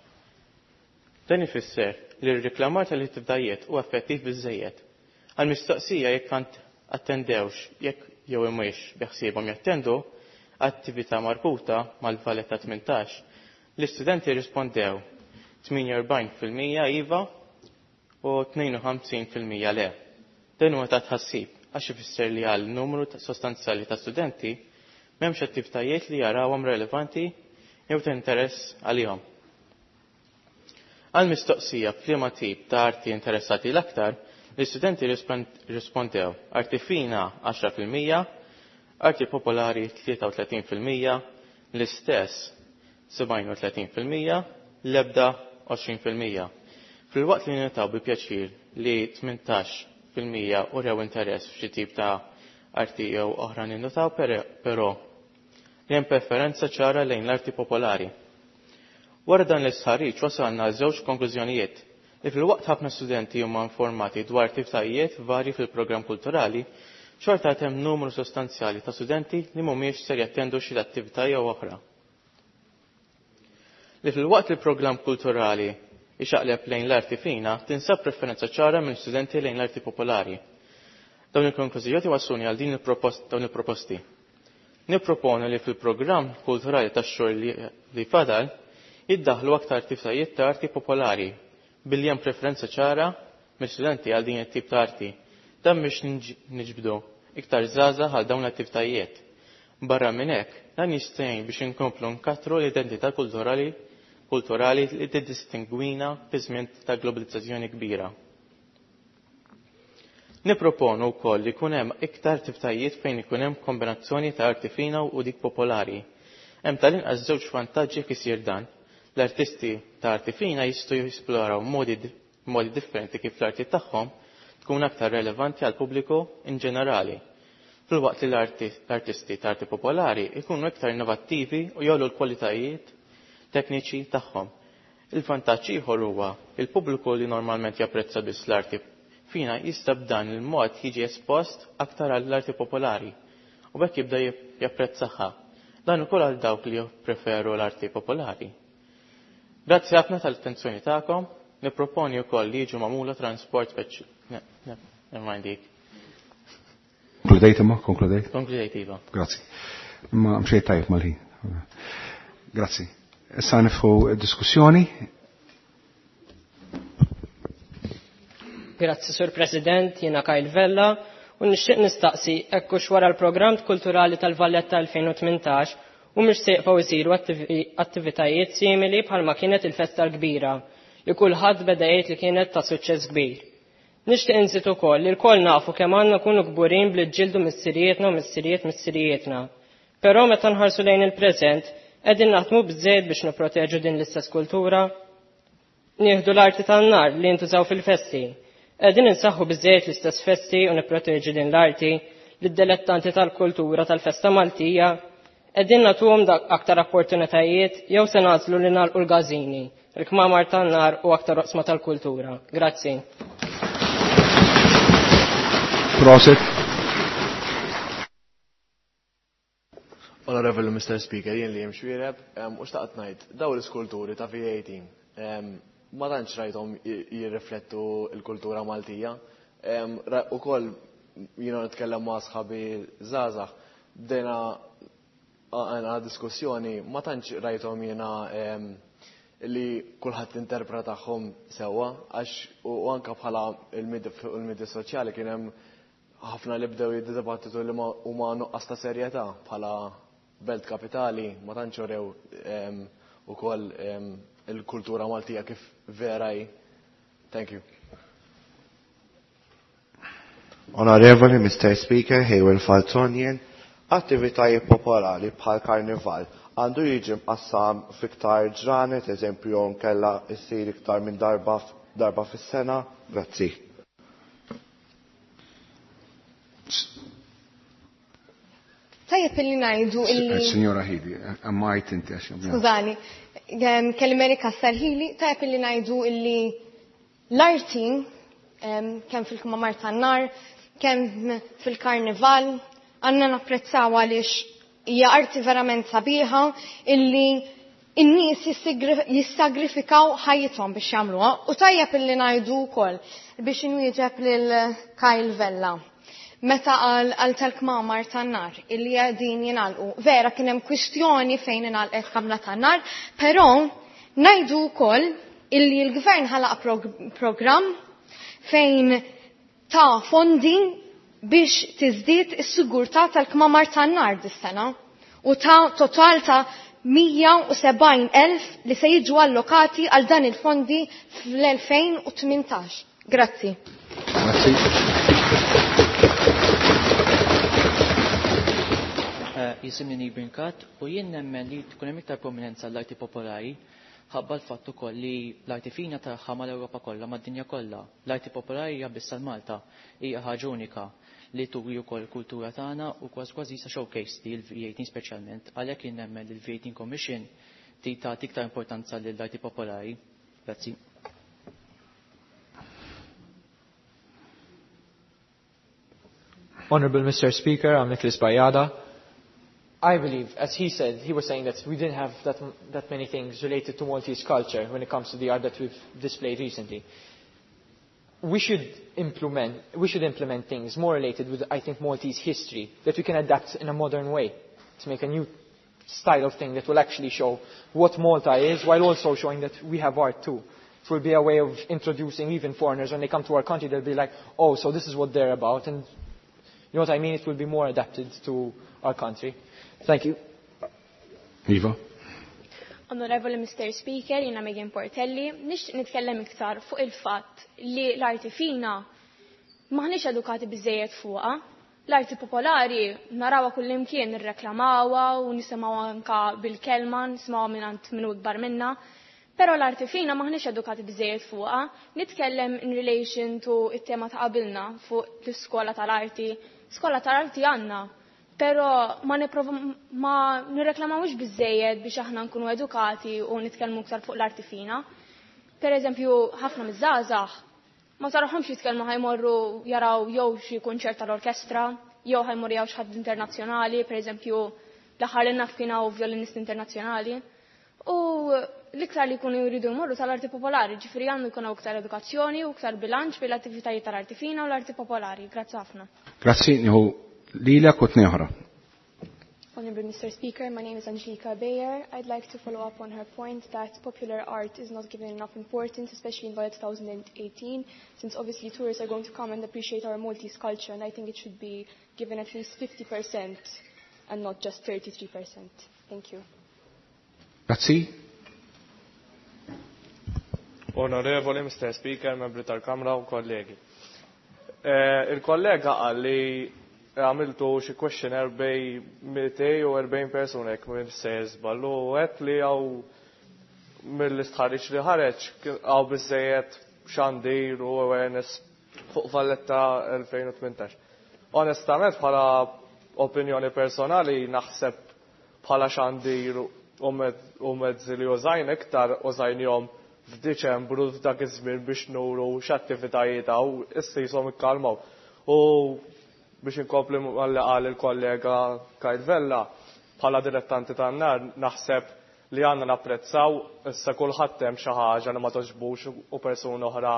Speaker 16: Dan ifisser li r-riklamar tal-attivitajiet huwa effettiv biżżejjed. Għal mistoqsija jekk attendewx jekk jew imwiex beħsiebhom jattendu attività marbuta mal-Valletta 18, l-istudenti rispondew 48% iva u 52% le. Dan huwa ta' tħassib għax ifisser li għal numru sostanzjali ta' studenti m'hemmx attivitajiet li jarawhom relevanti jew ta' interess għalihom. Għal mistoqsija f'liema tip ta' arti interessati l-aktar, l-istudenti rispondew arti fina 10%, arti popolari 33%, l-istess 37%, l-ebda 20%. Filwaqt li nitaw bi pjaċir li 18% urew interess f'xi tip ta' arti jew oħra ninnotaw però li hemm preferenza ċara lejn l-arti popolari. Wara dan l-istħarriġ wasalna għal żewġ konklużjonijiet li filwaqt ħafna studenti huma informati dwar attivitajiet varji fil-programm kulturali, xorta hemm numru sostanzjali ta' studenti li mhumiex ser jattendu xi attività jew oħra. Li filwaqt li programm kulturali ixaqleb lejn l-arti fina, tinsab preferenza ċara minn studenti lejn l-arti popolari. Dawn il-konklużjoni wassuni għal din dawn il-proposti. Nipproponu li fil-programm kulturali tax-xogħol li fadal jiddaħlu aktar attivitajiet ta' arti popolari billi hemm preferenza ċara mill-studenti għal din it-tip ta' arti. Dan biex niġbdu iktar żgħażagħ għal dawn l-attivitajiet. Barra minn hekk, dan jista' jgħin biex inkomplu nkattru l-identità kulturali li tiddistingwina fi żmien ta' globalizzazzjoni kbira. Nipproponu wkoll li jkun hemm iktar attivitajiet fejn ikun hemm kombinazzjoni ta' arti fina u dik popolari. Hemm tal-inqas żewġ vantaġġi kif isir dan. L-artisti ta' arti fina jistgħu jisploraw modi differenti kif l-arti tagħhom tkun aktar relevanti għal pubbliku in ġenerali. Filwaqt li l-artisti ta' arti popolari jkunu iktar innovattivi u jgħollu l-kwalitajiet tekniċi tagħhom. Il-vantaġġ ieħor huwa il-pubbliku li normalment japprezza biss l-arti fina jista' b'dan il-mod jiġi espost aktar għall-arti popolari u b'hekk jibda japprezzaha. Dan ukoll għal dawk li jippreferu l-arti popolari. Grazzi ħafna tal-attenzjoni tagħkom, nipproponi wkoll li jiġu magħmula transport speċi. Never dik.
Speaker 1: Konkludejt imma, konkludejt?
Speaker 16: Konkludejt iva.
Speaker 1: Grazzi. Imma mxejt tajjeb mal-ħin. Grazzi. Issa nifħu diskussjoni.
Speaker 3: Grazzi Sur President, jiena Kyle Vella, u nixtieq nistaqsi hekk hux wara l-programm kulturali tal-Valletta 2018 u mhux se jieqfgħu jsiru attivitajiet simili bħalma kienet il-festa l-kbira li kulħadd beda jgħid li kienet ta' suċċess kbir. Nixtieq inżid ukoll li lkoll nafu kemm għandna nkunu kburin bli ġildu missirietna u missiriet missirietna. Però meta nħarsu lejn il-preżent, qegħdin naħdmu biżejjed biex nipproteġu din l-istess kultura. Nieħdu l-arti tan-nar li jintużaw fil-festi. Qegħdin insaħħu biżejjed l-istess festi u nipproteġu din l-arti lid-dilettanti tal-kultura tal-festa Maltija. Qegħdin nagħtuhom aktar opportunitajiet jew se nagħżlu li nagħlqu l-gażini, il-kmamar tan-nar u aktar oqsma tal-kultura. Grazzi.
Speaker 1: Prosit.
Speaker 19: Honorable Mr. Speaker, jien li jem xwireb, u xtaqt ngħid, daw l-iskulturi ta' V18, ma tantx rajthom jirriflettu l-kultura Maltija. Ukoll jiena nitkellem ma' sħabi żgħażagħ, bdejna għana diskussjoni, ma tantx rajthom jiena li kulħadd interpretahom sewwa, għax u anke bħala il-medja soċjali kien hemm ħafna li bdew jiddibattitu li huma nuqqas ta' serjetà bħala belt kapitali ma tantx urew ukoll il-kultura Maltija kif vera hi. Thank you.
Speaker 7: Onorevoli Mr. Speaker, Hayward Falzonien, attivitajiet popolari bħal karnival għandu jiġi mqassam fiktar ġranet, eżempju nkella issir iktar minn darba darba fis-sena. Grazzi.
Speaker 4: Tajjeb illi ngħidu illi.
Speaker 1: Signora Hili, ammajt inti għax.
Speaker 4: Skużani, kellimeri Kassar Hili, tajjeb illi ngħidu illi l-arti kemm fil-kmamar tan-nar, kemm fil-karnival, għandna napprezzaw għaliex hija arti verament sabiħa illi in-nies jissagrifikaw ħajjithom biex jagħmluha u tajjeb illi ngħidu wkoll biex inwieġeb lil Kyle Vella. Meta qal għal tal-kmamar tan-nar illi qegħdin jingħalqu. Vera kien hemm kwistjoni fejn ingħalqet kamra tan-nar, però ngħidu wkoll illi l-gvern ħalaq programm fejn ta' fondi biex tiżdied is-sigurtà tal-kmamar tan-nar dis-sena u ta' total ta' 170,000 li se jiġu allokati għal dan il-fondi fl-2018. Grazzi.
Speaker 1: Grazzi.
Speaker 17: Jisimni Nibrinkat u jien nemmen li tkun hemm iktar prominenza l-arti popolari ħabba l-fatt ukoll li l-arti fina tagħha mal-Ewropa kollha mad-dinja kollha. L-arti popolari hija biss Malta, hija ħaġa unika li turi wkoll il-kultura tagħna u kważi kważi sa showcase li l-V18 speċjalment. Għalhekk jien nemmen li l-V18 Commission tagħti iktar importanza lill-arti popolari. Grazzi.
Speaker 6: Honorable Mr. Speaker, I'm Nicholas Bayada. I believe, as he said, he was saying that we didn't have that many things related to Maltese culture when it comes to the art that we've displayed recently. We should implement things more related with, I think, Maltese history that we can adapt in a modern way to make a new style of thing that will actually show what Malta is, while also showing that we have art too. It will be a way of introducing even foreigners when they come to our country, they'll be like, oh, so this is what they're about, and you know what I mean? It will be more adapted to our country. Thank you.
Speaker 1: Iva.
Speaker 23: Onorevoli Mr. Speaker, jina Megan Portelli, nixtieq nitkellem iktar fuq il-fatt li l-arti fina maħniex edukati biżejjed fuqha. L-arti popolari narawha kullimkien nirreklamawha u nisimgħu anka bil-kelma, nisimgħuha mingħand min hu ikbar minna. Però l-arti fina maħniex edukati biżejjed fuqha. Nitkellem in relation to it-tema ta' qabilna fuq l-iskola tal-arti. Skola tal-arti għandna. Però ma ma nirreklamawx biżejjed biex aħna nkunu edukati u nitkellmu iktar fuq l-arti fina. Per eżempju, ħafna miż-żgħażagħ ma tarahomx jitkellmu ħajmorru jaraw jew xi kunċert tal-orkestra, jew ħajmorru jaraw xi ħadd internazzjonali, per eżempju, l-aħħar li naf kien hawn violinist internazzjonali. U l-iktar li jkunu jridu jmorru tal-arti popolari, ġifieri għandu jkun hawn iktar edukazzjoni u iktar bilanċ bejn l-attivitajiet tal-arti fina u l-arti popolari. Grazzi ħafna.
Speaker 1: Grazzi, nieħu lilek u tnejn oħra.
Speaker 8: Honorable Mr. Speaker, my name is Angelika Bayer. I'd like to follow up on her point that popular art is not given enough importance, especially in Valletta 2018, since obviously tourists are going to come and appreciate our Maltese culture, and I think it should be given at least 50% and not just 33%. Thank you.
Speaker 1: Grazzi.
Speaker 15: Onorevoli Mr. Speaker, membri tal-Kamra u kollegi. Il-kollega qal li għamiltu xi questionnaire bejn 240 persuna jekk minn se żball u għedt li hawn mill-istħarriġ li ħareġ hawn biżejjed xandir u awareness fuq Valletta 2018. Onestament bħala opinjoni personali naħseb bħala xandir u mezzi li użajn iktar użajnihom f'Diċembru f'dak iż-żmien biex nuru x'attivitajiet hawn issa jisom ikkalmaw. U biex inkompli malli qal il-kollega Kyle Vella, bħala dilettanti tan-nar naħseb li għandna napprezzaw issa kulħadd hemm xi ħaġa li ma toġbux u persuna oħra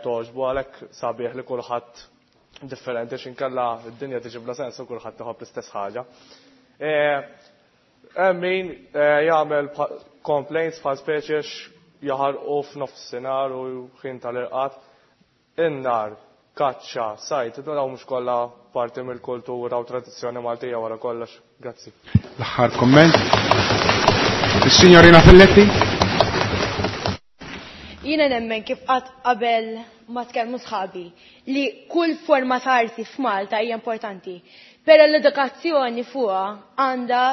Speaker 15: toġbu għalhekk sabiħ li kulħadd differenti x'inkella d-dinja tiġi bla sens u kulħadd iħobb l-istess ħaġa. Hemm min jagħmel complaints bħal speċi jaħarqu f'nofsinhar u ħin tal-irqad. In-nar, kaċċa, sajt, dawn mhux kollha parti mill-kultura u tradizzjoni Maltija wara kollox. Grazzi.
Speaker 1: L-aħħar komment. Is-Signorina Filletti.
Speaker 14: Jiena nemmen kif qatt qabel ma tkellmu sħabi li kull forma ta' arti f'Malta hija importanti. Però l-edukazzjoni fuqha għandha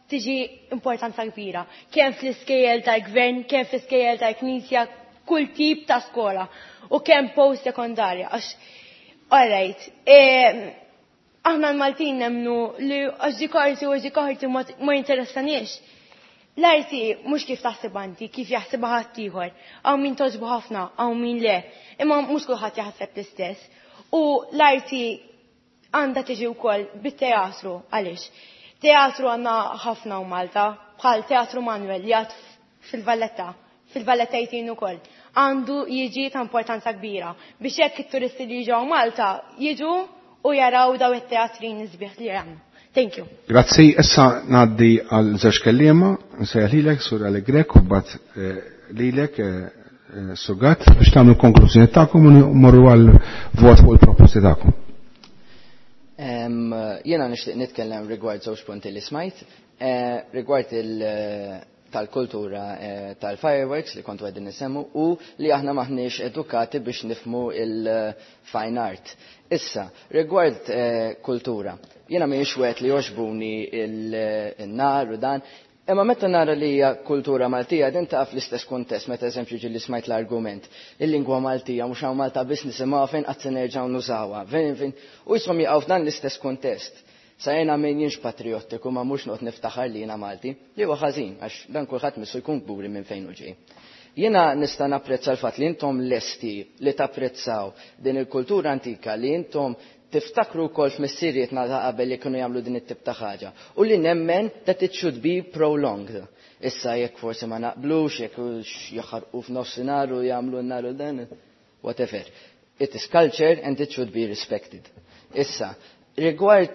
Speaker 14: tiġi importanza kbira. Kemm fl-iskejjel tal-gvern, kemm fl-iskejjel tal-knisja, kull tip ta' skola u kemm post sekondarja. Għax, all right, aħna l-Maltin nemnu li għax dik arti u dik arti ma jinteressaniex. L-arti mhux kif taħseb anti, kif jaħsibha ħaddieħor. Hawn min toġbu ħafna, hawn min le. Imma mhux kulħadd jaħseb l-istess. U l-arti għandha tiġi wkoll bit-teatru, għaliex. Teatru għandna ħafna u Malta, bħal Teatru Manuel li għad fil-Valletta, fil-Valletta jtin ukoll. Għandu jiġi ta' importanza kbira biex hekk it-turisti li jiġu Malta jiġu u jaraw daw it-teatrin isbieħ li għandna. Thank you.
Speaker 1: Grazzi, issa ngħaddi għal żewġ kelliema, nsejjaħ lilek Sur Grek u mbagħad lilek Sur Gatt biex tagħmlu konklużjoni tagħkom u mmorru għal vot fuq il-proposti tagħkom.
Speaker 9: Jiena nixtieq nitkellem rigward żewġ punti li smajt, rigward il tal-kultura tal-fireworks li kontu għedin nisemmu u li aħna maħniex edukati biex nifmu il-fine art. Issa, rigward kultura, jiena mhijiex wieħed li joġbuni il-nar u dan, imma meta nara li hija kultura Maltija din taqaf fl-istess kuntest, meta eżempju ġieli smajt l-argument, il-lingwa Maltija mhux hawn Malta biss nisimgħuha fejn qatt se nerġgħu nużawha, fejn fejn u jisom jaqgħu f'dan l-istess kuntest. Sa jena min jinx patriottiku ma mhux noqgħod niftaħar li jiena Malti, li huwa ħażin għax dan kulħadd missu jkun kburi minn fejn hu ġej. Jiena nista' napprezza l-fatt li intom lesti li tapprezzaw din il-kultura antika li intom tiftakru wkoll f'missirietna ta' qabel li kienu jagħmlu din it-tip ta' ħaġa u li nemmen that it should be prolonged. Issa jekk forsi ma naqblux, jekk jaħarqu f'nofsinhar u jagħmlu n-nar u dan, whatever. It is culture and it should be respected. Issa, rigward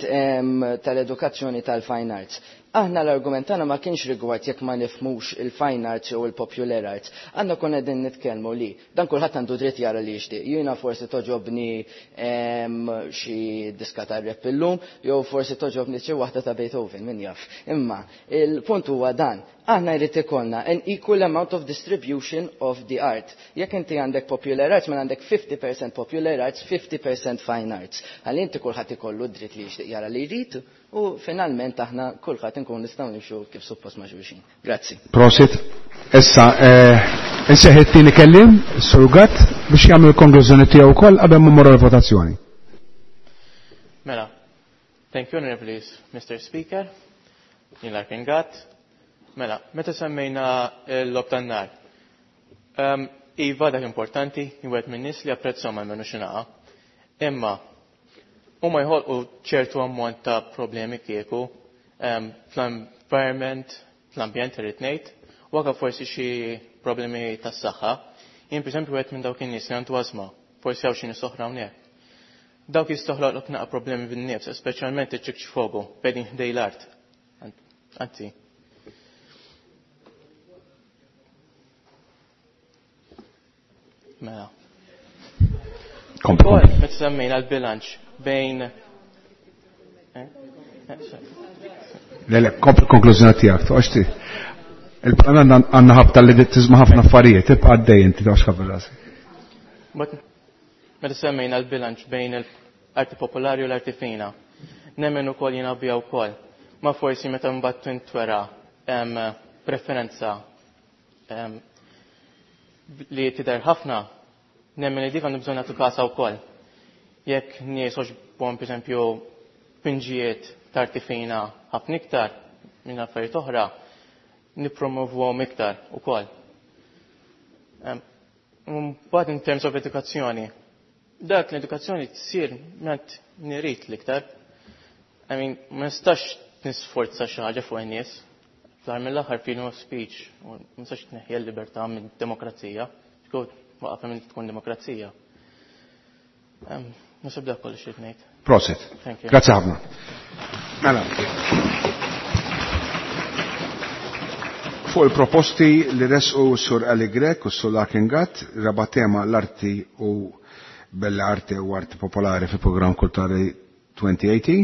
Speaker 9: tal-edukazzjoni tal-fine arts, aħna l-argument tagħna ma kienx rigward jekk ma nifhmux il-fine arts jew il-popular arts. Għandna konna qegħdin nitkellmu li dan kulħadd għandu dritt jara li jixtieq. Jiena forsi toġobni xi diska tar-rap illum, jew forsi toġobni xi waħda ta' Beethoven, min jaf. Imma il-punt huwa dan, aħna jrid ikollna an equal amount of distribution of the art. Jekk inti għandek popular arts, mela għandek 50% popular arts, 50% fine arts. Ħalli inti kulħadd ikollu dritt li jixtieq jara li jrid u finalment aħna kulħadd inkun nistgħu nimxu kif suppost ma' xulxin. Grazzi.
Speaker 1: Prosit. Issa, inseħ it-tieni kelliem, Sur Gatt, biex jagħmel il-konklużjoni tiegħu wkoll qabel ma mmorru l-votazzjoni.
Speaker 16: Mela, Thank you, Honorable Mr. Speaker. Jien Larkin Gatt. Mela, meta semmejna l-lob tan-nar. Iva, dak importanti, jwed minn nies li apprezzhom għalmenu xi naqa. Imma huma jħolqu ċertu ammont ta' problemi kieku fl-environment, fl-ambjent irrid ngħid, u anke forsi xi problemi tas-saħħa. Jien pereżempju wieħed minn dawk in-nies li għandu ażma, forsi hawn xi nies oħra hawnhekk. Dawk jistoħloqlok naqa' problemi bin-nifs, speċjalment iċ-ċikċfogu, qegħdin ħdej l-art. Anzi. Mela.
Speaker 1: Kompli.
Speaker 16: Meta semmejna l-bilanċ bejn eh?
Speaker 1: Le, le, kompli konklużjoni tiegħek, toqgħodx Il-Parlament għandna ħabta li tiżma' ħafna affarijiet, tibqa' għaddej inti toqgħodx ħafna rasi.
Speaker 16: Meta semmejna l-bilanċ bejn l-arti popolari u l-arti fina. Nemmen ukoll jiena bija wkoll. Ma forsi meta mbagħad tintwera preferenza li tidher ħafna, nemmen li dik għandu bżonn nagħtu kasha wkoll. Jekk nies għoġbhom pereżempju pinġijiet t'arti fina ħafna iktar minn affarijiet oħra, nippromovuhom iktar ukoll. Mbagħad in terms of edukazzjoni, dak l-edukazzjoni tsir ment nirid l-iktar. I mean, ma nistax nisforza xi ħaġa fuq in-nies. Fl-aħħar mill-aħħar freedom of speech, u ma nistax tneħħi l-libertà minn demokrazija. Tkun waqaf minn tkun demokrazija. Nasib dak kollox xi ngħid.
Speaker 1: Prosit.
Speaker 16: Thank you.
Speaker 1: Grazzi ħafna. Mela. Fuq il-proposti li resqu sur Ali Grech u sur Larkin Gatt, raba tema l-arti u bella arte u arti popolari fi programm kulturali 2080,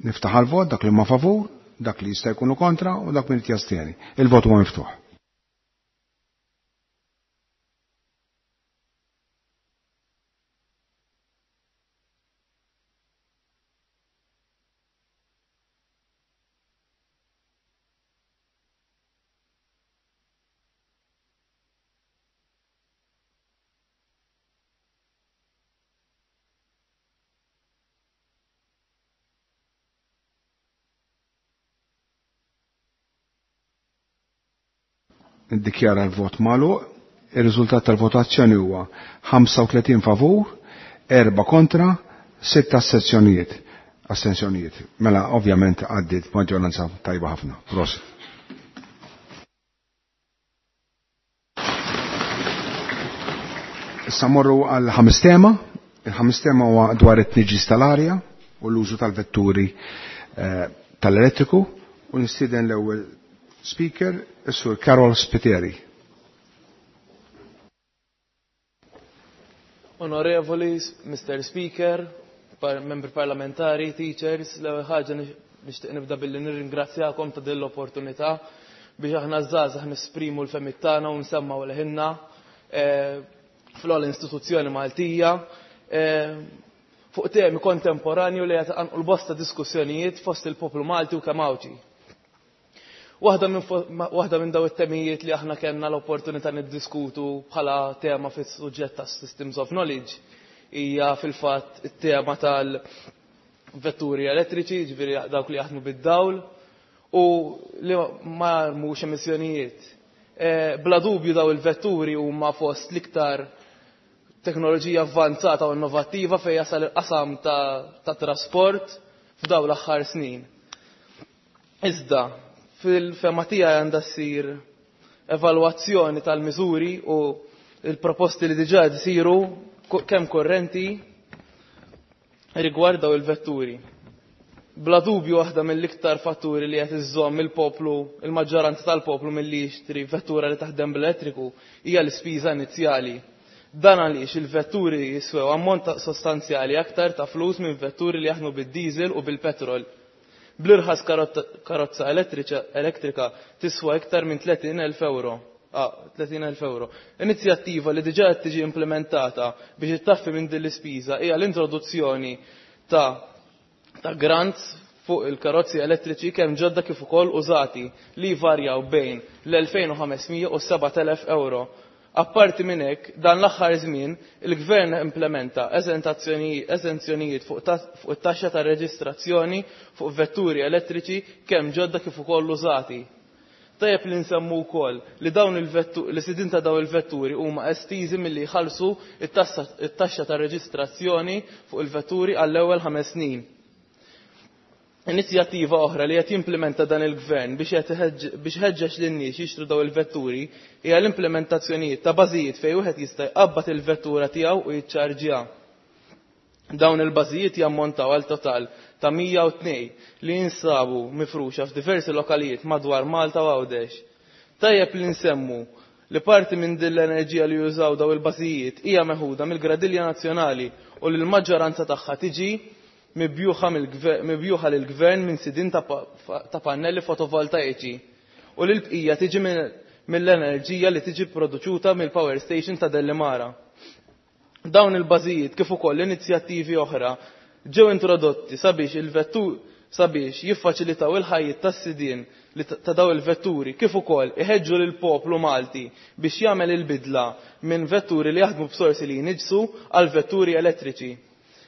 Speaker 1: niftaħ għal-vot dak li ma favur, dak li jista' jkunu kontra u dak min jastieni. Il-vot huwa miftuħ. Niddikjara l-vot magħluq. Ir-riżultat tal-votazzjoni huwa 35 favur, 4 kontra, 6 astensjonijiet. Astensjonijiet. Mela ovvjament għaddiet maġġoranza tajba ħafna. Prosit. Issa morru għal ħames tema. Il-ħames tema huwa dwar it-tniġġis tal-arja u l-użu tal-vetturi tal-elettriku u nistieden l-ewwel speaker, is-Sur Karol Spiteri.
Speaker 2: Onorevoli, Mr. Speaker, membri parlamentari, teachers, l-ewwel ħaġa nixtieq nibda billi nirringrazzjakom ta' din l-opportunità biex aħna żgħażagħ nesprimu l-fehmiet tagħna u nsemmgħu leħinna fl-ogħla istituzzjoni Maltija fuq temi kontemporanju li qed iqanqlu bosta diskussjonijiet fost il-poplu Malti u kemm Għawdxi. Waħda minn daw it-temijiet li aħna kellna l-opportunità niddiskutu bħala tema fis-suġġett ta' Systems of Knowledge hija fil-fatt it-tema tal-vetturi elettriċi, ġifieri dawk li jaħdmu bid-dawl u li ma jarmux emissjonijiet. Bla dubju daw il-vetturi huma fost l-iktar teknoloġija avvanzata u innovattiva fejn jasal il-qasam ta' trasport f'daw l-aħħar snin. Iżda, fil-fema tiegħi għandha ssir evalwazzjoni tal-miżuri u l-proposti li diġà jsiru kemm korrenti rigward daw il-vetturi. Bla dubju waħda mill-iktar fatturi li qed iżżomm il-poplu, il-maġġoranza tal-poplu milli jixtri vettura li taħdem bl-elettriku hija l-ispiża inizjali. Dan għaliex il-vetturi jiswew ammont sostanzjali aktar ta' flus minn vetturi li jaħdmu bid-diesel u bil-petrol. Bl-irħas karozza elettrika tiswa iktar minn 30,000 euro. 30,000 euro. Inizjattiva li diġà qed tiġi implementata biex ittaffi minn din l-ispiża hija l-introduzzjoni ta' grants fuq il-karozzi elettriċi kemm ġodda kif ukoll użati li jvarjaw bejn l-2500 u 7000 euro. Apparti minn hekk, dan l-aħħar żmien il-Gvern implementa eżenzjonijiet fuq it-taxxa ta' reġistrazzjoni fuq vetturi elettriċi kemm ġodda kif ukoll użati. Tajjeb li nsemmu wkoll li dawn il-vetturi li sidien ta' dawn il-vetturi huma estiżi milli jħallsu it-taxxa ta' reġistrazzjoni fuq il-vetturi għall-ewwel 5 snin. Inizjattiva oħra li qed jimplementa dan il-gvern biex iħeġġeġ lin-nies jixtru dawn il-vetturi hija l-implementazzjonijiet ta' bażijiet fejn wieħed jista' jqabbad il-vettura tiegħu u jiċċarġjaha. Dawn il-bażijiet jammontaw għal total ta' 102 li jinsabu mifruxa f'diversi lokalijiet madwar Malta u Għawdex. Tajjeb li nsemmu li parti minn din l-enerġija li jużaw dawn il-bażijiet hija meħuda mill-Gradilja Nazzjonali u li l-maġġoranza tagħha tiġi mibjuħa lill-Gvern minn sidien ta' pannelli fotovoltaiċi u li l-bqija tiġi mill-enerġija li tiġi produċuta mill-power station ta' Dellimara. Dawn il-bażijiet kif ukoll inizjattivi oħra ġew introdotti sabiex il-vettur sabiex jiffaċilitaw il-ħajjiet tas-sidien ta' dawn il-vetturi kif ukoll iħeġġu lill-poplu Malti biex jagħmel il-bidla minn vetturi li jaħdmu b'sorsi li jniġġsu għal vetturi elettriċi.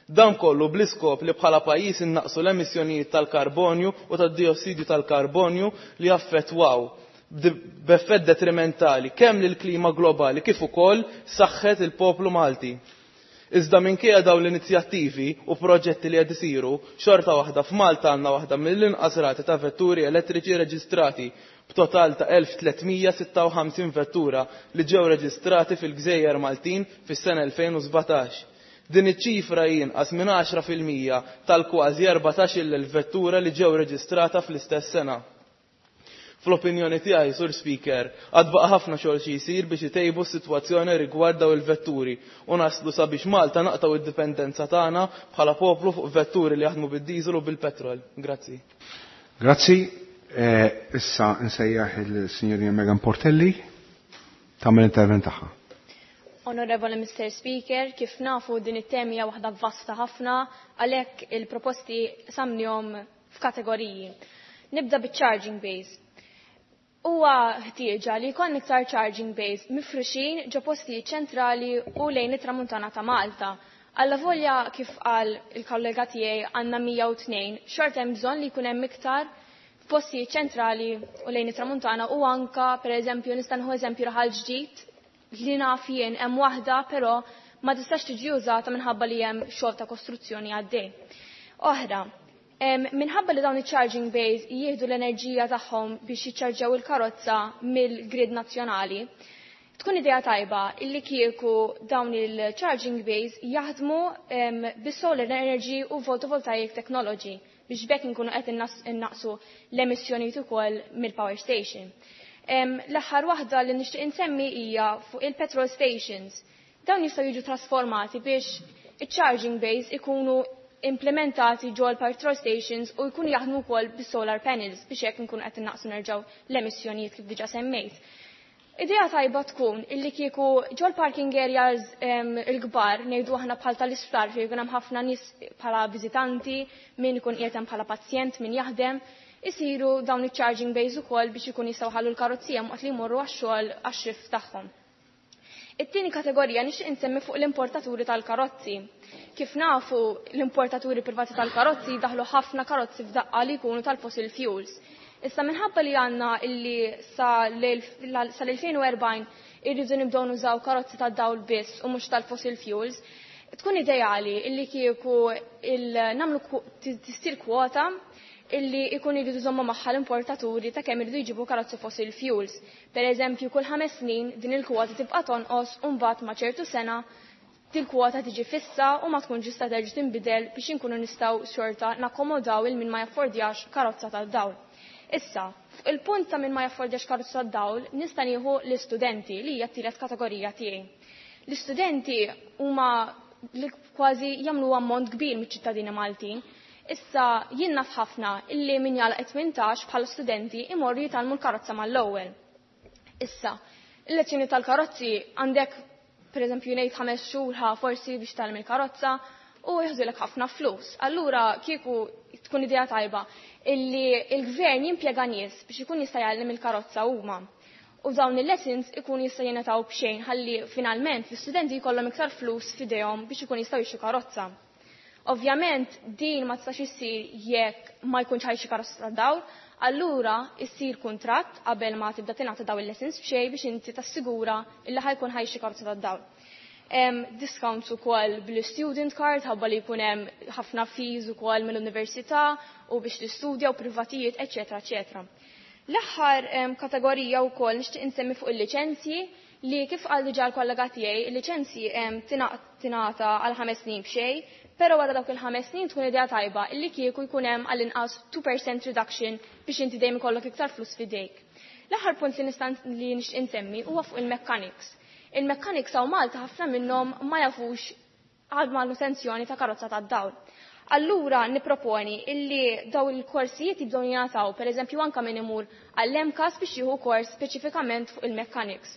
Speaker 2: Dan kollu bl-iskop li bħala pajjiż innaqsu l-emissjonijiet tal-karbonju u tad-diossidju tal-karbonju li jaffettwaw b'effett detrimentali kemm lill-klima globali kif ukoll saħħet il-poplu Malti. Iżda minkejja dawn l-inizjattivi u proġetti li qed isiru, xorta waħda f'Malta għandna waħda mill-inqas rati ta' vetturi elettriċi reġistrati b'total ta' 1356 vettura li ġew reġistrati fil-Gżejjer Maltin fis-sena 2017. Din iċ-ċifra hi inqas minn 10% tal-kważi 14,000 vettura li ġew reġistrata fl-istess sena. Fl-opinjoni tiegħi, Sur Speaker, għad baqa' ħafna xogħol xi jsir biex itejbu s-sitwazzjoni rigward dawn il-vetturi u naslu sabiex Malta naqtgħu id-dipendenza tagħna bħala poplu fuq vetturi li jaħdmu bid-diesel u bil-petrol. Grazzi.
Speaker 1: Grazzi. Issa nsejjaħ il-Sinjorina Megan Portelli tagħmel intervent tagħha.
Speaker 23: Onorevole Mr. Speaker, kif nafu din it-tema hija waħda vasta ħafna, għalhekk il-proposti samnihom f'kategoriji. Nibda biċ-charging base. Huwa ħtieġa li jkollna iktar charging base mifruxin ġo postijiet ċentrali u lejn it-tramuntana ta' Malta. Alla volja kif qal il-kollega tiegħi għandna 102, xorta hemm bżonn li jkun hemm iktar f'postijiet ċentrali u lejn it-tramuntana u anka pereżempju nista' nieħu eżempju raħal ġdid li naf jien hemm waħda però ma tistax tiġi użata minħabba li hemm xogħol ta' kostruzzjoni għaddej. Oħra, minħabba li dawn iċ-charging bays jieħdu l-enerġija tagħhom biex jiċċarġjaw il-karozza mill-grid nazzjonali, tkun idea tajba illi kieku dawn il-charging bays jaħdmu bis-solar energy u photovoltaic technology biex bekk inkunu qed innaqsu l-emissjonijiet ukoll mill-power station. L-aħħar waħda li nixtieq insemmi hija fuq il-petrol stations. Dawn jistgħu jiġu trasformati biex iċ-charging bays ikunu implementati ġol petrol stations u jkunu jaħdmu wkoll bis-solar panels biex hekk inkunu qed innaqsu nerġgħu l-emissjonijiet kif diġà semmejt. Idea tajba tkun illi kieku ġol parking areas il-kbar ngħidu aħna bħal tal-isptar fejn jkun hemm ħafna nies bħala viżitanti, min ikun qiegħed hemm bħala pazjent, min jaħdem, isiru dawn iċ-charging bays ukoll biex ikun jistgħu ħallu l-karozzija waqt li jmorru għax-xogħol għax-shift tagħhom. It-tieni kategorija nixtieq insemmi fuq l-importaturi tal-karozzi. Kif nafu l-importaturi privati tal-karozzi daħlu ħafna karozzi f'daqqa li jkunu tal-fossil fuels. Issa minħabba li għandna illi sal-2040 irridu nibdew nużaw karozzi tad-dawl biss u mhux tal-fossil fuels, tkun ideali illi kieku nagħmlu tistir kwota illi ikun iridu jżommu magħha l-importaturi ta' kemm iridu jġibu karozzi fossil fuels. Per eżempju, kull 5 snin din il-kwota tibqa' tonqos u mbagħad ma' ċertu sena til-kwota tiġi fissa u ma tkunx tista' terġa' tinbidel biex inkunu nistgħu xorta nakkomodaw il min ma jaffordjax karozza tad-dawl. Issa, fuq il-punt ta' min ma jaffordjax karozza tad-dawl nista' nieħu l-istudenti li hija t-tielet kategorija tiegħi. L-istudenti huma li kważi jagħmlu ammont kbir miċ-ċittadini Maltin. Issa jien naf ħafna illi min jagħlaq 18 bħala studenti imorru jitgħallmu l-karozza mal-ewwel. Issa, il-lezzjoni tal-karozzi għandek pereżempju ngħid 5 xhur ħa forsi biex tgħallem il-karozza u jieħdulek ħafna flus. Allura kieku tkun idea tajba illi il-gvern jimpjega nies biex ikun jista' jgħallem il-karozza huma. U dawn il-lessons ikun jista' jingħataw b'xejn ħalli finalment l-istudenti jkollhom iktar flus f'idejhom biex ikun jistgħu jixtru karozza. Ovvjament din ma tistax issir jekk ma jkunx ħajxi karozza tad-dawl, allura issir kuntratt qabel ma tibda tingħata dawn il-lessons b'xejn biex inti tassigura illi ħajkun ħajxi karozza tad-dawl. Hemm discounts ukoll bl-student card ħabba li jkun hemm ħafna fees ukoll mill-università u biex tistudja u privatijiet, eċetera, eċetera. L-aħħar kategorija wkoll nixtieq insemmi fuq il-liċenzji li kif qal diġà l-kollega tiegħi, il-liċenzji tingħata għal 5 snin b'xejn, però wara dawk il-5 snin tkun idea tajba illi kieku jkun hemm għall-inqas 2% reduction biex inti dejjem ikollok iktar flus f'idejk. L-aħħar punt li nista' li nixtieq insemmi huwa fuq il-mechanics. Il-mechanics hawn Malta ħafna minnhom ma jafux għal manutenzjoni ta' karozza tad-dawl. Allura niproponi illi daw il-korsijiet jibdew jingħataw, pereżempju anke min imur għall-MCAS biex jieħu kors speċifikament fuq il-mechanics.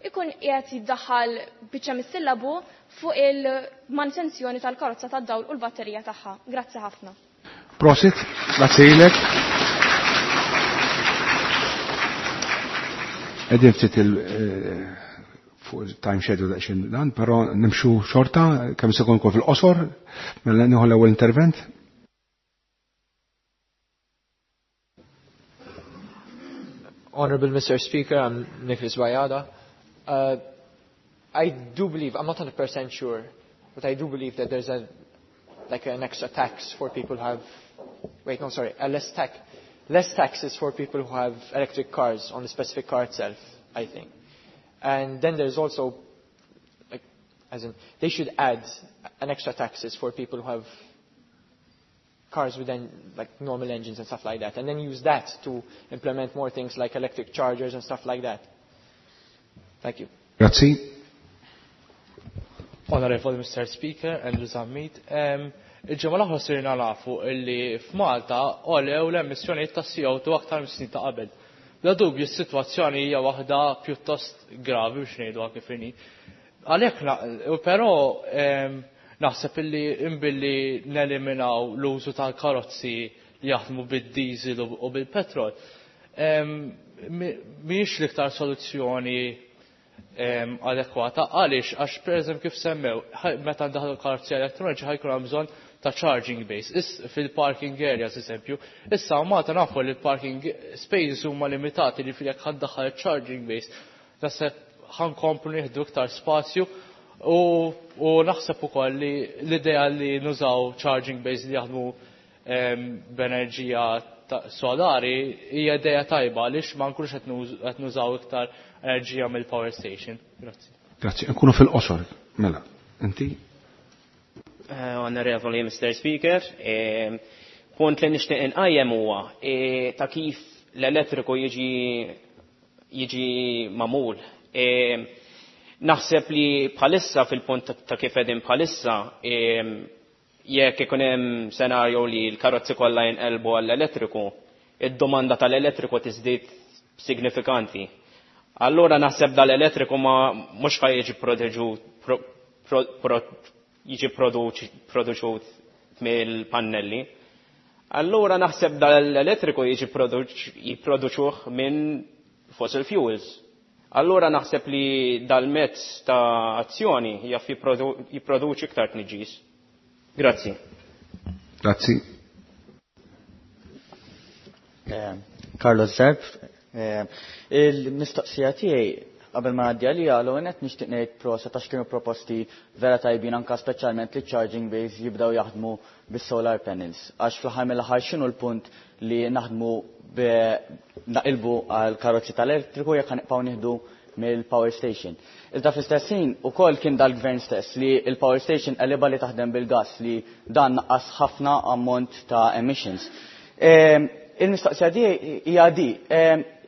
Speaker 23: Ikun qiegħed jiddaħħal biċċa mis-sillabu fuq il-manutenzjoni tal-karozza tad-dawl u l-batterija tagħha. Grazzi ħafna.
Speaker 1: Prosit, grazzi lilek. Qegħdin ftit fuq time schedule daqsxejn dan, però nimxu xorta, kemm se jkun fil-qosor, mela nieħu l-ewwel intervent.
Speaker 6: Honorable Mr. Speaker, I'm Nicholas Bajada. I do believe, I'm not 100% sure, but I do believe that there's a, like an extra tax for people who have, wait, no, sorry, a less tax, less taxes for people who have electric cars on the specific car itself, I think. And then there's also, like, as in, they should add an extra taxes for people who have cars with normal engines and stuff like that, and then use that to implement more things like electric chargers and stuff like that. Thank you.
Speaker 1: Grazie.
Speaker 5: Honorable Mr. Speaker, Andrew Zammit. Il-ġimgħa l-oħra sirna nafu illi f'Malta għolew l-emissjonijiet ta' CO2 aktar mis-snin ta' qabel. Bla dubju s-sitwazzjoni hija waħda pjuttost gravi biex ngħiduha kif inhi. Għalhekk però naħseb illi imbilli neliminaw l-użu tal-karozzi li jaħdmu bid-diesel u bil-petrol, mhijiex l-iktar soluzzjoni adekwata. Għaliex? Għax pereżempju kif semmew, meta ndaħlu karozzi elettroniċi ħajkun hemm bżonn ta' charging base fil-parking areas eżempju. Issa Malta nafu li l-parking spaces huma limitati li fil-jekk ħaddaħħal charging base naħseb ħankomplu nieħdu iktar spazju u naħseb ukoll li l-idea li nużaw charging base li jaħdmu b'enerġija solari hija idea tajba għaliex ma nkunux qed nużaw iktar enerġija mill-power station. Grazzi.
Speaker 1: Grazzi, nkunu fil-qosor. Mela, inti?
Speaker 11: Onorevoli Mr. Speaker, punt li nixtieq inqajjem huwa ta' kif l-elettriku jiġi magħmul. Naħseb li bħalissa fil-punt ta' kif qegħdin bħalissa, jekk ikun hemm senarju li l-karozzi kollha jinqelbu għall-elettriku, id-domanda tal-elettriku tiżdied signifikanti. Allura naħseb dal-elettriku ma mhux ħaj jiġi jiġi produċut mill-pannelli. Allura naħseb dal-elettriku jiġi jipproduċuh minn fossil fuels. Allura naħseb li dal-mezz ta' azzjoni jaf jipproduċi iktar tniġġis. Grazzi.
Speaker 1: Grazzi.
Speaker 20: Carlos Zerb, il-mistoqsija tiegħi qabel ma ngħaddi għalija l-ewwel nett nixtieq ngħid proset għax kienu proposti vera tajbin anke speċjalment li charging bays jibdew jaħdmu bis-solar panels. Għax fl-aħħar mill-aħħar x'inhu l-punt li naħdmu naqilbu għal karozzi tal-elettriku jekk ħanibqgħu nieħdu mill-power station. Iżda fl-istess ħin ukoll kien dal-gvern stess li l-power station qelibha li taħdem bil-gas li dan naqqas ħafna ammont ta' emissions. Il-mistoqsija di hija di,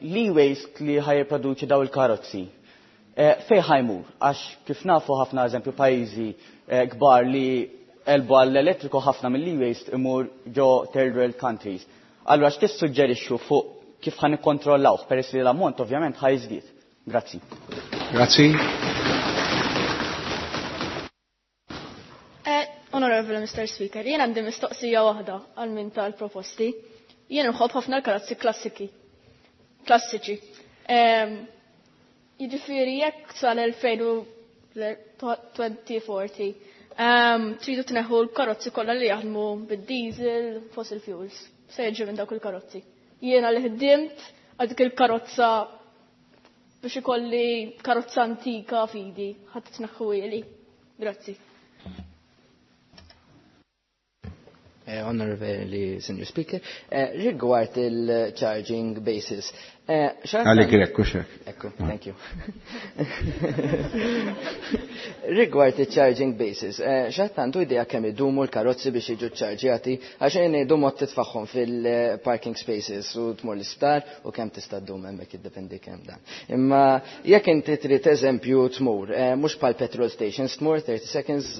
Speaker 20: l-e-waste li ħajjipproduċi daw il-karozzi, fejn ħajmur? Għax kif nafu ħafna eżempju pajjiżi kbar li elbu għall-elettriku ħafna mill-e-waste imur ġo third world countries. Allura x'tissuġġerixxu fuq kif ħan ikkontrollawh peress li l-ammont ovvjament ħajżdied. Grazzi.
Speaker 1: Grazzi.
Speaker 12: Honorable Mr. Speaker, jien għandi mistoqsija waħda għal min tal-proposti. Jien nħobb ħafna l-karozzi klassiki. Klassiċi. Jiġifieri jekk sal-2040 tridu tneħħu l-karozzi kollha li jaħdmu bid-diesel, fossil fuels. Se jiġi minn dawk il-karozzi. Jiena li ħdimt għal dik il-karozza biex ikolli karozza antika fidi, ħadd tneħħuhieli. Grazzi.
Speaker 9: Honorable Senior Speaker, rigward il-charging basis.
Speaker 1: Għalik ekku xek.
Speaker 9: Ekku, thank you. Rigward il-charging basis, xattantu idea kemm idumu l-karozzi biex jiġu ċarġjati, għax jien idumu titfaħħom fil-parking spaces u tmur l-isptar u kemm tista' ddum hemmhekk jiddependi kemm dan. Imma jekk inti trid eżempju tmur, mhux bħal petrol stations tmur 30 seconds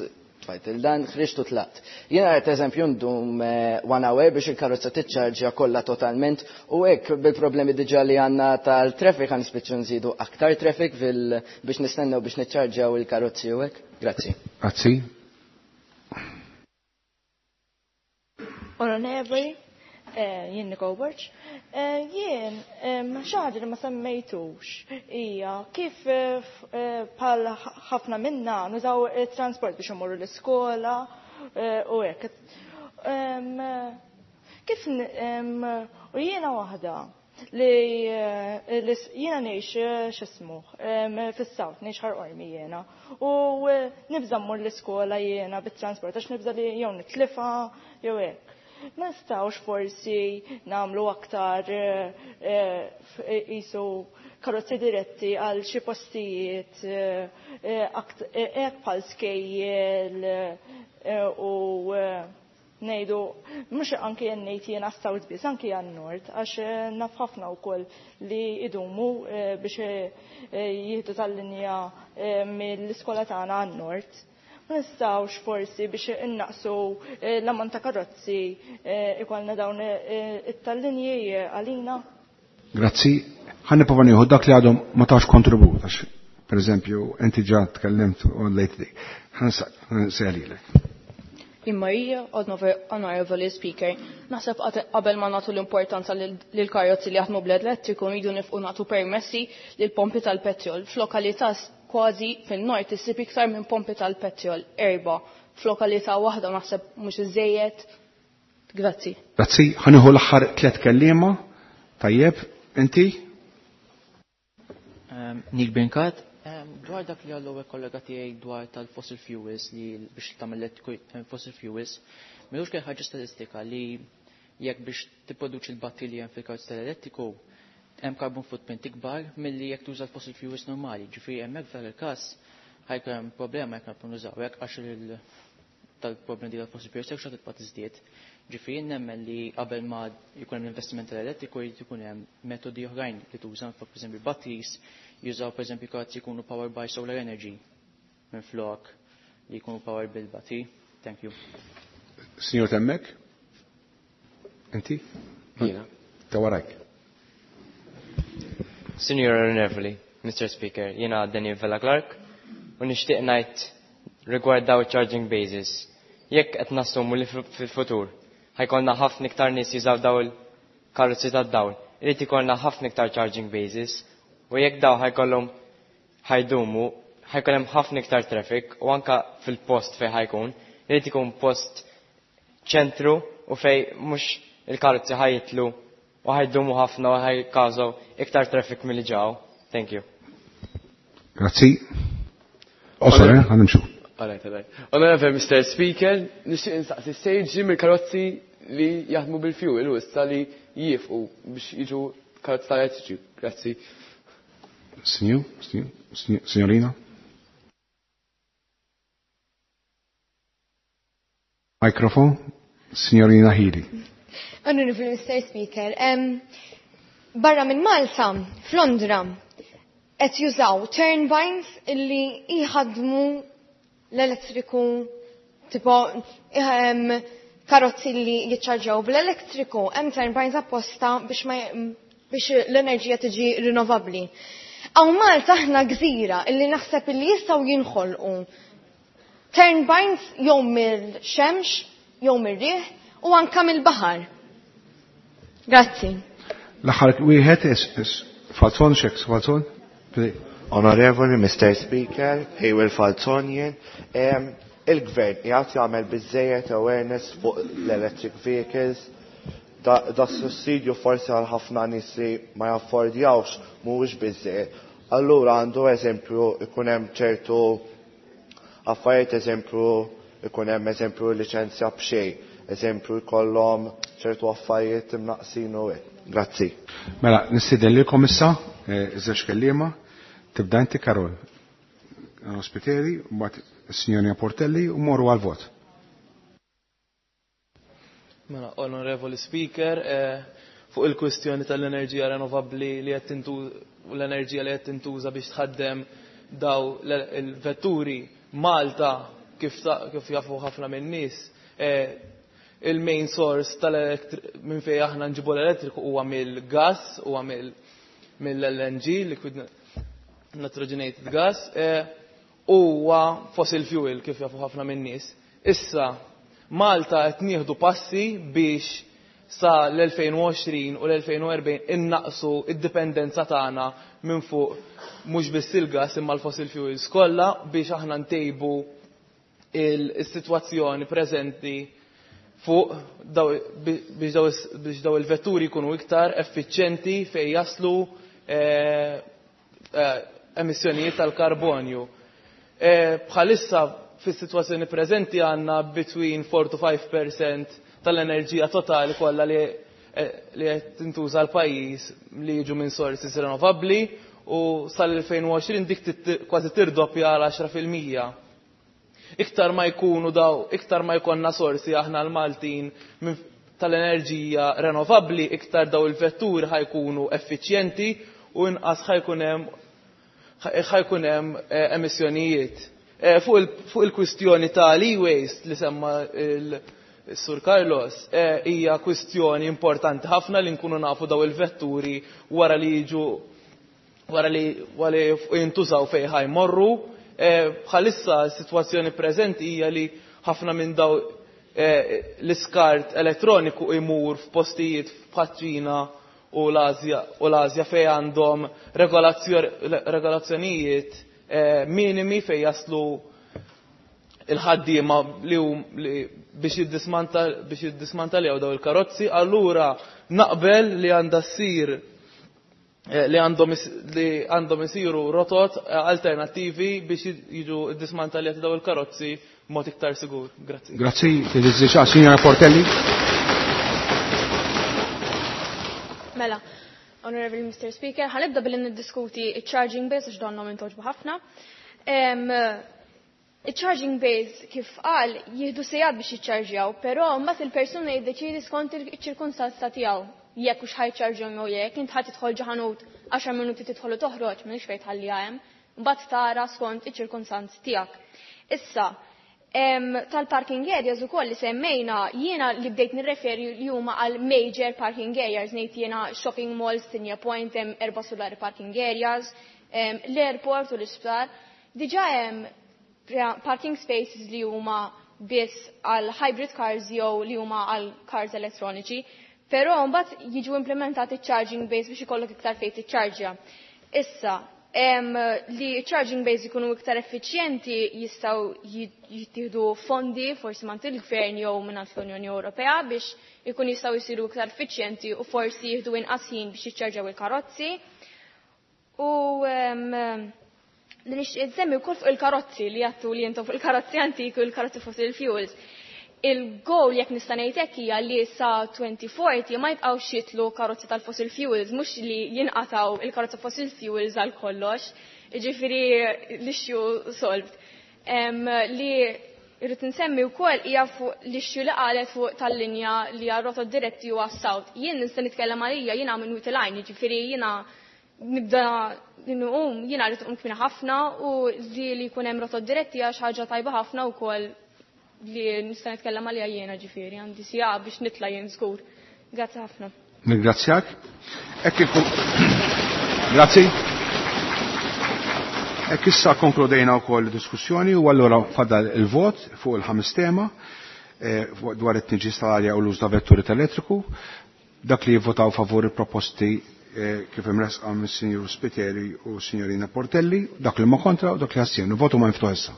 Speaker 9: tfajt il-dan, ħriġt u tlaqt. Jiena rajt eżempju ndum 1 hour biex il-karozza tiċċarġja kollha totalment u hekk bil-problemi diġà li għandna tal-traffic għan nispiċċu nżidu aktar traffic biex nistennew biex niċċarġjaw il-karozzi u hekk. Grazzi.
Speaker 1: Grazzi.
Speaker 10: Onorevoli, jien Nicole Borg. Jien, xi ħaġa li ma semmejtux hija kif bħal ħafna minna nużaw it-transport biex imorru l-iskola u hekk. Kif u jiena waħda li jiena ngħix x'ismu, fis-South, ngħix Ħal Qormi jiena. U nibża' mmur l-iskola jiena bit-transport għax nibża' li jew nitlifa jew hekk. Ma nistgħux forsi nagħmlu aktar qisu karozzi diretti għal xi postijiet hekk bħal skejjel u ngħidu mhux anke jien ngħid jiena South biss, anke għan Nord, għax naf ħafna wkoll li idumu biex jieħdu tal-linja mill-iskola tagħna għan-Nord. Ma nistgħux forsi biex innaqsu l-ammont ta' karozzi ikollna dawn it-tal-linji għalina.
Speaker 1: Grazzi. Ħa nipprova nieħu dak li għadhom ma tawx kontribut, għax pereżempju inti ġa tkellimt u lejt dik. Ħa nsejlilek.
Speaker 18: Imma hija, Honorable Speaker, naħseb qabel ma nagħtu l-importanza lil karozzi li jaħdmu bl-elettriku rridu nifqu nagħtu permessi lil pompi tal-petrol. F'lokalità kważi fin-nord issib iktar minn pompi tal-petrol, 4. F'lokalità waħda naħseb mhux iżejjed. Grazzi.
Speaker 1: Grazzi, ħa nieħu l-aħħar 3 kelliema. Tajjeb, inti?
Speaker 17: Neil Brincat. Dwar dak li għallu kollega tiegħi dwar tal-fossil fuels li biex tagħmel fossil fuels, m'ilux kien ħaġa statistika li jekk biex tipproduċi l-batteri li hemm fil-karozza tal-elettriku hemm carbon footprint ikbar milli jekk tuża l-fossil fuels normali. Ġifieri hemmhekk f'dan il-każ ħajkun hemm problema jekk nabqgħu nużaw hekk għax tal-problemi di tal-fossil fuels jekk xorta tibqa' tiżdied. Ġifieri nemmen li qabel ma jkun hemm l-investiment tal-elettriku jrid ikun hemm metodi oħrajn li tuża, pereżempju batteries, jużaw pereżempju karozzi jkunu powered by solar energy minn flok li jkunu powered bil-battery. Thank you.
Speaker 1: Signor Temmek? Inti?
Speaker 21: Jiena.
Speaker 1: Ta' warajk.
Speaker 21: Signor Onorevoli, Mr. Speaker, jiena Daniel Vella Clark u nixtieq ngħid rigward daw charging bases. Jekk qed nassumu li fil-futur ħajkollna ħafna iktar nies jużaw daw il-karozzi tad-dawl, irid ikollna ħafna iktar charging bases u jekk daw ħajkollhom ħajdumu, ħajkun hemm ħafna iktar traffic u anka fil-post fejn ħajkun, irid ikun post ċentru u fej mhux il-karozzi ħajitlu u ħajdumu ħafna u ħajkażaw iktar traffic milli ġew. Thank you.
Speaker 1: Grazzi. Osor, ħa nimxu.
Speaker 19: All right, all right. Honorable Mr. Speaker, nixtieq insaqsi sejġi mill-karozzi li jaħdmu bil-fuel u issa li jiefqu biex jiġu karozzi tal-elettriċi. Grazzi.
Speaker 1: Signor, signor, signor, signorina. Mikrofon, signorina Hili.
Speaker 4: Honorable Mr. Speaker, barra minn Malta, f'Londra, qed jużaw turbines illi jħadmu l-elettriku, tipo karozzi li jiċċarġaw bl-elettriku, hemm turbines apposta biex l-enerġija tiġi rinnovabbli. Hawn Malta aħna gżira illi naħseb illi jistgħu jinħolqu turbines jew mill-xemx, jew mir-riħ u anka mill-baħar. Grazzi.
Speaker 1: L-aħħar wieħed is Falzon, xek, Falzon?
Speaker 7: Onorevoli Mr. Speaker, Hayward Falzonien, il-gvern jgħat jagħmel biżejjed awareness fuq l-electric vehicles, da, da sussidju forsi għal ħafna nies li ma jaffordjawx mhuwiex biżejjed. Allura għandu eżempju ikun hemm ċertu affarijiet eżempju ikun hemm eżempju liċenzja b'xejn, eżempju jkollhom ċertu affarijiet imnaqsin u hekk. Grazzi.
Speaker 1: Mela, nistieden lilkom issa, eh, żewġ kelliema, tibda inti Karol. Ospiteri, mbagħad is-Sinjorina Portelli u morru għal-vot.
Speaker 2: Mela, Onorevoli Speaker, eh, fuq il-kwistjoni tal-enerġija rinnovabbli li qed l-enerġija li qed tintuża biex tħaddem daw il-vetturi Malta kif, kif jafu ħafna minn nies eh, il-main source tal minn fejn aħna nġibu l-elettriku huwa mill-gas, huwa mill-LNG, liquid nitrogenated gas, eh, huwa fossil fuel kif jafu ħafna minn nies. Issa, Malta qed nieħdu passi biex sa l-2020 u l-2040 innaqsu id-dipendenza tagħna minn fuq mhux biss il-gas imma l-fossil fuels kollha biex aħna ntejbu il-sitwazzjoni preżenti fuq biex daw il-vetturi jkunu iktar effiċjenti fejn jaslu eh, eh, emissjonijiet tal-karbonju. Eh, bħalissa fis-sitwazzjoni preżenti għandna between 4 to 5% tal-enerġija totali kollha li li qed tintuża l-pajjiż li jiġu minn sources rinnovabbli u sal-2020 dik kważi tirdoppja għal 10%. Iktar ma jkunu daw, iktar ma jkollna sorsi aħna l-Maltin tal-enerġija rinnovabbli, iktar daw il-vetturi ħa jkunu effiċjenti u inqas ħa jkun hemm ħa jkun hemm eh, emissjonijiet. Eh, fuq il-kwistjoni tal-e-waste li semma il-Sur Carlos, eh, hija kwistjoni importanti ħafna li nkunu nafu daw il-vetturi wara li jiġu wara li wara li jintużaw fejn ħa jmorru. Bħalissa s-sitwazzjoni preżenti hija li ħafna minn daw l-iskart elettroniku imur f'postijiet bħaċ-Ċina u l-Azja fejn għandhom regolazzjonijiet minimi fejn jaslu il-ħaddiema li biex jiddismanta biex jiddismantaljaw daw il-karozzi, allura naqbel li għandha ssir li għandhom li għandhom isiru rotot alternattivi biex jiġu dismantaljati daw il-karozzi b'mod iktar sigur. Grazzi.
Speaker 1: Grazzi, Signora Portelli.
Speaker 8: Mela, Honorable Mr. Speaker, ħa nibda billi niddiskuti il-charging bays għax donnhom intogħġbu ħafna. Il-charging bays kif qal jieħdu sigħat biex jiċċarġjaw, però mbagħad il-persuna jiddeċidi skont il-ċirkonstanza tiegħu jekk hux ħa jċarġjahom jew jekk int ħa tidħol ġo ħanut 10 minuti tidħol u toħroġ m'hemmx fejn tħalliha hemm, mbagħad tara skont iċ-ċirkonstanzi tiegħek. Issa, tal-parking areas ukoll li semmejna jiena li bdejt nirreferi li huma għal major parking areas, ngħid jiena shopping malls, Tigné Point, hemm erba' solari parking areas, l-airport u l-isptar. Diġà hemm parking spaces li huma biss għal hybrid cars jew li huma għal cars elettroniċi, però mbagħad jiġu implementati charging bays biex ikollok iktar fejn tiċċarġja. Issa, li charging bays ikunu iktar effiċjenti jistgħu jittieħdu fondi forsi mingħand il-gvern jew mingħand l-Unjoni Ewropea biex ikun jistgħu jsiru iktar effiċjenti u forsi jieħdu inqas ħin biex jiċċarġaw il-karozzi. U li nixtieq insemmi wkoll fuq il-karozzi li għattu li intom fuq il-karozzi antiki u il-karozzi fossil fuels. Il-goal jekk nista' ngħid hekk hija li sa 2040 ma jibqgħux jitlu karozzi tal-fossil fuels, mhux li jinqataw il-karozzi fossil fuels għal kollox. Jiġifieri l-issue solved. Li irrid insemmi wkoll hija fuq l-issue li qalet fuq tal-linja li hija rotot diretti u għas-south. Jien nista' nitkellem għalija jiena minn Wied il-Għajn, jiġifieri jiena nibda nqum, jiena rrid nqum kmieni ħafna u li jkun hemm rotot diretti għax ħaġa tajba ħafna wkoll li nista' nitkellem għalija jiena ġifieri għandi siegħa biex nitla' jien żgur. Grazzi ħafna.
Speaker 1: Nirringrazzjak. Hekk Grazzi. Hekk issa konkludejna wkoll diskussjoni u allura fadal il-vot fuq il-ħames tema dwar it-tniġġis tal-arja u l-użu ta' vetturi tal-elettriku. Dak li jivvotaw favur il-proposti kif imresqa mis-Sinjur Spiteri u Sinjorina Portelli, dak li ma kontra u dak li astjenu. Votu ma miftuħ issa.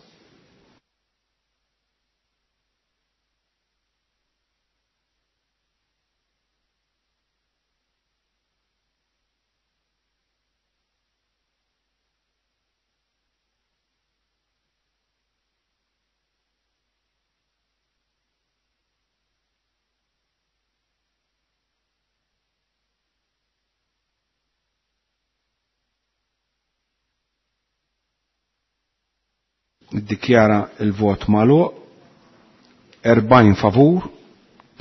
Speaker 1: Niddikjara il-vot magħluq, 40 favur,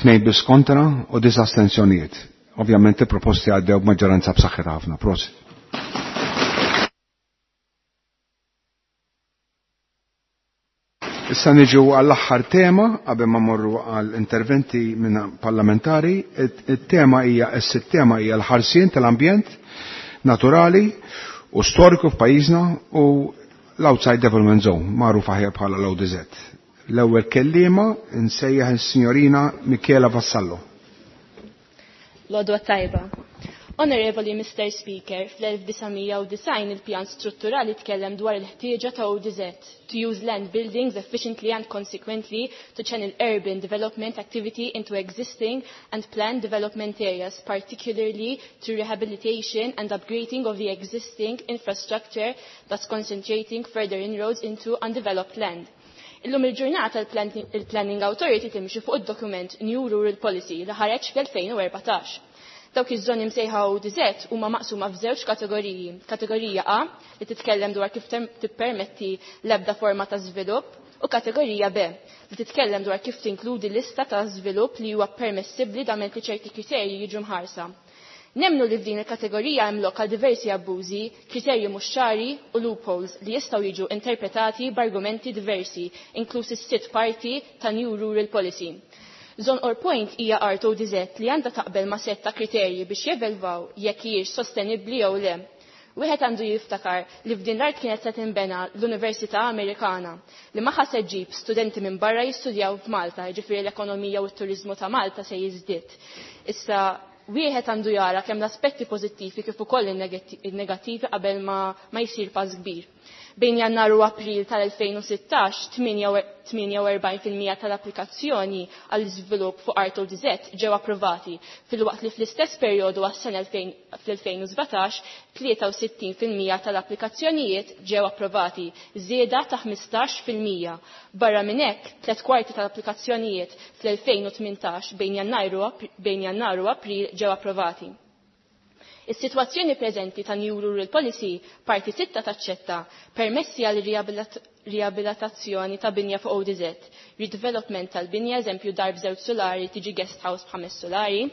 Speaker 1: 2 biss kontra u 9 astensjonijiet. Ovvjament il-proposti għaddew b'maġġoranza b'saħħitha ħafna. Prosit. Issa niġu għall-aħħar tema qabel ma morru għall interventi minn parlamentari. Il-tema hija is-sitt-tema hija l-ħarsien tal-ambjent naturali u storiku f'pajjiżna u l-Outside Development Zone, magħruf aħjar bħala l-ODZ. L-ewwel kelliema nsejjaħ is-Sinjorina Michela Vassallo.
Speaker 3: L-għodwa tajba. Onorevoli Mr. Speaker, fl-1990 il-pjan strutturali tkellem dwar il-ħtieġa ta' ODZ to use land buildings efficiently and consequently to channel urban development activity into existing and planned development areas, particularly to rehabilitation and upgrading of the existing infrastructure that's concentrating further inroads into undeveloped land. Illum il-ġurnata il-Planning Authority timxi fuq id-dokument New Rural Policy li ħareġ fl-2014. Dawk iż-żoni msejħa ODZ huma maqsuma f'żewġ kategoriji. Kategorija A li titkellem dwar kif tippermetti l-ebda forma ta' żvilupp u kategorija B li titkellem dwar kif tinkludi lista ta' żvilupp li huwa permessibbli dament li ċerti kriterji jiġu mħarsa. Nemnu li f'din il-kategorija hemm lok għal diversi abbużi, kriterji mhux ċari u loopholes li jistgħu jiġu interpretati b'argumenti diversi, inkluż is-sitt parti ta' New Rural Policy. Zone or point hija art ODZ li għandha taqbel ma' sett ta' kriterji biex jevelvaw jekk hijiex sostenibbli jew le. Wieħed għandu jiftakar li f'din l-art kienet se tinbena l-Università Amerikana li magħha se ġġib studenti minn barra jistudjaw f'Malta, jiġifieri l-ekonomija u t-turiżmu ta' Malta se jiżdied. Issa wieħed għandu jara kemm l-aspetti pożittivi kif ukoll in-negattivi qabel ma, ma jsir pass kbir. Bejn Jannar u April tal-2016, 48% tal-applikazzjoni għall iżvilupp fuq art ODZ ġew approvati, filwaqt li fl-istess perjodu għas-sena fl-2017, 63% tal-applikazzjonijiet ġew approvati, żieda ta' 15%. Barra minn hekk, tliet kwarti tal-applikazzjonijiet fl-2018 bejn Jannar u April ġew approvati. Is-sitwazzjoni preżenti ta' New Rural Policy parti 6 taċċetta permessi għal riabilitazzjoni ta' binja fuq ODZ, redevelopment tal-binja eżempju dar b'żewġ solari tiġi guest house b'ħames solari,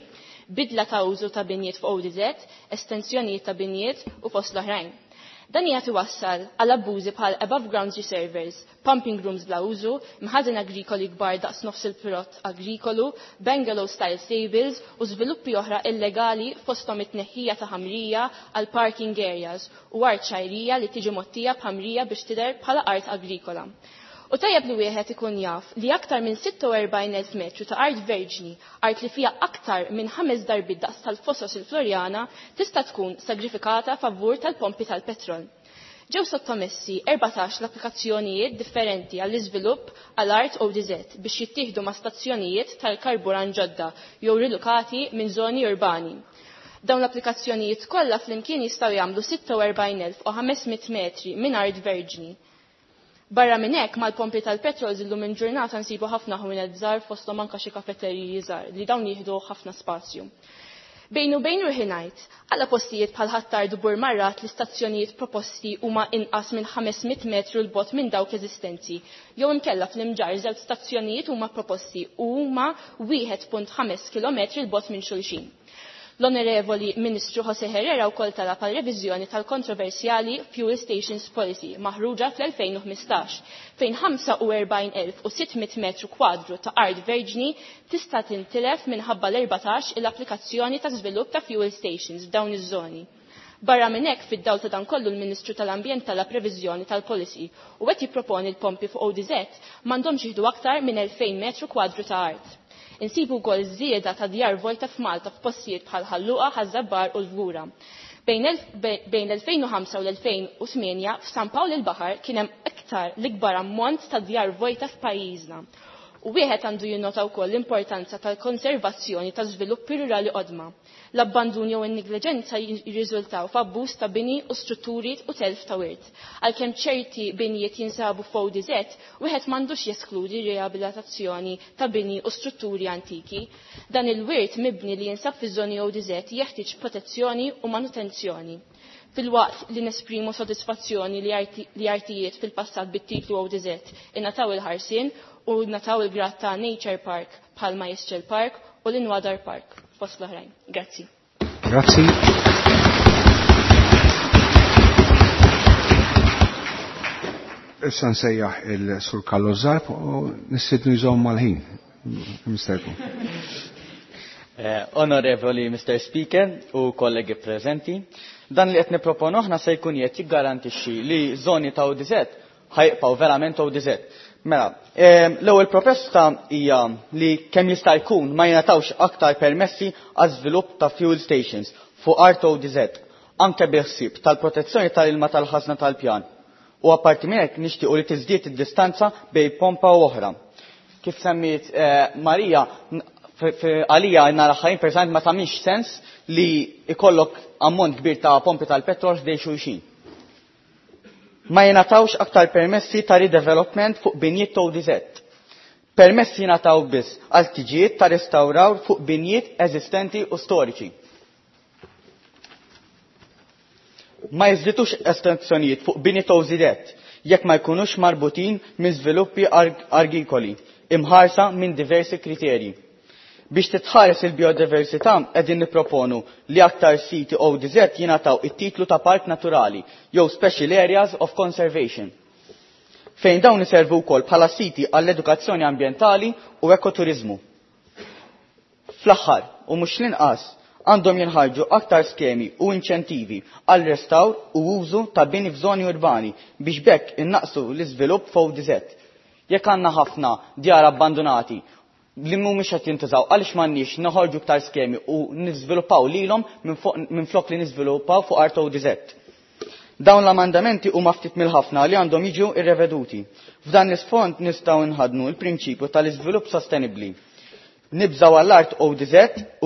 Speaker 3: bidla ta' użu ta' binjiet fuq ODZ, estensjonijiet ta' binjiet u fost l-oħrajn. Dan jagħti wassal għal abbużi bħal above ground reservoirs, pumping rooms bla użu, mħażen agrikoli kbar daqs nofs il-pirot agrikolu, bungalow style stables u żviluppi oħra illegali fosthom it-tneħħija ta' ħamrija għal parking areas u art xajrija li tiġi mottija b'ħamrija biex tidher bħala art agrikola. U tajjeb li wieħed ikun jaf li aktar minn 46,000 metru ta' art verġni, art li fija aktar minn ħames darbiet daqs tal-fosos il-Florjana, tista' tkun sagrifikata favur tal-pompi tal-petrol. Ġew sottomessi 14 l-applikazzjonijiet differenti għall-iżvilupp għall art ODZ biex jittieħdu ma' stazzjonijiet tal-karburant ġodda jew rilukati minn żoni urbani. Dawn l-applikazzjonijiet kollha flimkien jistgħu jagħmlu 46,500 metri minn art verġni. Barra minn hekk mal-pompi tal-petrol illum il-ġurnata nsibu ħafna ħwienet żgħar fosthom anke xi kafeteriji żgħar li dawn jieħdu ħafna spazju. Bejn u bejn ruħi ngħid, għala postijiet bħal Ħ'Attard u Burmarrat l-istazzjonijiet proposti huma inqas minn 500 metru 'l bogħod minn dawk eżistenti, jew imkella fl-Imġarr żewġ stazzjonijiet huma proposti u huma 1.5 kilometri 'l bogħod minn xulxin. L-Onorevoli Ministru Jose Herrera wkoll talab għal reviżjoni tal-kontroversjali Fuel Stations Policy maħruġa fl-2015 fejn 45,600 metru kwadru ta' art verġni tista' tintilef minħabba l-14 il-applikazzjoni ta' żvilupp ta' fuel stations f'dawn iż-żoni. Barra minn hekk fid-dawl ta' dan kollu l-Ministru tal-Ambjent talab reviżjoni tal-policy u qed jipproponi l-pompi fuq ODZ m'għandhomx jieħdu aktar minn 2000 metru kwadru ta' art. Insibu wkoll żieda ta' djar vojta f'Malta f'postijiet bħal Ħalluqa, Ħaż-Żabbar u l-Fgura. Bejn l-2005 u l-2008 f'San Pawl il-Baħar kien hemm iktar l-ikbar ammont ta' djar vojta f'pajjiżna. U wieħed għandu jinnota wkoll l-importanza tal-konservazzjoni ta' żviluppi rurali qodma. L-abbandun jew in-negliġenza jirriżultaw f'abbuż ta' bini u strutturi u telf ta' wirt. Għalkemm ċerti binjiet jinsabu f'ODZ, wieħed m'għandux jeskludi riabilitazzjoni ta' bini u strutturi antiki. Dan il-wirt mibni li jinsab fiż-żoni ODZ jeħtieġ protezzjoni u manutenzjoni. Filwaqt li nesprimu sodisfazzjoni li artijiet fil-passat bit-titlu ODZ ingħataw il-ħarsien u nataw il-grad ta' Nature Park bħal Majesċel Park u l-Inwadar Park fost l-oħrajn. Grazzi.
Speaker 1: Grazzi. Issa nsejjaħ il-Sur Carlo Zarb u nistidnu jżomm mal-ħin. Misterku.
Speaker 20: Onorevoli Mr. Speaker u kollegi prezenti, dan li qed nipproponu aħna se jkun qed jiggarantixxi li żoni ta' ODZ ħajqpaw verament ODZ. Mela, l-ewwel proposta hija li kemm jista' jkun ma jingħatawx aktar permessi għal żvilupp ta' fuel stations fuq art ODZ, anke bil-ħsieb tal-protezzjoni tal-ilma tal-ħażna tal-pjan. U apparti minn hekk nixtiequ li tiżdied id-distanza bejn pompa u oħra. Kif semmiet Marija, għalija nara ħajn personalment ma tagħmilx sens li ikollok ammont kbir ta' pompi tal-petrol ħdejn xulxin. Ma jingħatawx aktar permessi ta' redevelopment fuq binjiet ODZ. Permessi jingħataw biss għal tiġijiet ta' restawraw fuq binjiet eżistenti u storiċi. Ma jiżditux estensjonijiet fuq binjiet ODZ jekk ma jkunux marbutin minn żviluppi agrikoli imħarsa minn diversi kriterji. Biex titħares il-biodiversità qegħdin nipproponu li aktar siti ODZ jingħataw it-titlu ta' park naturali jew Special Areas of Conservation, fejn dawn iservu wkoll bħala siti għall-edukazzjoni ambjentali u ekoturizmu. Fl-aħħar u mhux l-inqas għandhom jinħarġu aktar skemi u inċentivi għal restawr u użu ta' bini f'żoni urbani biex bekk innaqsu l-iżvilupp f'ODZ. Jekk għandna ħafna djar abbandonati li mhumiex qed jintużaw, għaliex m'għandniex noħorġu aktar skemi u niżviluppaw lilhom minn flok li niżviluppaw fuq art ODZ. Dawn l-amendamenti huma ftit mill-ħafna li għandhom jiġu irreveduti. F'dan l-isfond nistgħu nħadnu l-prinċipju tal-iżvilupp sostenibbli. Nibżgħu għall-art ODZ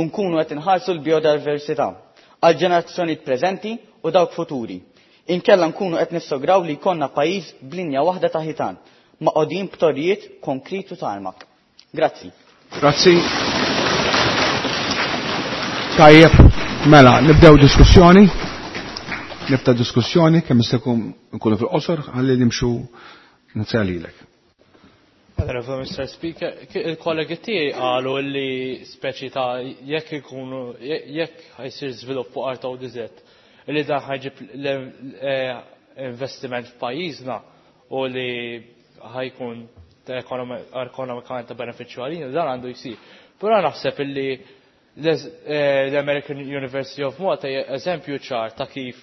Speaker 20: u nkunu qed inħarsu l-biodiversità għal ġenerazzjonijiet preżenti u dawk futuri. Inkella nkunu qed nissograw li jkollna pajjiż b'linja waħda ta' ħitan, maqogħdin b'torrijiet konkrit u tarmak. Grazzi.
Speaker 1: Grazzi. Tajjeb, mela, nibdew diskussjoni. Nibda diskussjoni kemm jista' jkun nkunu fil-qosor ħalli nimxu nitsalilek.
Speaker 5: Honorable Mr. Speaker, il-kollegi tiegħi qalu li speċi ta' jekk ikunu jekk ħajsir żvilupp fuq art ODZ li dan ħajġib investiment f'pajjiżna u li ħajkun ekonomikament ta' benefiċċju għalina, dan għandu jsir. Però naħseb illi l-American University of Malta hija eżempju ċar ta' kif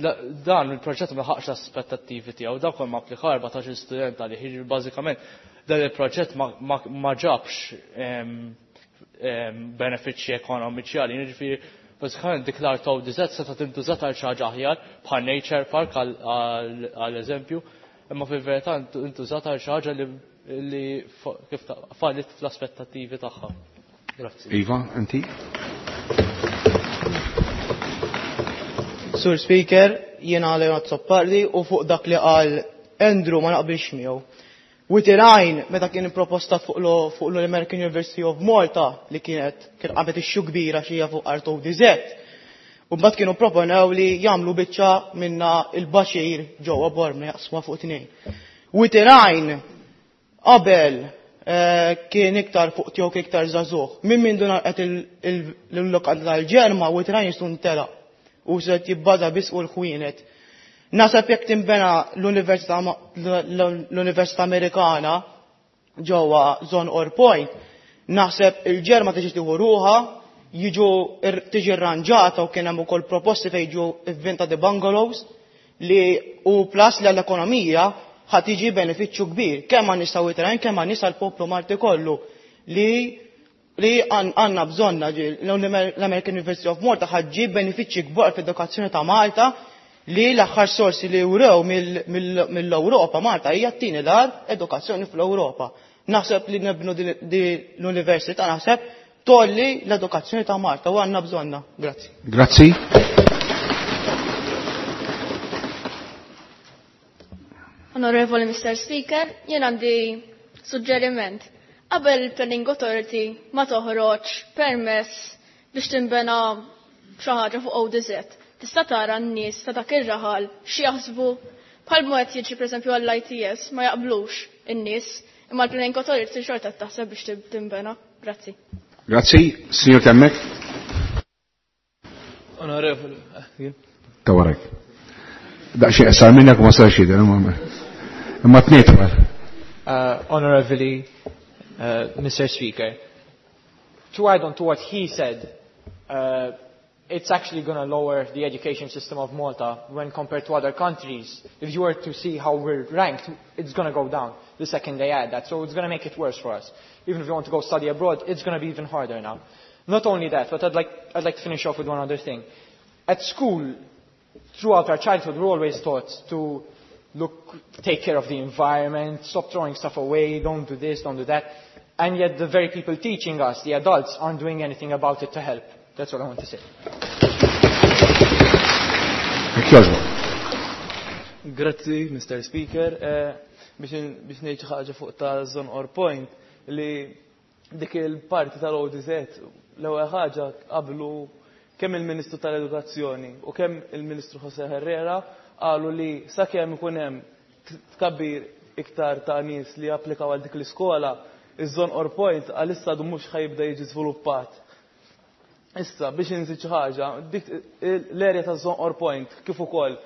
Speaker 5: dan il-proġett ma ħaqx l-aspettattivi tiegħu, dak kien ma applika 14 student għalih, jiġifieri bażikament dan il-proġett ma ġabx benefiċċji ekonomiċi għalina, jiġifieri bażikament dik l-art ODZ seta' tintużat għal xi ħaġa aħjar bħal Nature Park għal eżempju, imma fil-verità intużat għal xi ħaġa li kif fallit fl-aspettattivi tagħha. Grazzi.
Speaker 1: Iva, inti?
Speaker 13: Sur Speaker, jiena Leonard Soppardi u fuq dak li qal Andrew ma naqbilx miegħu. Witirajn, meta kien proposta fuq l-American University of Malta li kienet kien qamet ixxu kbira xija fuq art ODZ. U mbagħad kienu proponew li jagħmlu biċċa minna il-baxir ġewwa Bormla jaqsmuha fuq tnejn. Witirajn qabel kien iktar fuq tiegħu kien iktar żagħżugħ. Minn mindu nagħqet il-lokanda tal-Ġerma, Witirajn jistu ntelaq u se jibbaża biss fuq il-ħwienet. Nasab jekk tinbena l-Università Amerikana ġewwa Żonqor Point, naħseb il-Ġerma tiġi tieħu ruħha, jiġu tiġi rranġata u kien hemm ukoll proposti fejn jiġu ivvintati bungalows li u plus li għall-ekonomija ħa tiġi benefiċċju kbir, kemm għan nisa Witrajn, kemm għan nisa l-poplu Malti kollu. li li għandna bżonna l-American University of Malta ħaġġib benefiċċji kbar fl-edukazzjoni ta' Malta li l-aħħar sorsi li wrew mill-Ewropa Malta hija t-tieni dar edukazzjoni fl-Ewropa. Naħseb li nibnu di l-università naħseb tolli l-edukazzjoni ta' Malta u għandna bżonna. Grazzi.
Speaker 1: Grazzi.
Speaker 12: Onorevoli Mr. Speaker, jien għandi suġġeriment. Qabel il-Planning Authority ma toħroġ permess biex tinbena xi ħaġa fuq ODZ. Tista' tara n-nies ta' dak ir-raħal x'jaħsbu bħal mod jiġi pereżempju għall-ITS ma jaqblux in-nies, imma l-Planning Authority xorta taħseb biex tinbena. Grazzi.
Speaker 1: Grazzi, signor Temmek.
Speaker 2: Onorevoli, jien.
Speaker 1: Ta' warek. Daqsxejn qasar minnek u ma sarx jidher, imma tnejn twal.
Speaker 6: Honorably, Mr. Speaker, to add on to what he said, it's actually going to lower the education system of Malta when compared to other countries. If you were to see how we're ranked, it's going to go down the second they add that. So it's going to make it worse for us. Even if you want to go study abroad, it's going to be even harder now. Not only that, but I'd like to finish off with one other thing. At school, throughout our childhood, we're always taught to take care of the environment, stop throwing stuff away, don't do this, don't do that. And yet the very people teaching us, the adults, aren't doing anything about it to help. That's what I want to say.
Speaker 2: Grazzi, Mr. Speaker. Biex ngħid xi ħaġa fuq ta' Żonqor Point li dik il-parti tal-ODZ l-ewwel ħaġa qablu kemm il-Ministru tal-Edukazzjoni u kemm il-Ministru Jose Herrera qalu li sakemm ikun hemm tkabbir iktar ta' nies li applikaw għal dik l-iskola, iż-Żonqor Point għalissa għadu mhux ħajibda jiġi żviluppat. Issa, biex inżid xi ħaġa, dik l-erja ta' Żonqor Point kif ukoll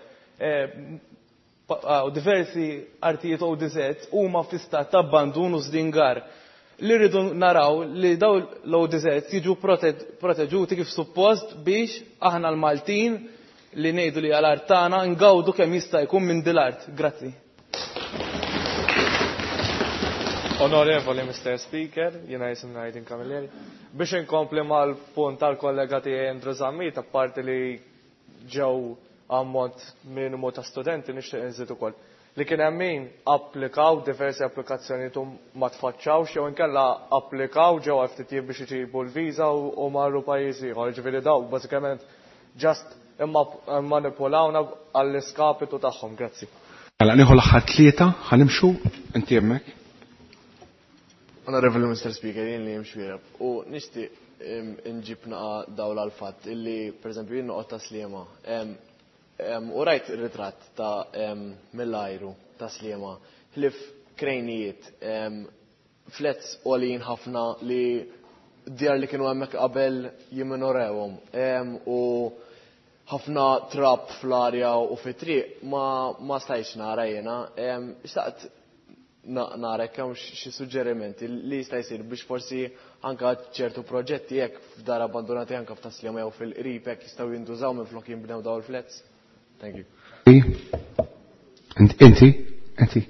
Speaker 2: u diversi artijiet ODZ huma fi stat ta' abbandun u żdingar. Li rridu naraw li daw l-ODZ jiġu proteġuti kif suppost biex aħna l-Maltin li ngħidu li għal-art tagħna ngawdu kemm jista' jkun minn dil-art. Grazzi.
Speaker 14: Onorevoli Mr. Speaker, jiena jisimni Aydin Camilleri. Biex inkompli mal-punt tal-kollega tiegħi Andrew Zammit, apparti li ġew ammont minimu ta' studenti, nixtieq inżid ukoll. Li kien hemm min applikaw diversi applikazzjonijiet u ma tfaċċawx jew inkella applikaw ġew FTT biex iġibu l-viża u marru pajjiż ieħor. Ġifieri daw bażikament just imma manipulawna għall-iskapitu tagħhom. Grazzi.
Speaker 1: Mela nieħu l-aħħar tlieta, ħanimxu inti hemmhekk.
Speaker 19: Honorable Mr. Speaker, jien li jimxu jirab. U nixtieq nġib naqa dawl għal fatt illi, per eżempju, jien noqgħod ta' Sliema. U rajt ir-ritratt ta' mill-ajru ta' Sliema, ħlif krejnijiet, flets għoljin ħafna li djar li kienu hemmhekk qabel jimminorewhom. U ħafna trab fl-arja u fit-triq ma stajtx nara jiena. Xtaqt nara jekk hawn xi suġġerimenti li jista' jsir biex forsi anka ċertu proġetti jekk f'dar abbandonati anka f'Tas-Sliema jew fil-qrib jekk jistgħu jintużaw minflok jinbnew dawn il-flets. Thank you.
Speaker 1: Inti, inti.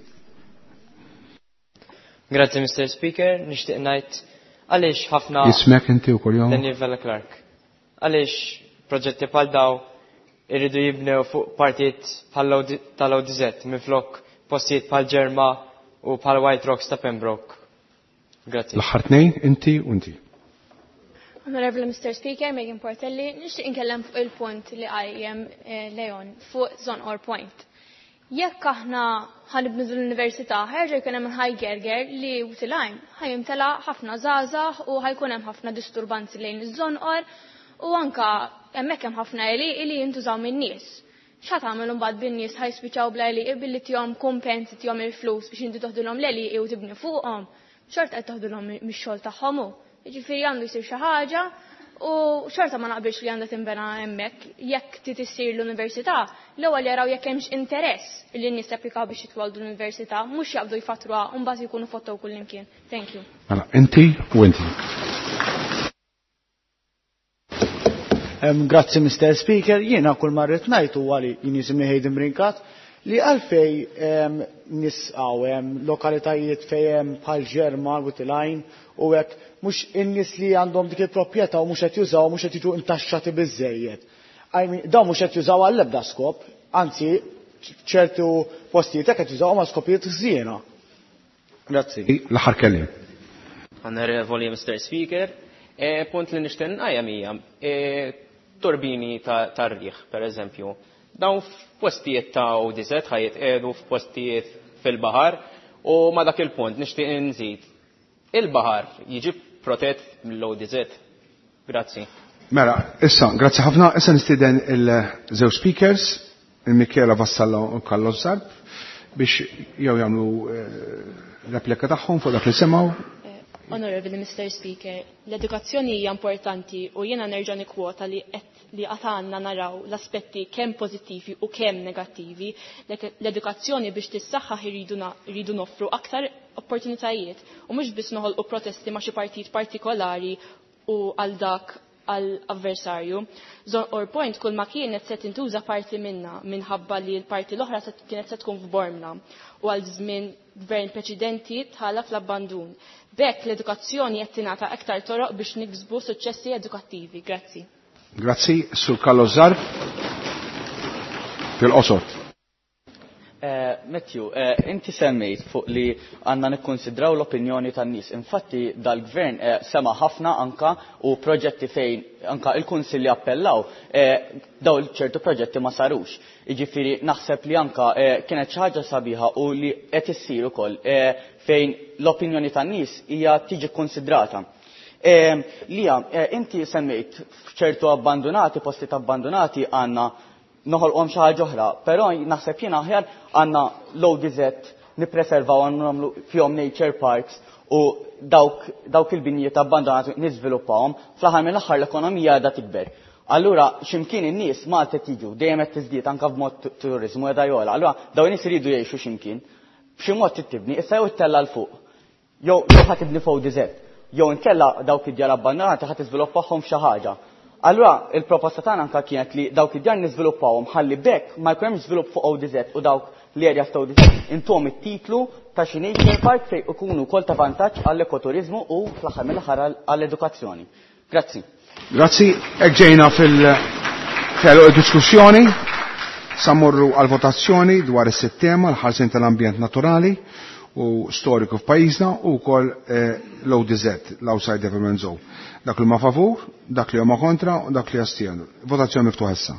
Speaker 21: Grazie, Mr. Speaker. Nixtieq ngħid għaliex ħafna
Speaker 1: Jismek inti wkoll jom?
Speaker 21: Daniel Vella Clark. Għaliex proġetti bħal daw irridu jibnew fuq partijiet tal-ODZ minflok postijiet bħal Ġerma u bħal White Rocks ta' Pembroke. Grazie.
Speaker 1: L-aħħar tnejn, inti u inti.
Speaker 3: Honorable Mr. Speaker, Megan Portelli, nixtieq inkellem fuq il-punt li qajjem Leon fuq Żonqor Point. Jekk aħna ħanibnu l-università, ħerġa jkun hemm ħaj gerger li Wied il-Għajn ħajimtela ħafna żgħażagħ u ħajkun hemm ħafna disturbanzi lejn iż-Żonqor u anka hemmhekk hemm ħafna għelieqi li jintużaw min-nies. X'ħa tagħmel imbagħad bin-nies ħajspiċċaw bla għelieqi billi tihom kumpens, tihom il-flus biex inti toħdilhom l-għelieqi u tibni fuqhom, xorta qed toħdilhom mix-xogħol tagħhom hu. Jiġifieri għandu jsir xi ħaġa u xorta ma naqbilx li għandha tinbena hemmhekk. Jekk trid issir l-università, l-ewwel jaraw jekk hemmx interess li n-nies japplikaw biex jitwaldu l-università, mhux jaqbdu jfatruha u mbagħad jkunu fottow kullimkien. Thank you.
Speaker 1: Mela, inti u inti.
Speaker 15: Grazzi, Mr. Speaker. Jiena kull ma rrid ngħid huwa li jien jisimni Hayden Brincat li għalfej nisqaw hemm lokalitajiet fejn hemm bħal Ġerma, Wied il-Għajn u hekk mhux in-nies li għandhom dik il-proprjetà u mhux qed jużaw mhux qed jiġu intaxxati biżżejjed. I mean, dawn mhux qed jużaw għall-ebda skop, anzi ċertu postijiet hekk qed jużawhom għal skopijiet ħżiena. Grazzi.
Speaker 1: L-aħħar kelliem.
Speaker 11: Onorevoli Mr. Speaker, eh, punt li nixtieq nqajjem hija eh, turbini tar-riħ, per eżempju. Dawn f'postijiet ta' ODZ ħajjitqiegħdu f'postijiet fil-baħar u ma dak il-punt nixtieq inżid. Il-baħar jiġi protett mill-ODZ. Grazzi.
Speaker 1: Mela, issa, grazzi ħafna, issa nistieden il-żewġ speakers, il-Michela Vassallo u Carlos Zarb, biex jew jagħmlu eh, replika tagħhom fuq dak li semgħu.
Speaker 3: Honorable Mr. Speaker, l-edukazzjoni hija importanti u jiena nerġa' nikkwota li qed li qatt għandna naraw l-aspetti kemm pożittivi u kemm negattivi. L-edukazzjoni biex tissaħħaħ irridu noffru aktar opportunitajiet u mhux biss noħolqu protesti ma' xi partit partikolari u għal dak għal avversarju. Zonqor Point kull ma kienet se tintuża parti minna minħabba li l-parti l-oħra kienet se tkun f'Bormla u għal żmien gvern preċedenti tħalla fl-abbandun. B'hekk l-edukazzjoni qed tingħata aktar toroq biex niksbu suċċessi edukattivi. Grazzi.
Speaker 1: Grazzi, Sur Carlos Zarb. Fil-qosor.
Speaker 20: Eh, Matthew, eh, inti semmejt fuq li għanna nikkonsidraw l-opinjoni tan-nies. Infatti dal-gvern eh, sema ħafna anka u proġetti fejn anka il-kunsilli appellaw daw ċertu proġetti ma sarux. Jiġifieri naħseb li anka kienet xi ħaġa sabiħa u li qed issir ukoll fejn l-opinjoni tan-nies hija tiġi konsidrata. Lija, inti semmejt f'ċertu abbandonati, postijiet abbandonati għandna noħolqhom xi ħaġa oħra, però naħseb jiena aħjar għandna l-ODZ nippreservaw għandna nagħmlu fihom nature parks u dawk, dawk il-binjiet abbandonati niżviluppawhom, fl-aħħar mill-aħħar l-ekonomija qiegħda tikber. Allura x'imkien in-nies Malta qed jiġu dejjem qed tiżdied anke b'mod turiżmu qiegħda jogħla. Allura dawn in-nies iridu jgħixu x'imkien. B'xi mod trid tibni, issa jew ittella' 'l fuq. Jew jew ħa tibni f'ODZ. Jew inkella dawk id-djar abbandonati ħa tiżviluppahom f'xi ħaġa. Allura il-proposta tagħna anke kienet li dawk id-djar niżviluppawhom ħalli b'hekk ma jkun hemmx żvilupp fuq ODZ u dawk l-areas ta' ODZ intuhom it-titlu ta' xi nature park fejn ikunu wkoll ta' vantaġġ għall-ekoturiżmu u fl-aħħar mill-aħħar għall-edukazzjoni. Grazzi.
Speaker 1: Grazzi, hekk ġejna fil-għeluq id-diskussjoni. Sa mmorru għall-votazzjoni dwar is-sitt tema, l-ħarsien tal-ambjent naturali u storiku f'pajjiżna u wkoll eh, l-ODZ, l-Outside Development Zone. Dak li huma favur, dak li huma kontra u dak li jastienu. Votazzjoni miftuħa issa.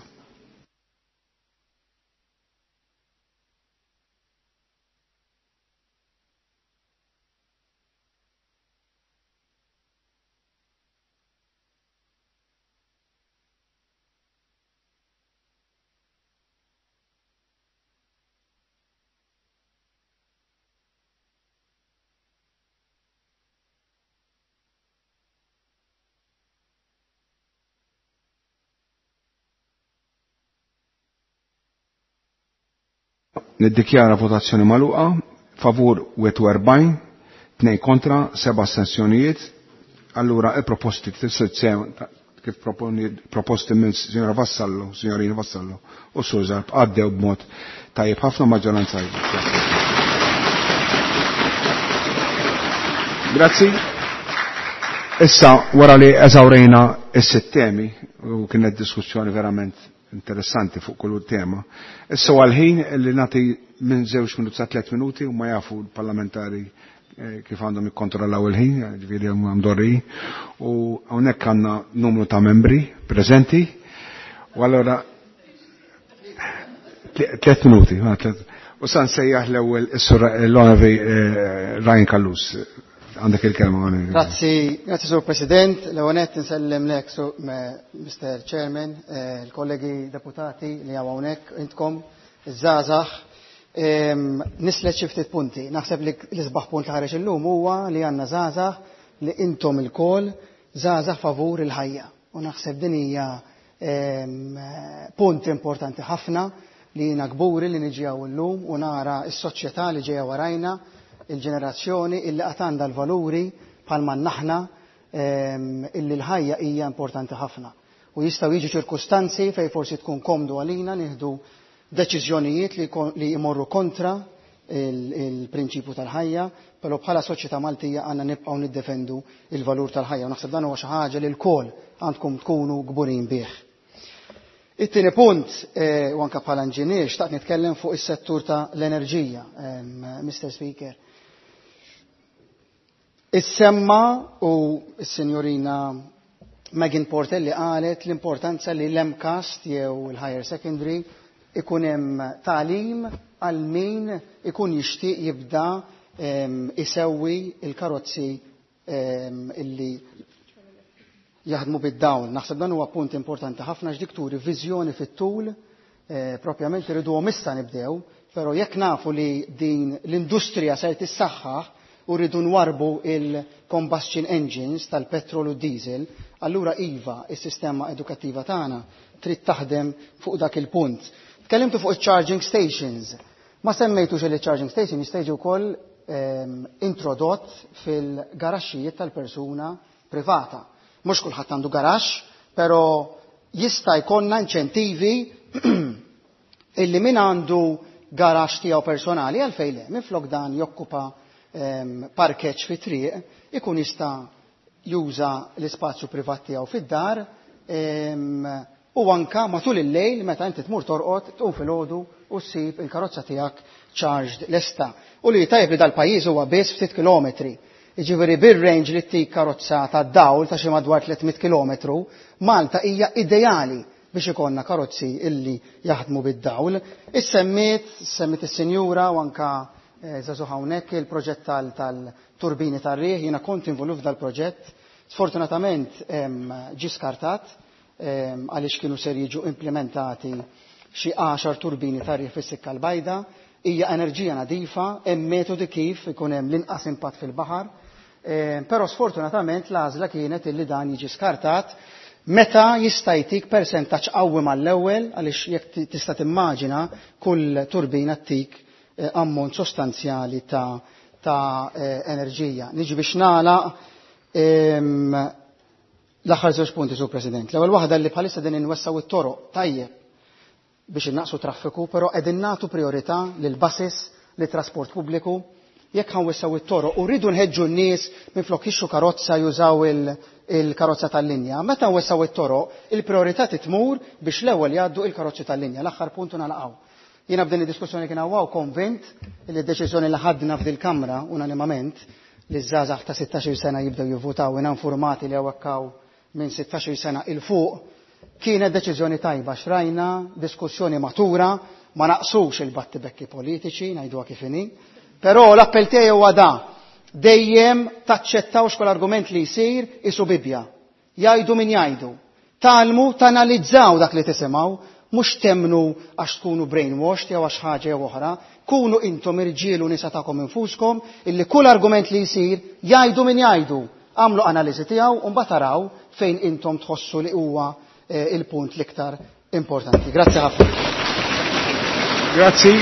Speaker 1: Niddikjara votazzjoni magħluqa, favur 41, 2 kontra, 7 astensjonijiet. Allura il-proposti kif proposti minn Signora Vassallo, Signorina Vassallo u Sur Zarb għaddew b'mod tajjeb ħafna maġġoranza. Grazzi. Issa wara li eżawrejna is-sitt temi u kienet diskussjoni verament interessanti fuq kull tema. Issa huwa l-ħin li nagħti minn żewġ minuti sa tliet minuti u ma jafu l-parlamentari eh, kif għandhom jikkontrollaw il-ħin, ġifieri huma mdorri. U hawnhekk għandna numru ta' membri preżenti. U allura tliet minuti, u sa nsejjaħ l-ewwel is-sur l-Onorevoli eh, Ryan Callus. Għandek il-kelma.
Speaker 16: Grazzi, grazzi Sur President, l-ewwel nett insellem lek Sur Mr. Chairman, eh, il-kollegi deputati li hawn hawnhekk intkom, iż-żgħażagħ. Nislet xi ftit punti. Naħseb li l-isbaħ punt li ħareġ illum huwa li għandna żgħażagħ li intom ilkoll żgħażagħ favur il-ħajja. U naħseb din hija punt importanti ħafna li jiena kburi li niġi hawn illum u nara s-soċjetà li ġejja warajna, il-ġenerazzjoni illi qatt għandha l-valuri bħalma aħna illi l-ħajja hija importanti ħafna. U jistgħu jiġu ċirkustanzi fejn forsi tkun komdu għalina nieħdu deċiżjonijiet li, li jmorru kontra il-prinċipju tal-ħajja, però bħala soċjetà Maltija għandna nibqgħu niddefendu il-valur tal-ħajja. U naħseb dan huwa xi ħaġa li lkoll għandkom tkunu kburin bih. It-tieni punt, u anke bħala inġinier, xtaqt nitkellem fuq is-settur ta' l-enerġija, Mr. Speaker. Issemma u s-Sinjorina Megan Portelli qalet l-importanza li l-MCAST jew il-Higher Secondary ikun hemm tagħlim għal min ikun jixtieq jibda isewwi il-karozzi illi jaħdmu bid-dawl. Naħseb dan huwa punt importanti ħafna x'dik turi viżjoni fit-tul, propjament irriduhom issa nibdew, però jekk nafu li din l-industrija ser tissaħħaħ u rridu nwarbu il-combustion engines tal-petrol u diesel, allura iva, is-sistema edukattiva tagħna trid taħdem fuq dak il-punt. Tkellimtu fuq il-charging stations. Ma semmejtux li charging station jista' jiġi wkoll introdott fil-garaxxijiet tal-persuna privata. Mhux kulħadd għandu garaxx, però jista' jkollna inċentivi illi min għandu garaxx tiegħu personali għalfejn le, minflok dan jokkupa parkeġġ fi triq, ikun jista' juża l-ispazju privat tiegħu fid-dar u anka matul il-lejl meta inti tmur torqod tqum filgħodu u ssib il-karozza tiegħek charged lesta. U li tajjeb li dal-pajjiż huwa biss ftit kilometri. Jiġifieri bir-range li ttik karozza tad-dawl ta' xi madwar 300 kilometru, Malta hija ideali biex ikollna karozzi illi jaħdmu bid-dawl. Issemmiet, semmiet is-sinjura u anka żagħżugħ hawnhekk il-proġett tal-turbini tar-riħ, jiena kont involut f'dal-proġett. Sfortunatament ġie skartat għaliex kienu ser jiġu implementati xi 10 turbini tar-riħ fis-Sikka l-Bajda. Hija enerġija nadifa, hemm metodi kif ikun hemm l-inqas impatt fil-baħar, però sfortunatament l-għażla kienet illi dan jiġi skartat meta jista' jtik persentaġġ qawwi mal-ewwel, għaliex jekk tista' timmaġina kull turbina ttik ammont sostanzjali ta' enerġija. Niġi biex nagħlaq l-aħħar żewġ punti, Sur President. L-ewwel waħda li bħalissa din inwessaw it-toroq tajjeb biex innaqsu traffiku, però qegħdin nagħtu priorità lil buses, lit trasport pubbliku. Jekk ħanwessaw it-toroq u rridu nħeġġu n-nies minflok jixtru karozza jużaw il-karozza tal-linja. Meta nwessaw it-toroq, il-priorità titmur biex l-ewwel jgħaddu il-karozzi tal-linja. L-aħħar punt u nagħlaqgħu. Jiena b'din id-diskussjoni kien hawn konvint li d-deċiżjoni li ħadna f'dil-Kamra unanimament li ż-żgħażagħ ta' 16 sena jibdew jivvutaw jiena informati li hawnhekk hawn minn 16 sena il fuq kienet deċiżjoni tajba xrajna diskussjoni matura, ma naqsux il-battibekki politiċi, ngħiduha kif inhi. Però l-appell tiegħi huwa da, dejjem taċċettawx kull argument li jsir isu Bibbja. Jgħidu min jgħidu. Talmu tanalizzaw dak li tisimgħu, mhux temnu għax tkunu brainwashed jew għax ħaġa jew oħra, kunu intom irġiel u nisa tagħkom infuskom illi kull argument li jsir jgħidu min jgħidu. Għamlu analiżi tiegħu u mbagħad taraw fejn intom tħossu li huwa il-punt l-iktar importanti. Grazzi ħafna.
Speaker 1: Grazzi.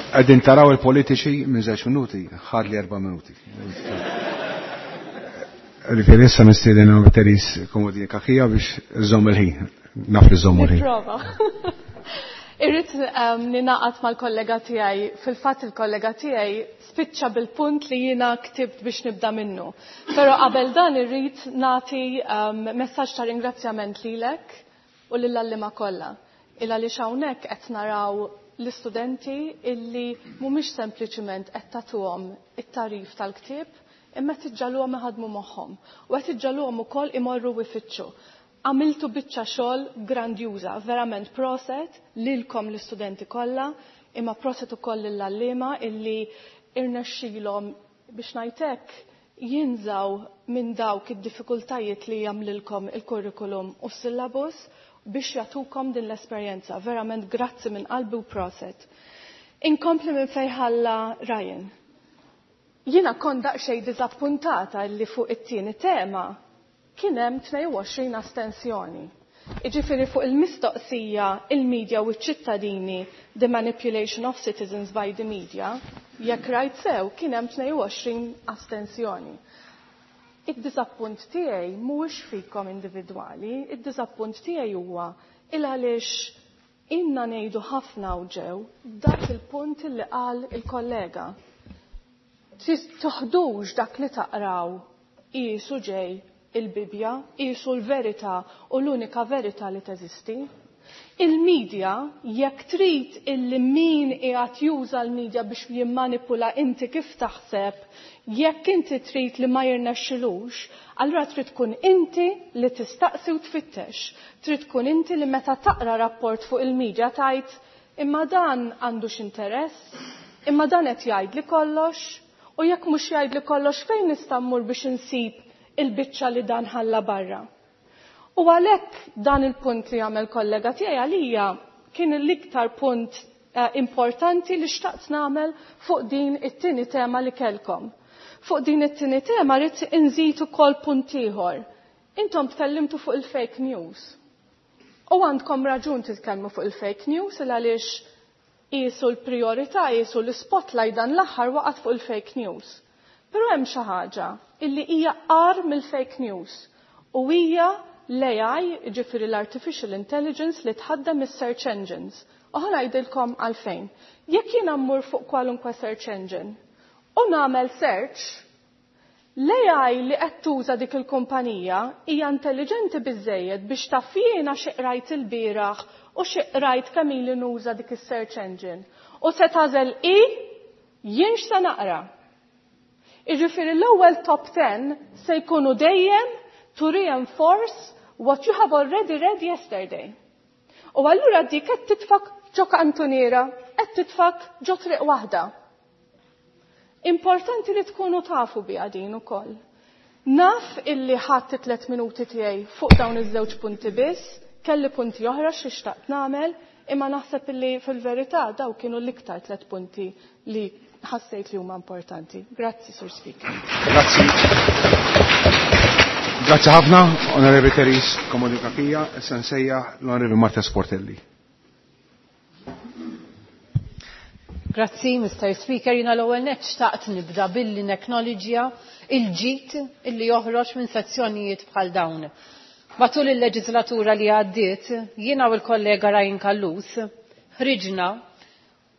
Speaker 1: Qegħdin taraw il-politiċi minn żewġ minuti, ħadli 4 minuti. Ġifieri issa mistieden Therese Comodini Cachia biex iżomm il-ħin. Naf li żomm il-ħin.
Speaker 9: Nipprova. Irrid ninaqat mal-kollega tiegħi. Fil-fatt il-kollega tiegħi spiċċa bil-punt li jiena ktibt biex nibda minnu. Però qabel dan irrid nagħti messaġġ ta' ringrazzjament lilek u lill-għalliema kollha. Il għaliex hawnhekk qed naraw l-istudenti illi mhumiex sempliċiment qed tagħtuhom it-tagħrif tal-ktieb, imma qed iġġagħluhom iħadmu moħħhom u qed iġġagħluhom ukoll imorru ifittxu. Għamiltu biċċa xogħol grandjuża, verament proset lilkom l-istudenti kollha, imma proset ukoll lill-għalliema illi irnexxilhom biex ngħidlek jinżaw minn dawk id-diffikultajiet li jagħmlilkom il-kurrikulum u s-syllabus biex jagħtukom din l-esperjenza. Verament grazzi minn qalbi u proset. Inkompli minn fejn ħalla Ryan. Jiena kont daqsxejn diżappuntata li fuq it-tieni tema kien hemm 22 astensjoni. Jiġifieri fuq il-mistoqsija il-media u ċ-ċittadini the manipulation of citizens by the media, jekk rajt sew kien hemm 22 astensjoni. Id-diżappunt tiegħi mhuwiex fikom individwali, id-diżappunt tiegħi huwa il għaliex Inna ngħidu ħafna u ġew dak il-punt li qal il-kollega. Toħdux dak li taqraw qisu ġej il-Bibja, qisu l-verità u l-unika verità li teżisti. Il-medja, jekk trid illi min qiegħed juża l-medja biex jimmanipula inti kif taħseb, jekk inti trid li ma jirnexxilux, allura trid tkun inti li tistaqsi u tfittex. Trid tkun inti li meta taqra rapport fuq il-medja tgħid imma dan għandux interess, imma dan qed jgħidli kollox, u jekk mhux jgħidli kollox fejn nista' mmur biex insib il-biċċa li dan ħalla barra. U għalhekk dan il-punt li għamel kollega tiegħi għalija kien l-iktar punt importanti li xtaqt nagħmel fuq din it-tieni tema li kellkom. Fuq din it-tieni tema rrid inżid ukoll punt ieħor. Intom tkellimtu fuq il-fake news. U għandkom raġun titkellmu fuq il-fake news il għaliex qisu l-priorità, qisu l-spotlight dan l-aħħar waqgħet fuq il-fake news. Però hemm xi ħaġa illi hija qar mill-fake news u hija l-AI, ġifieri l-Artificial Intelligence li tħaddem is-search engines. U ħa ngħidilkom għalfejn. Jekk jiena mmur fuq kwalunkwe search engine u nagħmel search, l-AI li qed tuża dik il-kumpanija hija intelligenti biżżejjed biex taf jiena xi qrajt ilbieraħ u xi qrajt kemm ili nuża dik is-search engine. U se tagħżel i jien x'se naqra. Jiġifieri l-ewwel top 10 se jkunu dejjem to reinforce what you have already read yesterday. U allura dik qed titfak ġo kantuniera, qed titfak ġo triq waħda. Importanti li tkunu tafu biha din ukoll. Naf illi ħadt 3 minuti tiegħi fuq dawn iż-żewġ punti biss, kelli punti oħra xi xtaqt nagħmel, imma naħseb illi fil-verità daw kienu l-iktar 3 punti li ħassejt li huma importanti. Grazzi, Sur Speaker.
Speaker 1: Grazzi. Grazzi ħafna, Onorevoli Therese Comodini Cachia, issa nsejjaħ l-Onorevoli Marta Sportelli.
Speaker 10: Grazzi, Mr. Speaker. Jina l-ewwel nett xtaqt nibda billi neknoloġija il-ġid illi joħroġ minn sezzjonijiet bħal dawn. Matul il-leġislatura li għaddiet, jiena u l-kollega Ryan Callus ħriġna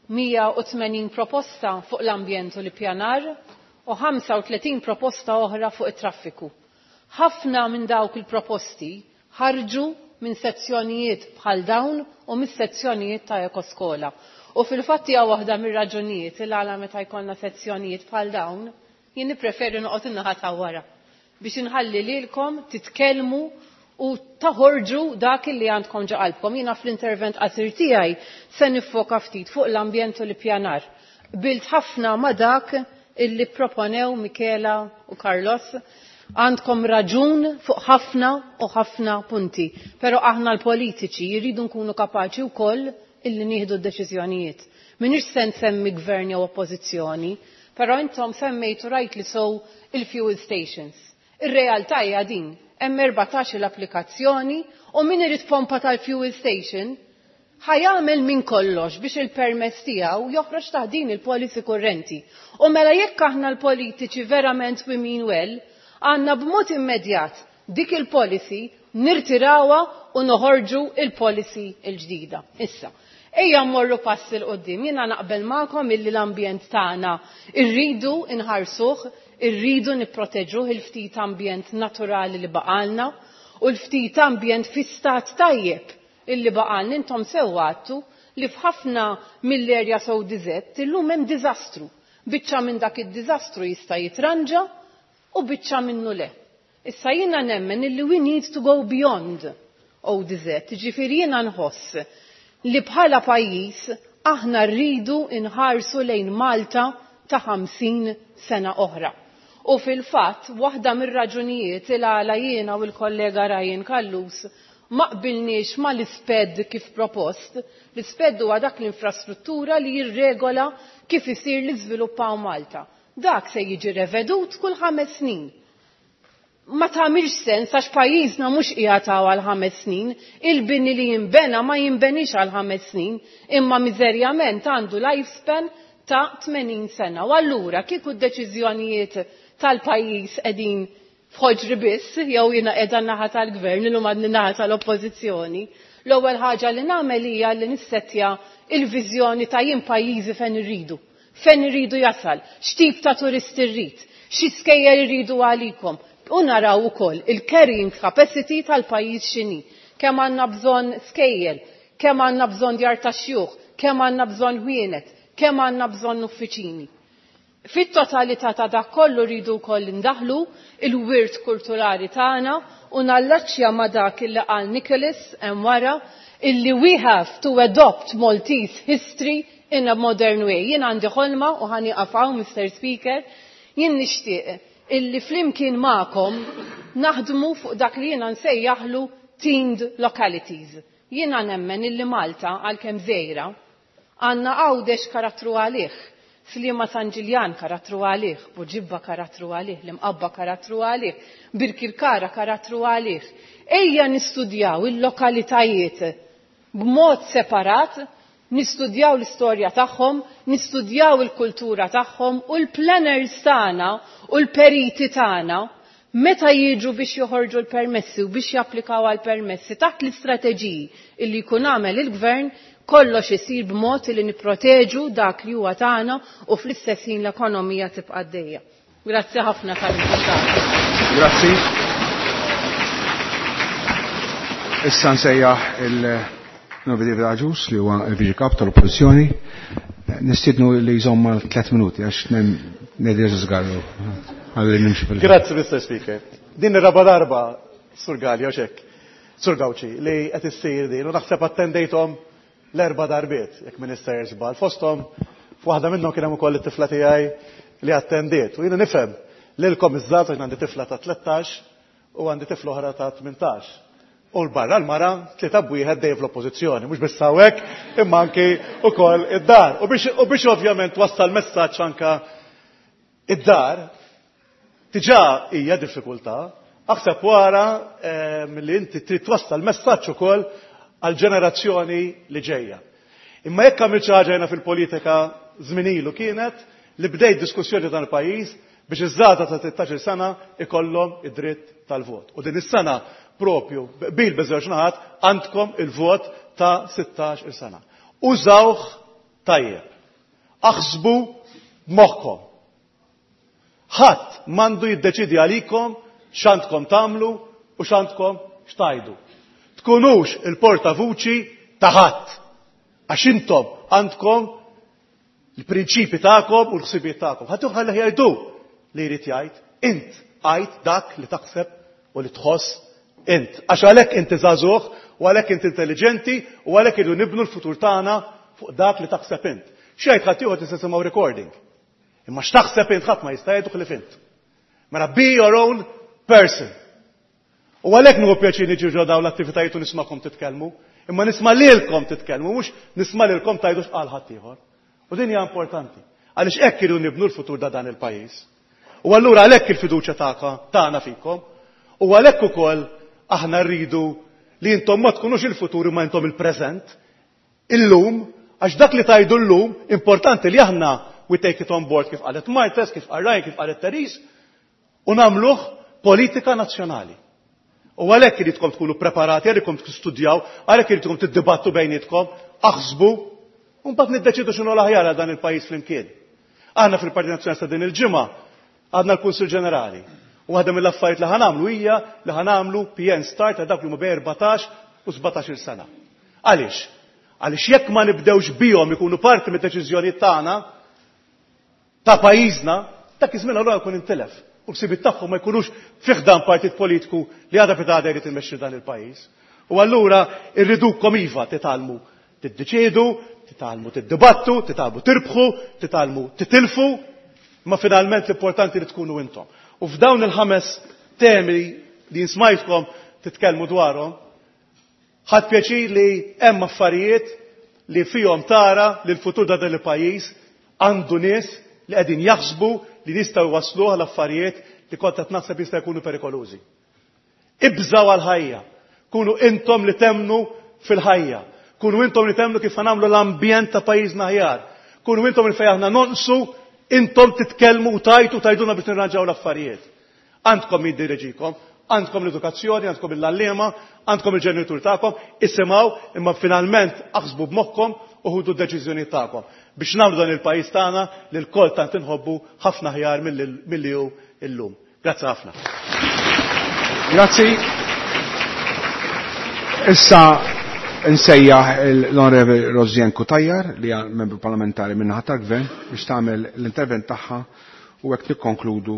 Speaker 10: 180 proposta fuq l-ambjent u l-ippjanar u 35 proposta oħra fuq it-traffiku. Ħafna minn dawk il-proposti ħarġu minn sezzjonijiet bħal dawn u minn sezzjonijiet ta' ekoskola. U fil-fatt hija waħda mir-raġunijiet il għala meta jkollna sezzjonijiet bħal dawn, jien nippreferi noqgħod in-naħa ta' wara biex inħalli lilkom titkellmu u taħorġu dak li għandkom ġo qalbkom. Jiena fl-intervent qasir tiegħi se nifoka ftit fuq l-ambjent u l-ippjanar. Qbilt ħafna ma' dak illi proponew Michela u Carlos. Għandkom raġun fuq ħafna u ħafna punti, pero aħna l-politiċi jridu nkunu kapaċi wkoll illi nieħdu d-deċiżjonijiet. M'iniex se nsemmi gvern jew oppożizzjoni, però intom semmejtu rajt li sow il-fuel stations. Ir-realtà hija din, hemm 14 l-applikazzjoni u min irid pompa tal-fuel station ħajamel minn kollox biex il-permess tiegħu joħroġ taħt din il-policy kurrenti. U mela jekk aħna l-politiċi verament we mean well, għandna b'mod immedjat dik il-policy nirtirawha u noħorġu il-policy il-ġdida. Issa, ejja mmorru pass il qoddim. Jiena naqbel magħkom illi l-ambjent tagħna irridu nħarsuh, irridu nipproteġuh il-ftit ambjent naturali li baqalna u l-ftit ambjent fi stat tajjeb illi baqalna. Intom sewwa għadtu li f'ħafna mill-erja sew diżett illum hemm diżastru. Biċċa minn dak id-diżastru jista' jitranġa u biċċa minnu le. Issa jiena nemmen illi we need to go beyond ODZ, ġifieri jiena nħoss li bħala pajjiż aħna rridu nħarsu lejn Malta ta' 50 sena oħra. U fil-fatt, waħda mir-raġunijiet il għala jiena u l-kollega Ryan Callus ma qbilniex ma l-isped kif propost, l-isped huwa dak l-infrastruttura li jirregola kif isir l-iżvilupp hawn Malta. Dak se jiġi revedut kull 5 snin. Ma tagħmilx sens għax pajjiżna mhux qiegħed hawn għal 5 snin, il-bini li jinbena ma jinbenix għal 5 snin, imma miżerjament għandu lifespan ta' 80 sena. U allura kieku d-deċiżjonijiet tal-pajjiż qegħdin f'ħoġri biss, jew jiena qiegħda naħa tal-gvern, illum għadni naħa tal-oppożizzjoni, L-ewwel ħaġa li nagħmel hija li nissettja il-viżjoni ta' jien pajjiżi fejn irridu, fejn irridu jasal, x'tip ta' turisti rrid, xi skejjel irridu għalikom. U naraw ukoll il-carrying capacity tal-pajjiż x'inhi. Kemm għandna bżonn skejjel, kemm għandna bżonn djar ta' xjuħ, kemm għandna bżonn ħwienet, kemm għandna bżonn uffiċini. Fit-totalità ta' dak kollu rridu wkoll indaħlu il-wirt kulturali tagħna u nallaċċja ma' dak illi qal Nicholas hemm wara illi we have to adopt Maltese history in a modern way. Jien għandi ħolma u ħa nieqaf hawn, Mr. Speaker, jien nixtieq illi flimkien magħkom naħdmu fuq dak li jiena nsejjaħlu themed localities. Jiena nemmen illi Malta għalkemm żgħira għandna Għawdex karattru għalih, Sliema San Ġiljan karattru għalih, Buġibba karattru għalih, l-Imqabba karattru għalih, Birkirkara karattru għalih. Ejja nistudjaw il-lokalitajiet b'mod separat, nistudjaw l-istorja tagħhom, nistudjaw il-kultura tagħhom u l-planners tagħna u l-periti tagħna meta jiġu biex joħorġu l-permessi u biex japplikaw għal-permessi taħt l-istrateġiji illi jkun għamel il-gvern, kollox isir b'mod li nipproteġu dak li huwa tagħna u fl-istess ħin l-ekonomija tibqa' għaddejja. Grazzi ħafna tal-invitat.
Speaker 1: Grazzi. Issa nsejjaħ il-Novi David Agius li huwa l-Viċi Kap tal-Oppożizzjoni. Nistiednu li jżomm mal 3 minuti għax ngħidu żgarru. Għalli nimxi fil-
Speaker 18: Grazzi, Mr. Speaker. Din ir-raba darba, Sur Galea, xek, Sur Gauci, li qed issir din u naħseb attendejthom l-erba' darbiet, jekk Minister żball. Fosthom f'waħda minnhom kien hemm ukoll it-tifla tiegħi li attendiet. U jiena nifhem lilkom iż-żgħażagħ għandi tifla ta' 13 u għandi tifla oħra ta' 18. U l-barra l-mara tlieta b'wieħed dejjem fl-oppożizzjoni, mhux biss hawnhekk imma anki wkoll id-dar. U biex ovvjament wassal messaġġ anka id-dar, diġà hija diffikultà, aħseb wara li inti trid twassal messaġġ ukoll għall-ġenerazzjoni li ġejja. Imma jekk għamilt xi ħaġa jiena fil-politika żmien ilu kienet li bdejt diskussjoni dan il-pajjiż biex iż-żgħażagħ ta' 16-il sena ikollhom id-dritt tal-vot. U din is-sena propju bil biżewġ naħat għandkom il-vot ta' 16-il sena. Użawh tajjeb. Aħsbu b'moħħkom. Ħadd m'għandu jiddeċidi għalikom x'għandkom tagħmlu u x'għandkom x'tajdu. Tkunux il-portavuċi ta' ħadd. Għax intom għandkom il-prinċipi tagħkom u l-ħsibijiet tagħkom. Ħadd ħalli jgħidu li jrid jgħid, int għid dak li taħseb u li tħoss int. Għax għalhekk inti żagħżugħ u għalhekk inti intelligenti u għalhekk irridu nibnu l-futur tagħna fuq dak li taħseb int. Xejn ħadd ieħor tista' tisimgħu recording. Imma x'taħseb int ħadd ma jista' jgħidu ħlief int. Mela be your own person. U għalhekk nieħu pjaċir niġi ġo dawn l-attivitajiet u nismakom titkellmu, imma nisma' lilkom titkellmu, mhux nisma' lilkom tgħidu x'qal ħadd ieħor. U din hija importanti, għaliex hekk irridu nibnu l-futur ta' dan il-pajjiż. U allura għalhekk il-fiduċja tagħna fikom, u għalhekk ukoll aħna rridu li intom ma tkunux il-futur imma intom il-preżent, illum, għax dak li tajdu llum, importanti li aħna we take it on board kif qalet Marthese, kif qal Ryan, kif qalet Therese, u nagħmluh politika nazzjonali. U għalhekk iridkom tkunu preparati, għalhekk tistudjaw, għalhekk iridkom tiddibattu bejnietkom, aħsbu, u mbagħad niddeċidu x'inhu l-aħjar għal dan il-pajjiż flimkien. Aħna fil-Partit Nazzjonalista din il-ġimgħa għadna l-Kunsill Ġenerali. U waħda mill-affarijiet li ħanamlu hija li ħanamlu PN Start għal dawk li huma bejn 14 u 17-il sena. Għaliex? Għaliex jekk ma nibdewx bihom ikunu parti mid-deċiżjonijiet tagħna ta' pajjiżna, dak iż-żmien allura jkun intilef. U l-ħsibiet tagħhom ma jkunux fih dan partit politiku li għadha fi għadha jrid imexxi dan il-pajjiż. U allura irridukom iva titgħallmu tiddeċiedu, titgħallmu tiddibattu, titgħallmu tirbħu, titgħallmu titilfu, ma finalment l-importanti li tkunu intom. U f'dawn il-ħames temi li nsmajtkom titkellmu dwarhom, ħadt pjaċir li hemm affarijiet li fihom tara li l-futur ta' dan il-pajjiż għandu nies li qegħdin jaħsbu li jistgħu jwassluh għal affarijiet li kont qed naħseb jista' jkunu perikolużi. Ibżaw għal-ħajja. Kunu intom li temnu fil-ħajja. Kunu intom li temnu kif nagħmlu l-ambjent ta' pajjiżna aħjar. Kunu intom li fejn aħna nonqsu, intom titkellmu u tajtu tajduna biex nirranġaw l-affarijiet. Għandkom jiddireġikom, Għandkom l-edukazzjoni, għandkom l-għalliema, għandkom il-ġenitur tagħkom, isimgħu imma finalment aħsbu b'moħħkom u ħudu d-deċiżjonijiet tagħkom biex nagħmlu dan il-pajjiż tagħna li lkoll tant inħobbu ħafna aħjar milli hu illum. Grazzi ħafna.
Speaker 1: Grazzi. Issa nsejjaħ l-Onorevoli Rosianne Cutajar li hija membru parlamentari min-naħa tal-Gvern biex tagħmel l-intervent tagħha u hekk nikkonkludu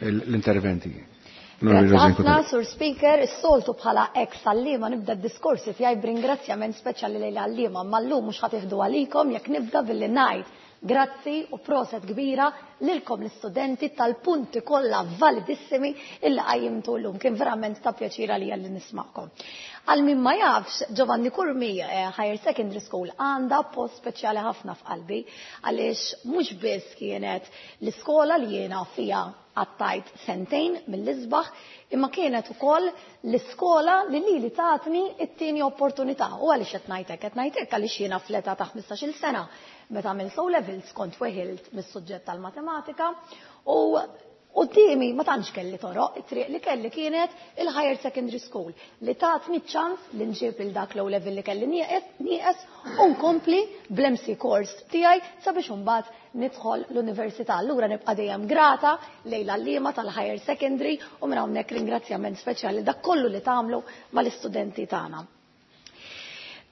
Speaker 1: l-interventi.
Speaker 17: Grazzi ħafna, Sur Speaker, is-soltu bħala ex għalliema nibda d-diskorsi tiegħi b'ringrazzjament speċjali lejn l-għalliema, imma llum mhux ħa tieħdu għalikom jekk nibda billi ngħid grazzi u proset kbira lilkom l-istudenti tal-punti kollha validissimi illi qajjimtu llum. Kien verament ta' pjaċir għalija li nisma'kom. Għal min ma jafx, Giovanni Curmi Higher Secondary School għandha post speċjali ħafna f'qalbi għaliex mhux biss kienet l-iskola li jiena fiha Qattajt sentejn mill-isbaħ, imma kienet ukoll l-iskola li lili tatni t-tieni opportunità. U għaliex qed ngħid hekk? Qed ngħid hekk għaliex jiena fl-età ta' ħmistax-il sena, meta għamilt O Levels, kont weħilt mis-suġġett tal-matematika u quddiemi ma tantx kelli toroq, it-triq li kelli kienet il-Higher Secondary School li tatni ċ-ċans li nġib lil dak l-O Level li kelli nieqes u nkompli bl-MC course tiegħi sabiex imbagħad nidħol l-università. Allura nibqa' dejjem grata lejn l-għalliema tal-higher secondary u minn hawnhekk ringrazzjament speċjali dak kollu li tagħmlu mal-istudenti tagħna.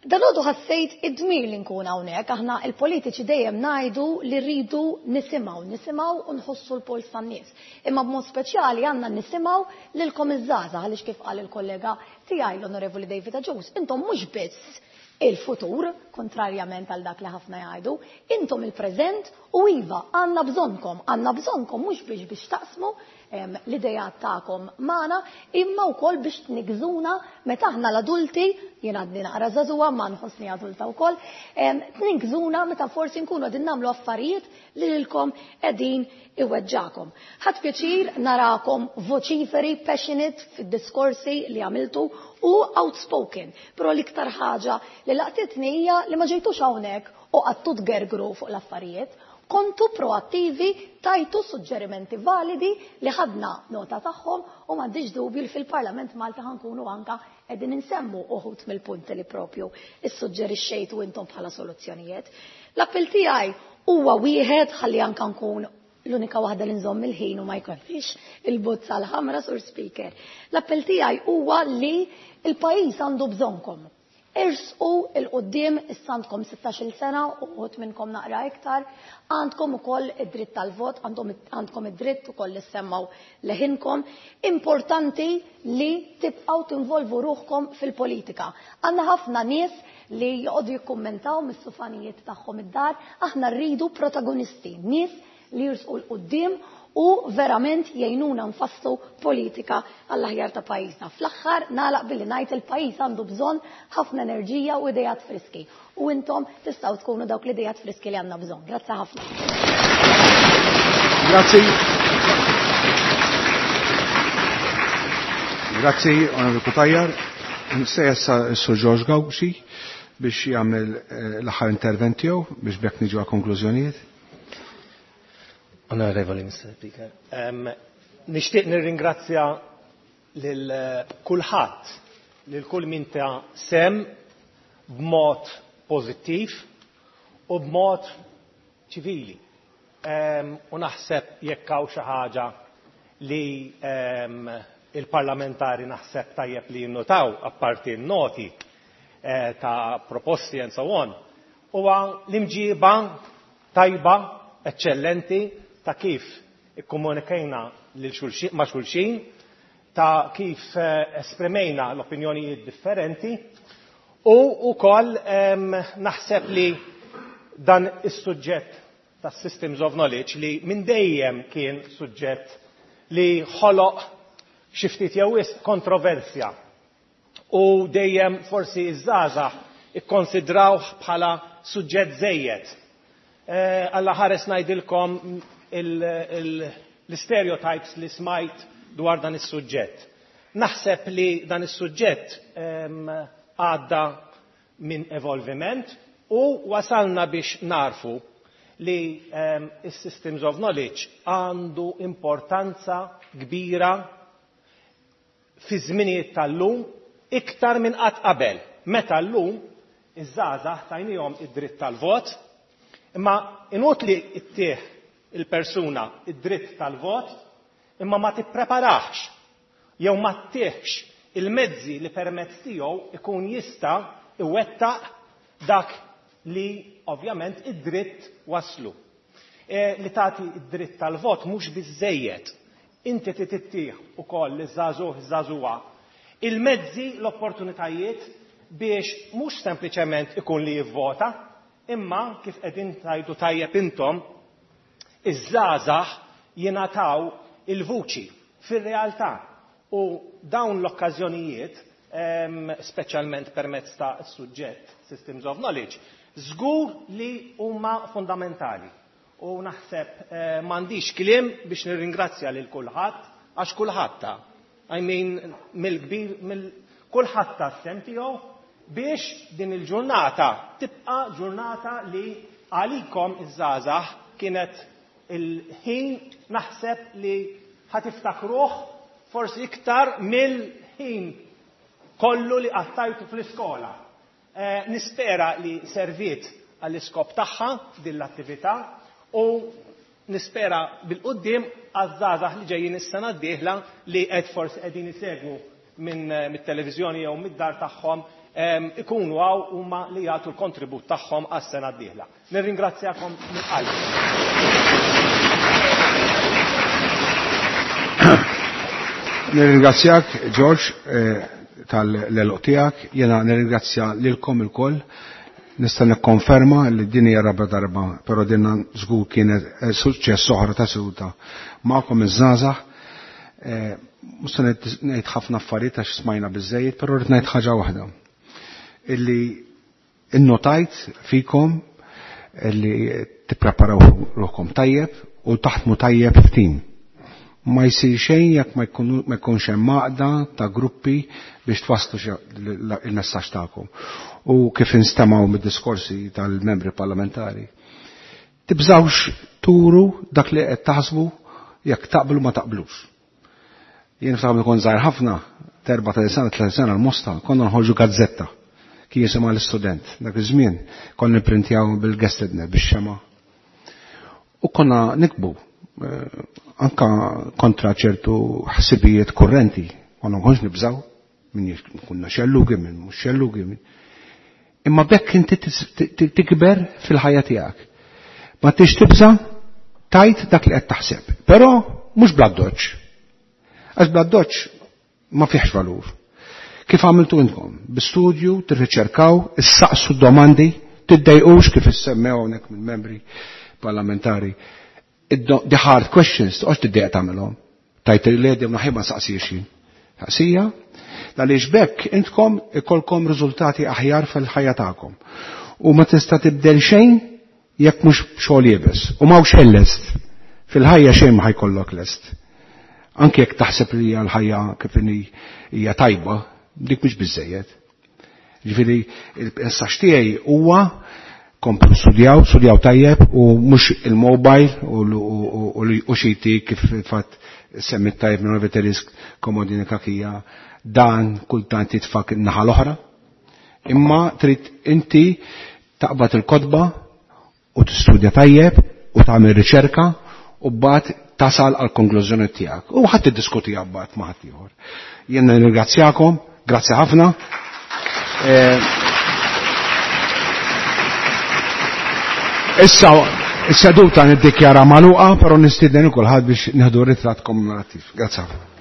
Speaker 17: Dalgħodu ħassejt id-dmir li nkun hawnhekk, aħna l-politiċi dejjem ngħidu li rridu nisimgħu, nisimgħu u nħossu l-polz tan-nies. Imma b'mod speċjali għandna nisimgħu lilkom iż-żgħażagħ għaliex kif qal il-kollega tiegħi l-Onorevoli David Agius, intom mhux biss il-futur, kontrarjament għal dak li ħafna jgħidu, intom il-preżent u iva, għandna bżonnkom, għandna bżonnkom mhux biex biex taqsmu l-idejat tagħkom magħna, imma wkoll biex tniggżuna meta aħna l-adulti, jien għadni naqra żagħżugħa ma nħossni adulta wkoll, tniggżuna meta forsi nkunu qegħdin nagħmlu affarijiet li lilkom qegħdin iweġġakom. Ħadt pjaċir narakom voċiferi, passionate fid-diskorsi li għamiltu u outspoken. Però l-iktar ħaġa li laqtitni hija li ma ġejtux hawnhekk u qgħadtu tgergru fuq l-affarijiet. Kontu proattivi, tajtu suġġerimenti validi li ħadna nota tagħhom u m'għandix dubju li fil-Parlament Malti ħa nkunu anka qegħdin insemmu uħud mill-punti li propju issuġġerixxejtu intom bħala soluzzjonijiet. L-appell tiegħi huwa wieħed ħalli anka nkun l-unika waħda li nżomm il-ħin u ma jkollix il-bozza l-ħamra sur speaker. L-appell tiegħi huwa li l-pajjiż għandu bżonnkom. Ersqu 'l quddiem, issa għandkom 16-il sena u uħud minnkom naqra iktar, għandkom ukoll id-dritt tal-vot, għandkom id-dritt ukoll li ssemmgħu leħinkom. Importanti li tibqgħu tinvolvu ruħkom fil-politika. Għandna ħafna nies li joqogħdu jikkummentaw mis-sufanijiet tagħhom id-dar, aħna rridu protagonisti, nies li jirsqu 'l quddiem u verament jgħinuna nfasslu politika għall-aħjar ta' pajjiżna. Fl-aħħar nagħlaq billi ngħid il-pajjiż għandu bżonn ħafna enerġija u ideat friski u intom tistgħu tkunu dawk l-ideat friski li għandna bżonn. Grazzi ħafna.
Speaker 1: Grazzi. Grazzi, Onorevoli Cutajar. Nsejjaħ issa s-Sur George Gauci biex jagħmel eh, l-aħħar intervent tiegħu biex bekk niġu għal konklużjonijiet.
Speaker 22: Onorevoli Mr. Speaker, um, nixtieq nirringrazzja lil eh, kulħadd, lil kull min ta' sem b'mod pożittiv u b'mod ċivili. Um, u naħseb jekk hawn xi ħaġa li um, il-parlamentari naħseb tajjeb li jinnotaw apparti n-noti eh, ta' proposti and so on, huwa l-imġiba tajba, eċċellenti ta' kif ikkomunikajna ma' xulxin, ta' kif eh, esprimejna l-opinjonijiet differenti u wkoll naħseb li dan is-suġġett tas systems of knowledge li minn dejjem kien suġġett li ħoloq xi ftit jew wisq kontroversja u dejjem forsi iż-żgħażagħ ikkonsidrawh bħala suġġett żejjed. Eh, Alla ħares ngħidilkom l-stereotypes li smajt dwar dan is-suġġett. Naħseb li dan is-suġġett għadda minn evolviment u wasalna biex narfu li is-systems of knowledge għandu importanza kbira fi żminijiet tal-lum iktar minn qatt qabel. Meta llum iż-żgħażagħ tajnihom id-dritt tal-vot, imma inutli ttih il-persuna id-dritt tal-vot imma ma tippreparax jew ma ttihx il-mezzi li permezz tiegħu ikun jista' iwettaq dak li ovvjament id-dritt waslu. E, li tagħti id-dritt tal-vot mhux biżejjed. Inti trid ittih ukoll liż-żagħżugħ iż-żagħżugħa il-mezzi, l-opportunitajiet biex mhux sempliċement ikun li jivvota, imma kif qegħdin tgħidu tajjeb intom, iż-żgħażagħ jingħataw il-vuċi fir-realtà. U dawn l-okkażjonijiet, speċjalment permezz ta' suġġett Systems of Knowledge, żgur li huma fundamentali. U naħseb eh, m'għandix kliem biex nirringrazzja lil kulħadd għax kulħadd ta' I mean, mill-kbir, mill kulħadd ta' sem tiegħu biex din il-ġurnata tibqa' ġurnata li għalikom iż-żgħażagħ kienet il-ħin naħseb li ħatiftakruh forsi iktar mill-ħin kollu li qattajtu fl-iskola. Eh, nispera li serviet għall-iskop tagħha din l-attività u nispera bil-qudiem għaż-żgħażagħ li ġejjin is-sena d-dieħla li qed forsi qegħdin isegwu minn eh, mit-televiżjoni jew mid-dar tagħhom ikunu għaw huma li jagħtu l-kontribut tagħhom għas-sena d-dieħla. Nirringrazzjakom minn qalbi.
Speaker 1: Nirringrazzjak, George, eh, tal-eluq tiegħek, jiena nirringrazzja lilkom ilkoll. Nista' nikkonferma li din hija raba darba, però din żgur kienet eh, suċċess oħra ta' seduta magħkom iż-żgħażagħ. Eh, mhux se ngħid ħafna affarijiet għax smajna biżejjed, però rrid ngħid ħaġa waħda. Illi innotajt fikom li tippreparaw ruħkom tajjeb u taħdmu tajjeb f'tim. Ma jsir xejn jekk ma jkunx hemm għaqda ta' gruppi biex twasslu il-messaġġ tagħkom. U kif instemgħu mid-diskorsi tal-membri parlamentari. Tibżawx turu dak li qed taħsbu jekk taqblu ma taqblux. Jien ftakar kont żgħir ħafna, terba ta' sena, tliet sena l-Mosta, konna nħorġu gazzetta kien jisimha l-istudent. Dak iż-żmien konna nipprintjaw bil-gestedner bix-xema. U konna nikbu eh, anka kontra ċertu ħsibijiet kurrenti, konna nkunx nibżaw minn kunna xellugi, minn mhux xellugi. Imma bekk inti tikber fil-ħajja tiegħek. Ma tix tibża tajt dak li qed taħseb. Però mhux bla doċ. Għax bla doċ ma fihx valur. Kif għamiltu intkom? Bi-studju, tirriċerkaw, issaqsu domandi, tiddejqux kif issemmew hawnhekk mill-membri parlamentari. The hard questions, toqgħodx tiddejq tagħmelhom. Tajt il-ledi naħib ma saqsiex jien. Saqsija, għaliex bekk intkom ikolkom riżultati aħjar fil-ħajja tagħkom. U ma tista' tibdel xejn jekk mhux xogħol iebes. U m'hawnx xejn lest. Fil-ħajja xejn ma ħajkollok lest. Anke jekk taħseb li hija l-ħajja kif hija tajba, dik mhux biżejjed. Ġifieri il-messaġġ tiegħi huwa komplu studjaw, studjaw tajjeb u mhux il-mobile u xi kif fatt semmit tajjeb minn Veterisk komodini kakija dan kultant jitfak naħa l-oħra. Imma trid inti taqbad il-kotba u tistudja tajjeb u tagħmel riċerka u mbagħad tasal għal konklużjoni tiegħek. U ħadd tiddiskutiha mbagħad ma' ħadd ieħor. Jien nirringrazzjakom, grazzi ħafna. Eh, issa is-seduta niddikjara magħluqa, però nistieden kulħadd biex nieħdu ritratt kommemorattiv. Grazzi ħafna.